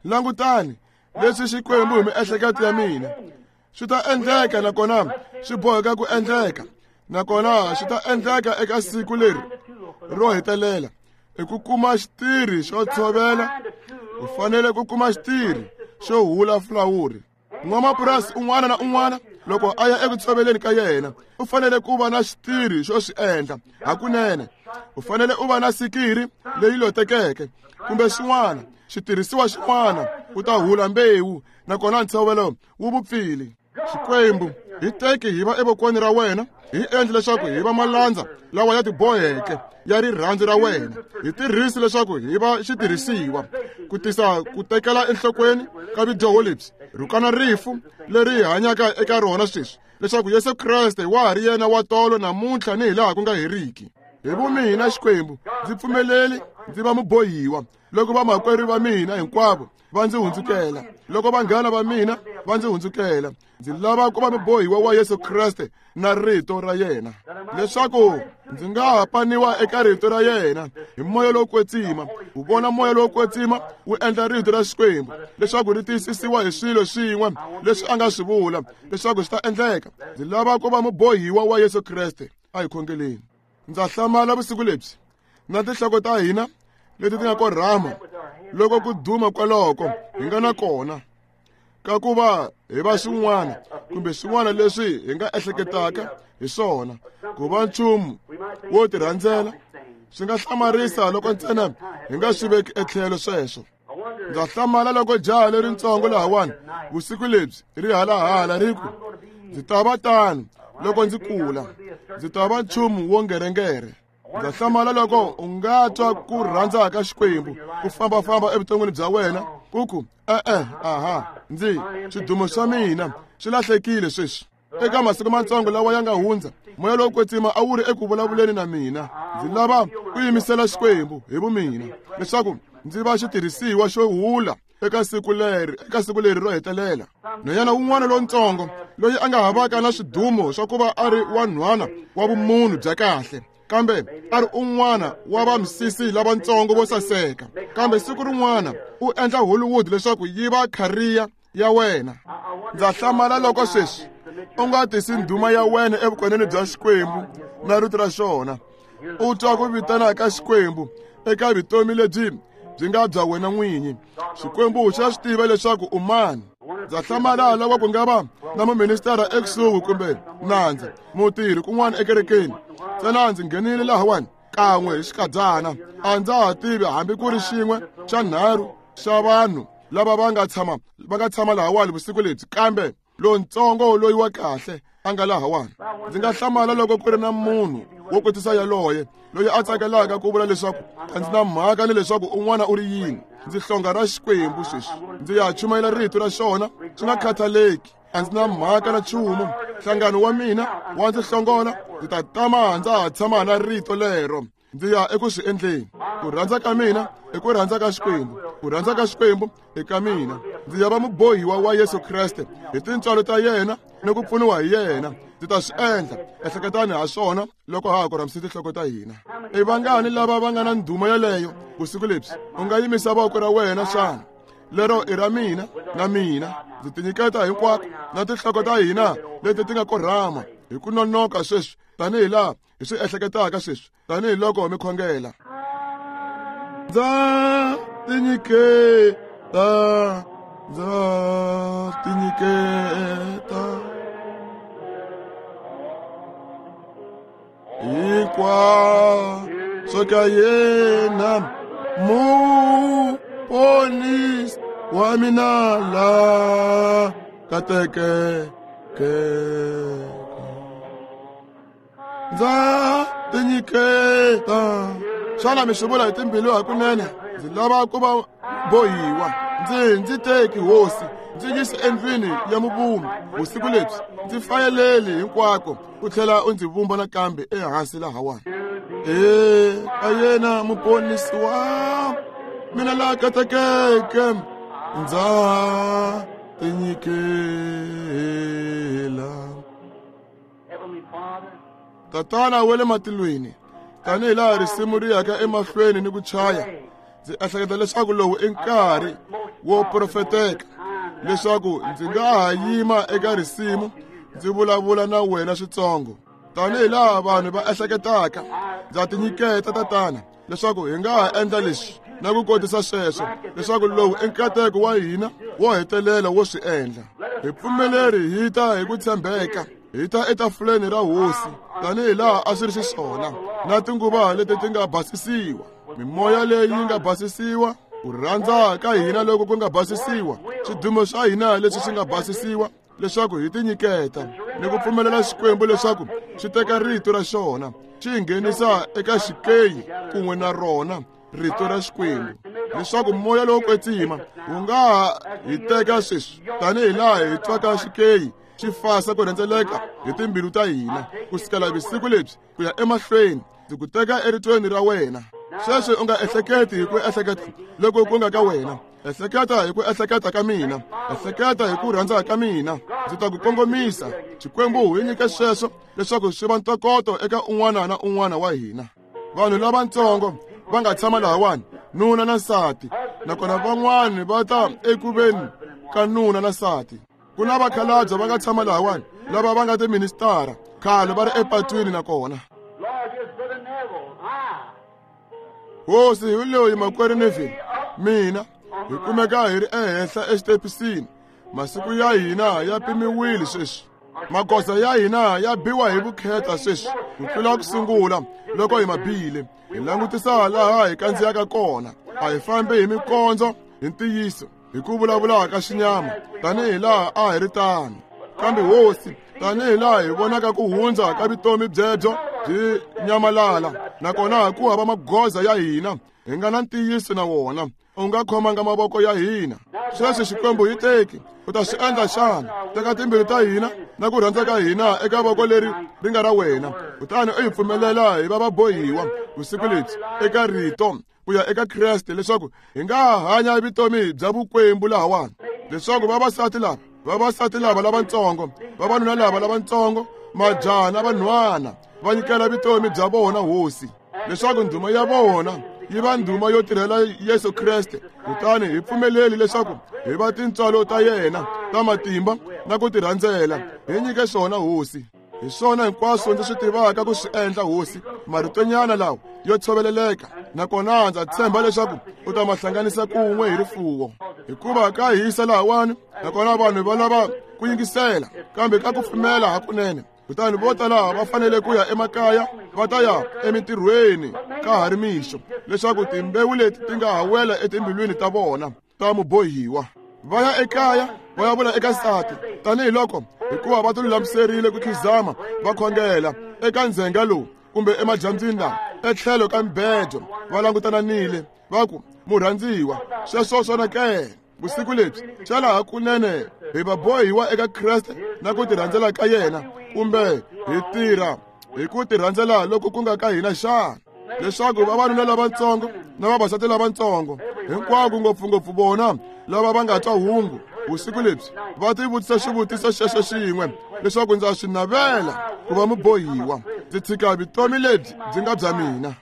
Langutani leswi Xikwembu hi miehleketo ya mina swi ta endleka, nakona swi boheka ku endleka, nakona swi ta endleka eka siku leri ro hetelela. I ku kuma xitirhi xo tshovela, u fanele ku kuma xitirhi xo hula fulawuri. N'wamapurasi un'wana na un'wana loko a ya eku tshoveleni ka yena u fanele ku va na xitirhi xo swi endla hakunene. U fanele u va na sikiri leyi lotekeke kumbe xin'wana xitirhisiwa xin'wana ku ta hula mbewu, nakona ntshovelo wu vupfile. Xikwembu, hi teki hi va evokweni ra wena, hi endle leswaku hi va malandza lawa ya tiboheke ya rirhandzu ra wena. Hi tirhisi leswaku hi va xitirhisiwa ku tisa ku tekela enhlokweni ka vudyoho lebyi rhukana rifu leri hi hanyaka eka rona sweswi, leswaku Yesu Kreste wa ha ri yena wa tolo namuntlha ni hi laha ku nga heriki. Hi vumina Xikwembu, ndzi pfumeleli Ndzi va mubohiwa loko vamakwerhu va mina hinkwavo va ndzi hundzukela, loko vanghana va mina va ndzi hundzukela. Ndzi lava ku va mubohiwa wa Yesu Kreste na rito ra yena, leswaku ndzi nga ha paniwa eka rito ra yena hi moya lowo kwetsima. U vona moya lowo kwetsima wu endla rito ra Xikwembu leswaku ri tiyisisiwa hi swilo swin'we leswi a nga swi vula leswaku swi ta endleka. Ndzi lava ku va mubohiwa wa Yesu Kreste. A hi khongeleni. Ndza hlamala vusiku lebyi na tinhloko ta hina leti ti nga korhama loko ku duma kwaloko hi nga na kona ka ku va hi va swin'wana kumbe swin'wana leswi hi nga ehleketaka hi swona ku va nchumu wo tirhandzela. Swi nga hlamarisa loko ntsena hi nga swi veki etlhelo sweswo. Ndza hlamala loko jaha leritsongo lahawani vusiku lebyi ri halahala ri ku, ndzi ta va tano loko ndzi kula, ndzi ta va nchumu wo ngerengere. Ndza hlamala loko u nga twa ku rhandza ka Xikwembu ku fambafamba evuton'wini bya wena ku ku e-e, aha, ndzi swidumo swa mina swi lahlekile sweswi. Eka masiku matsongo lawa ya nga hundza, moya lowo kwetsima a wu ri eku vulavuleni na mina. Ndzi lava ku yimisela Xikwembu hi vumina leswaku ndzi va xitirhisiwa xo hula eka siku leri eka siku leri ro hetelela. Nhwanyana wun'wana lontsongo loyi a nga havaka na swidumo swa ku va a ri wanhwana wa vumunhu bya kahle, kambe a ri un'wana wa vamisisi lavatsongo vo saseka, kambe siku rin'wana u endla Hollywood leswaku yi va khariya ya wena. Ndza hlamala loko sweswi u nga tisi ndhuma ya wena evukoneni bya Xikwembu na rito ra xona, u twa ku vitana ka Xikwembu eka vutomi lebyi byi nga bya wena n'winyi. Xikwembu xa swi tiva leswaku u mani. Ndza hlamala loko ku nga va na muministara ekusuhi kumbe nandza mutirhi kun'wana ekerekeni. Ntsena ndzi nghenile lahawani kan'we hi xikadyana, a ndza ha tivi hambi ku ri xin'we xa nharhu xa vanhu lava va nga tshama va nga tshama lahawani vusiku lebyi, kambe lontsongo loyi wa kahle a nga lahawani. Ndzi nga hlamala loko ku ri na munhu wo kotisa yaloye loyi a tsakelaka ku vula leswaku a ndzi na mhaka ni leswaku un'wana u ri yini. Ndzi hlonga ra Xikwembu sweswi, ndzi ya chumayela rito ra xona swi nga khathaleki, a ndzi na mhaka na nchumu. Nhlangano wa mina wa ndzi hlongola, ndzi ta tama ndza ha tshama na rito lero. Ndzi ya eku swi endleni. Ku rhandza ka mina i ku rhandza ka Xikwembu, ku rhandza ka Xikwembu i ka mina. Ndzi ya va mubohiwa wa Yesu Kreste hi tintswalo ta yena ni ku pfuniwa hi yena. Ndzi ta swi endla. Ehleketani ha swona loko ha ha korhamisa tinhloko ta hina. I vangani lava va nga na ndhuma yeleyo vusiku lebyi? U nga yimisa voko ra wena xana? Lero i ra mina na mina. Ndzi tinyiketa hinkwako na tinhloko ta hina leti ti nga korhama hi ku nonoka sweswi, tanihi laha hi swi ehleketaka sweswi, tanihiloko mi khongela. Ndza tinyiketa, ndza tinyiketa hinkwaswo ka yena muponisi wa mina la katekeke. Ndza tinyiketa. Xana mi swi vula hi timbilu hakunene? Ndzi lava ku va bohiwa. Ndzi ndzi teki hosi, ndzi yisi endlwini ya muvumbi vusiku lebyi. Ndzi fayeleli hinkwako u tlhela u ndzi vumba nakambe ehansi lahawani. E ka yena muponisi wa mina la katekeke, ndza tinyikela. Tatana wa le matilweni, tanihi laha risimu ri yaka emahlweni ni ku chaya, ndzi ehleketa leswaku lowu i nkarhi wo profeteka leswaku ndzi nga ha yima eka risimu ndzi vulavula na wena switsongo. Tanihi laha vanhu va ehleketaka, ndza tinyiketa Tatana leswaku hi nga ha endla leswi na ku kotisa sweswo, leswaku lowu i nkateko wa hina wo hetelela wo swi endla. Hi pfumeleri hi ta hi ku tshembeka, hi ta etafuleni ra hosi tanihi laha a swi ri xiswona, na tinguva leti ti nga basisiwa, mimoya leyi yi nga basisiwa, ku rhandza ka hina loko ku nga basisiwa, swidumo swa hina leswi swi nga basisiwa, leswaku hi tinyiketa ni ku pfumelela Xikwembu leswaku xi teka rito ra xona xi nghenisa eka xikeyi kun'we na rona rito ra Xikwembu, leswaku moya lowo kwetsima wu nga ha hi teka sweswi tanihi laha hi twaka xikeyi xi fasa ku rhendzeleka hi timbilu ta hina ku sukela vusiku lebyi ku ya emahlweni. Ndzi ku teka eritweni ra wena. Sweswi u nga ehleketi hi ku ehleketa loko ku nga ka wena. Ehleketa hi ku ehleketa ka mina. Ehleketa hi ku rhandza ka mina. Ndzi ta ku kongomisa. Xikwembu hi nyike sweswo leswaku swi va ntokoto eka un'wana na un'wana wa hina. Vanhu lavatsongo va nga tshama lahawani, nuna na nsati, nakona van'wani va ta ekuveni ka nuna na nsati. Ku na vakhalabye va nga tshama lahawani lava va nga tiministara khale va ri epatwini nakona. Hosi hi loyi makwerhu Neville, mina hi kumeka hi ri ehenhla exitepisini. Masiku ya hina ya pimiwile sweswi. Magoza ya hina ya biwa hi vukheta sweswi ku tlula ku sungula loko hi ma bile. Hi langutisa laha hi kandziyaka kona. A hi fambi hi mikondzo hi ntiyiso hi ku vulavula ka xinyama tanihi laha a hi ri tano. Kambe hosi, tanihi laha hi vonaka ku hundza ka vutomi byebyo byi nyamalala, nakona ku hava magoza ya hina hi nga na ntiyiso na wona. U nga khomanga mavoko ya hina. Sweswi Xikwembu hi teki, u ta swi endla xana? Teka timbilu ta hina na ku rhandza ka hina eka voko leri ri nga ra wena, kutani u hi pfumelela hi va vabohiwa vusiku lebyi eka rito ku ya eka Kreste, leswaku hi nga hanya vutomi bya vukwembu lahawani, leswaku vavasati lava vavasati lava lavatsongo, vavanuna lava lavatsongo, majaha na vanhwana va nyikela vutomi bya vona hosi, leswaku ndhuma ya vona yi va ndhuma yo tirhela Yesu Kreste. Kutani hi pfumeleli leswaku hi va tintswalo ta yena ta matimba na ku tirhandzela. Hi nyike swona hosi. Hi swona hinkwaswo ndzi swi tivaka ku swi endla hosi, maritonyana lawa yo tshoveleleka, nakona ndza tshemba leswaku u ta ma hlanganisa kun'we hi rifuwo. Hikuva ka hisa lahawani, nakona vanhu va lava ku yingisela, kambe ka ku pfumela hakunene. Kutani vo tala va fanele ku ya emakaya, va ta ya emitirhweni ka ha ri mixo, leswaku timbewu leti ti nga ha wela etimbilwini ta vona ta mubohiwa. Va ya ekaya va ya vula eka nsati, tanihiloko hikuva va tilulamiserile ku khizama va khongela eka ndzhenga lowu kumbe emadyambyini lawa etlhelo ka mibedo, va langutananile va ku, murhandziwa, sweswo swona ke vusiku lebyi xana hakunene hi vabohiwa eka Kreste na ku tirhandzela ka yena, kumbe hi tirha hi ku tirhandzela loko ku nga ka hina xana? Leswaku vavanuna lavatsongo na vavasati lavatsongo hinkwako, ngopfungopfu vona lava va nga twa hungu vusiku lebyi, va tivutisa xivutiso xexo xin'we, leswaku ndza swi navela ku va mubohiwa, ndzi tshika vutomi lebyi byi nga bya mina.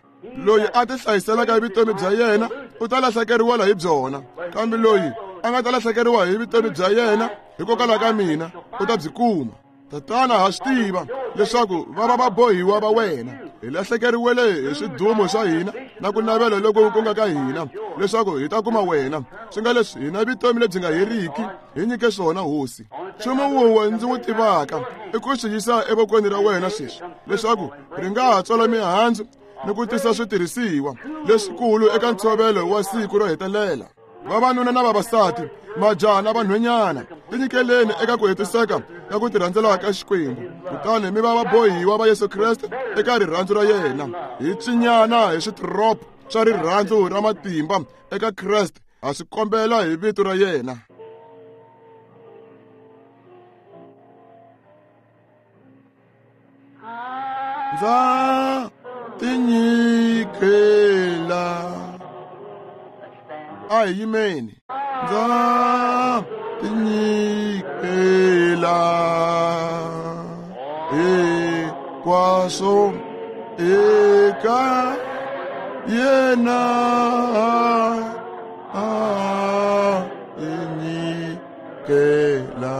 Loyi a tihlayiselaka vutomi bya yena u ta lahlekeriwa hi byona, kambe loyi a nga ta lahlekeriwa hi vutomi bya yena hikokwalaho ka mina u ta byi kuma. Tatana, ha swi tiva leswaku va va vabohiwa va wena. Hi lahlekeriwele hi swidumo swa hina na ku navela loko ku nga ka hina, leswaku hi ta kuma wena. Swi nga leswi hina vutomi lebyi nga heriki, hi nyike swona hosi. Nchumu wun'we ndzi wu tivaka i ku swi yisa evokweni ra wena sweswi, leswaku ri nga ha tswala mihandzu ni ku tisa switirhisiwa leswikulu eka ntshovelo wa siku ro hetelela. Vavanuna na vavasati, majaha na vanhwanyana, tinyikeleni eka ku hetiseka ka ku tirhandzela ka Xikwembu, kutani mi va vabohiwa va Yesu Kreste eka rirhandzu ra yena. Hi cinyana hi switiropo swa rirhandzu ra matimba eka Kreste, ha swi kombela hi vito ra yena. Ndza tinyikela. A hi yimeni. Ndza tinyikela hinkwaswo eka yena, a tinyikela.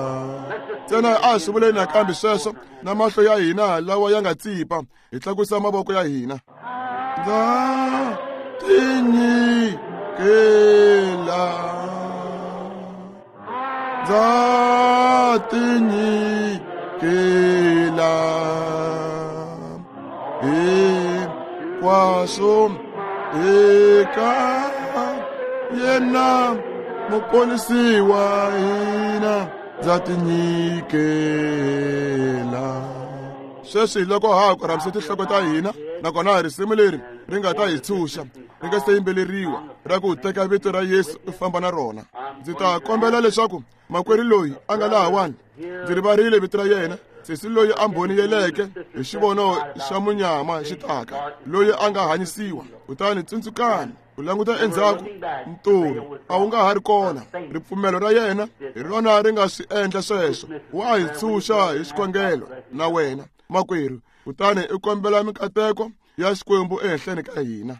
Ntsena a swi vuleni nakambe sweswo na mahlo ya hina lawa ya nga tsipa, hi tlakusa mavoko ya hina. Ndza tinyikela, ndza tinyikela hinkwaswo eka yena muponisi wa hina, ndza tinyikela. Sweswi loko ha ha korhamisa tinhloko ta hina, nakona risimu leri ri nga ta hi tshunxa ri nga se yimbeleriwa ra ku teka vito ra Yesu u famba na rona, ndzi ta kombela leswaku makwerhu loyi a nga lahawani, ndzi rivarile vito ra yena, Sesi loyi a mbhoniyeleke hi xivono xa munyama xi taka, loyi a nga hanyisiwa. Kutani tsundzukani, u languta endzhaku, nturhu a wu nga ha ri kona. Ripfumelo ra yena hi rona ri nga swi endla sweswo. Wa hi tshunxa hi xikhongelo na wena, makwerhu, kutani u kombela mikateko ya Xikwembu ehenhleni ka hina.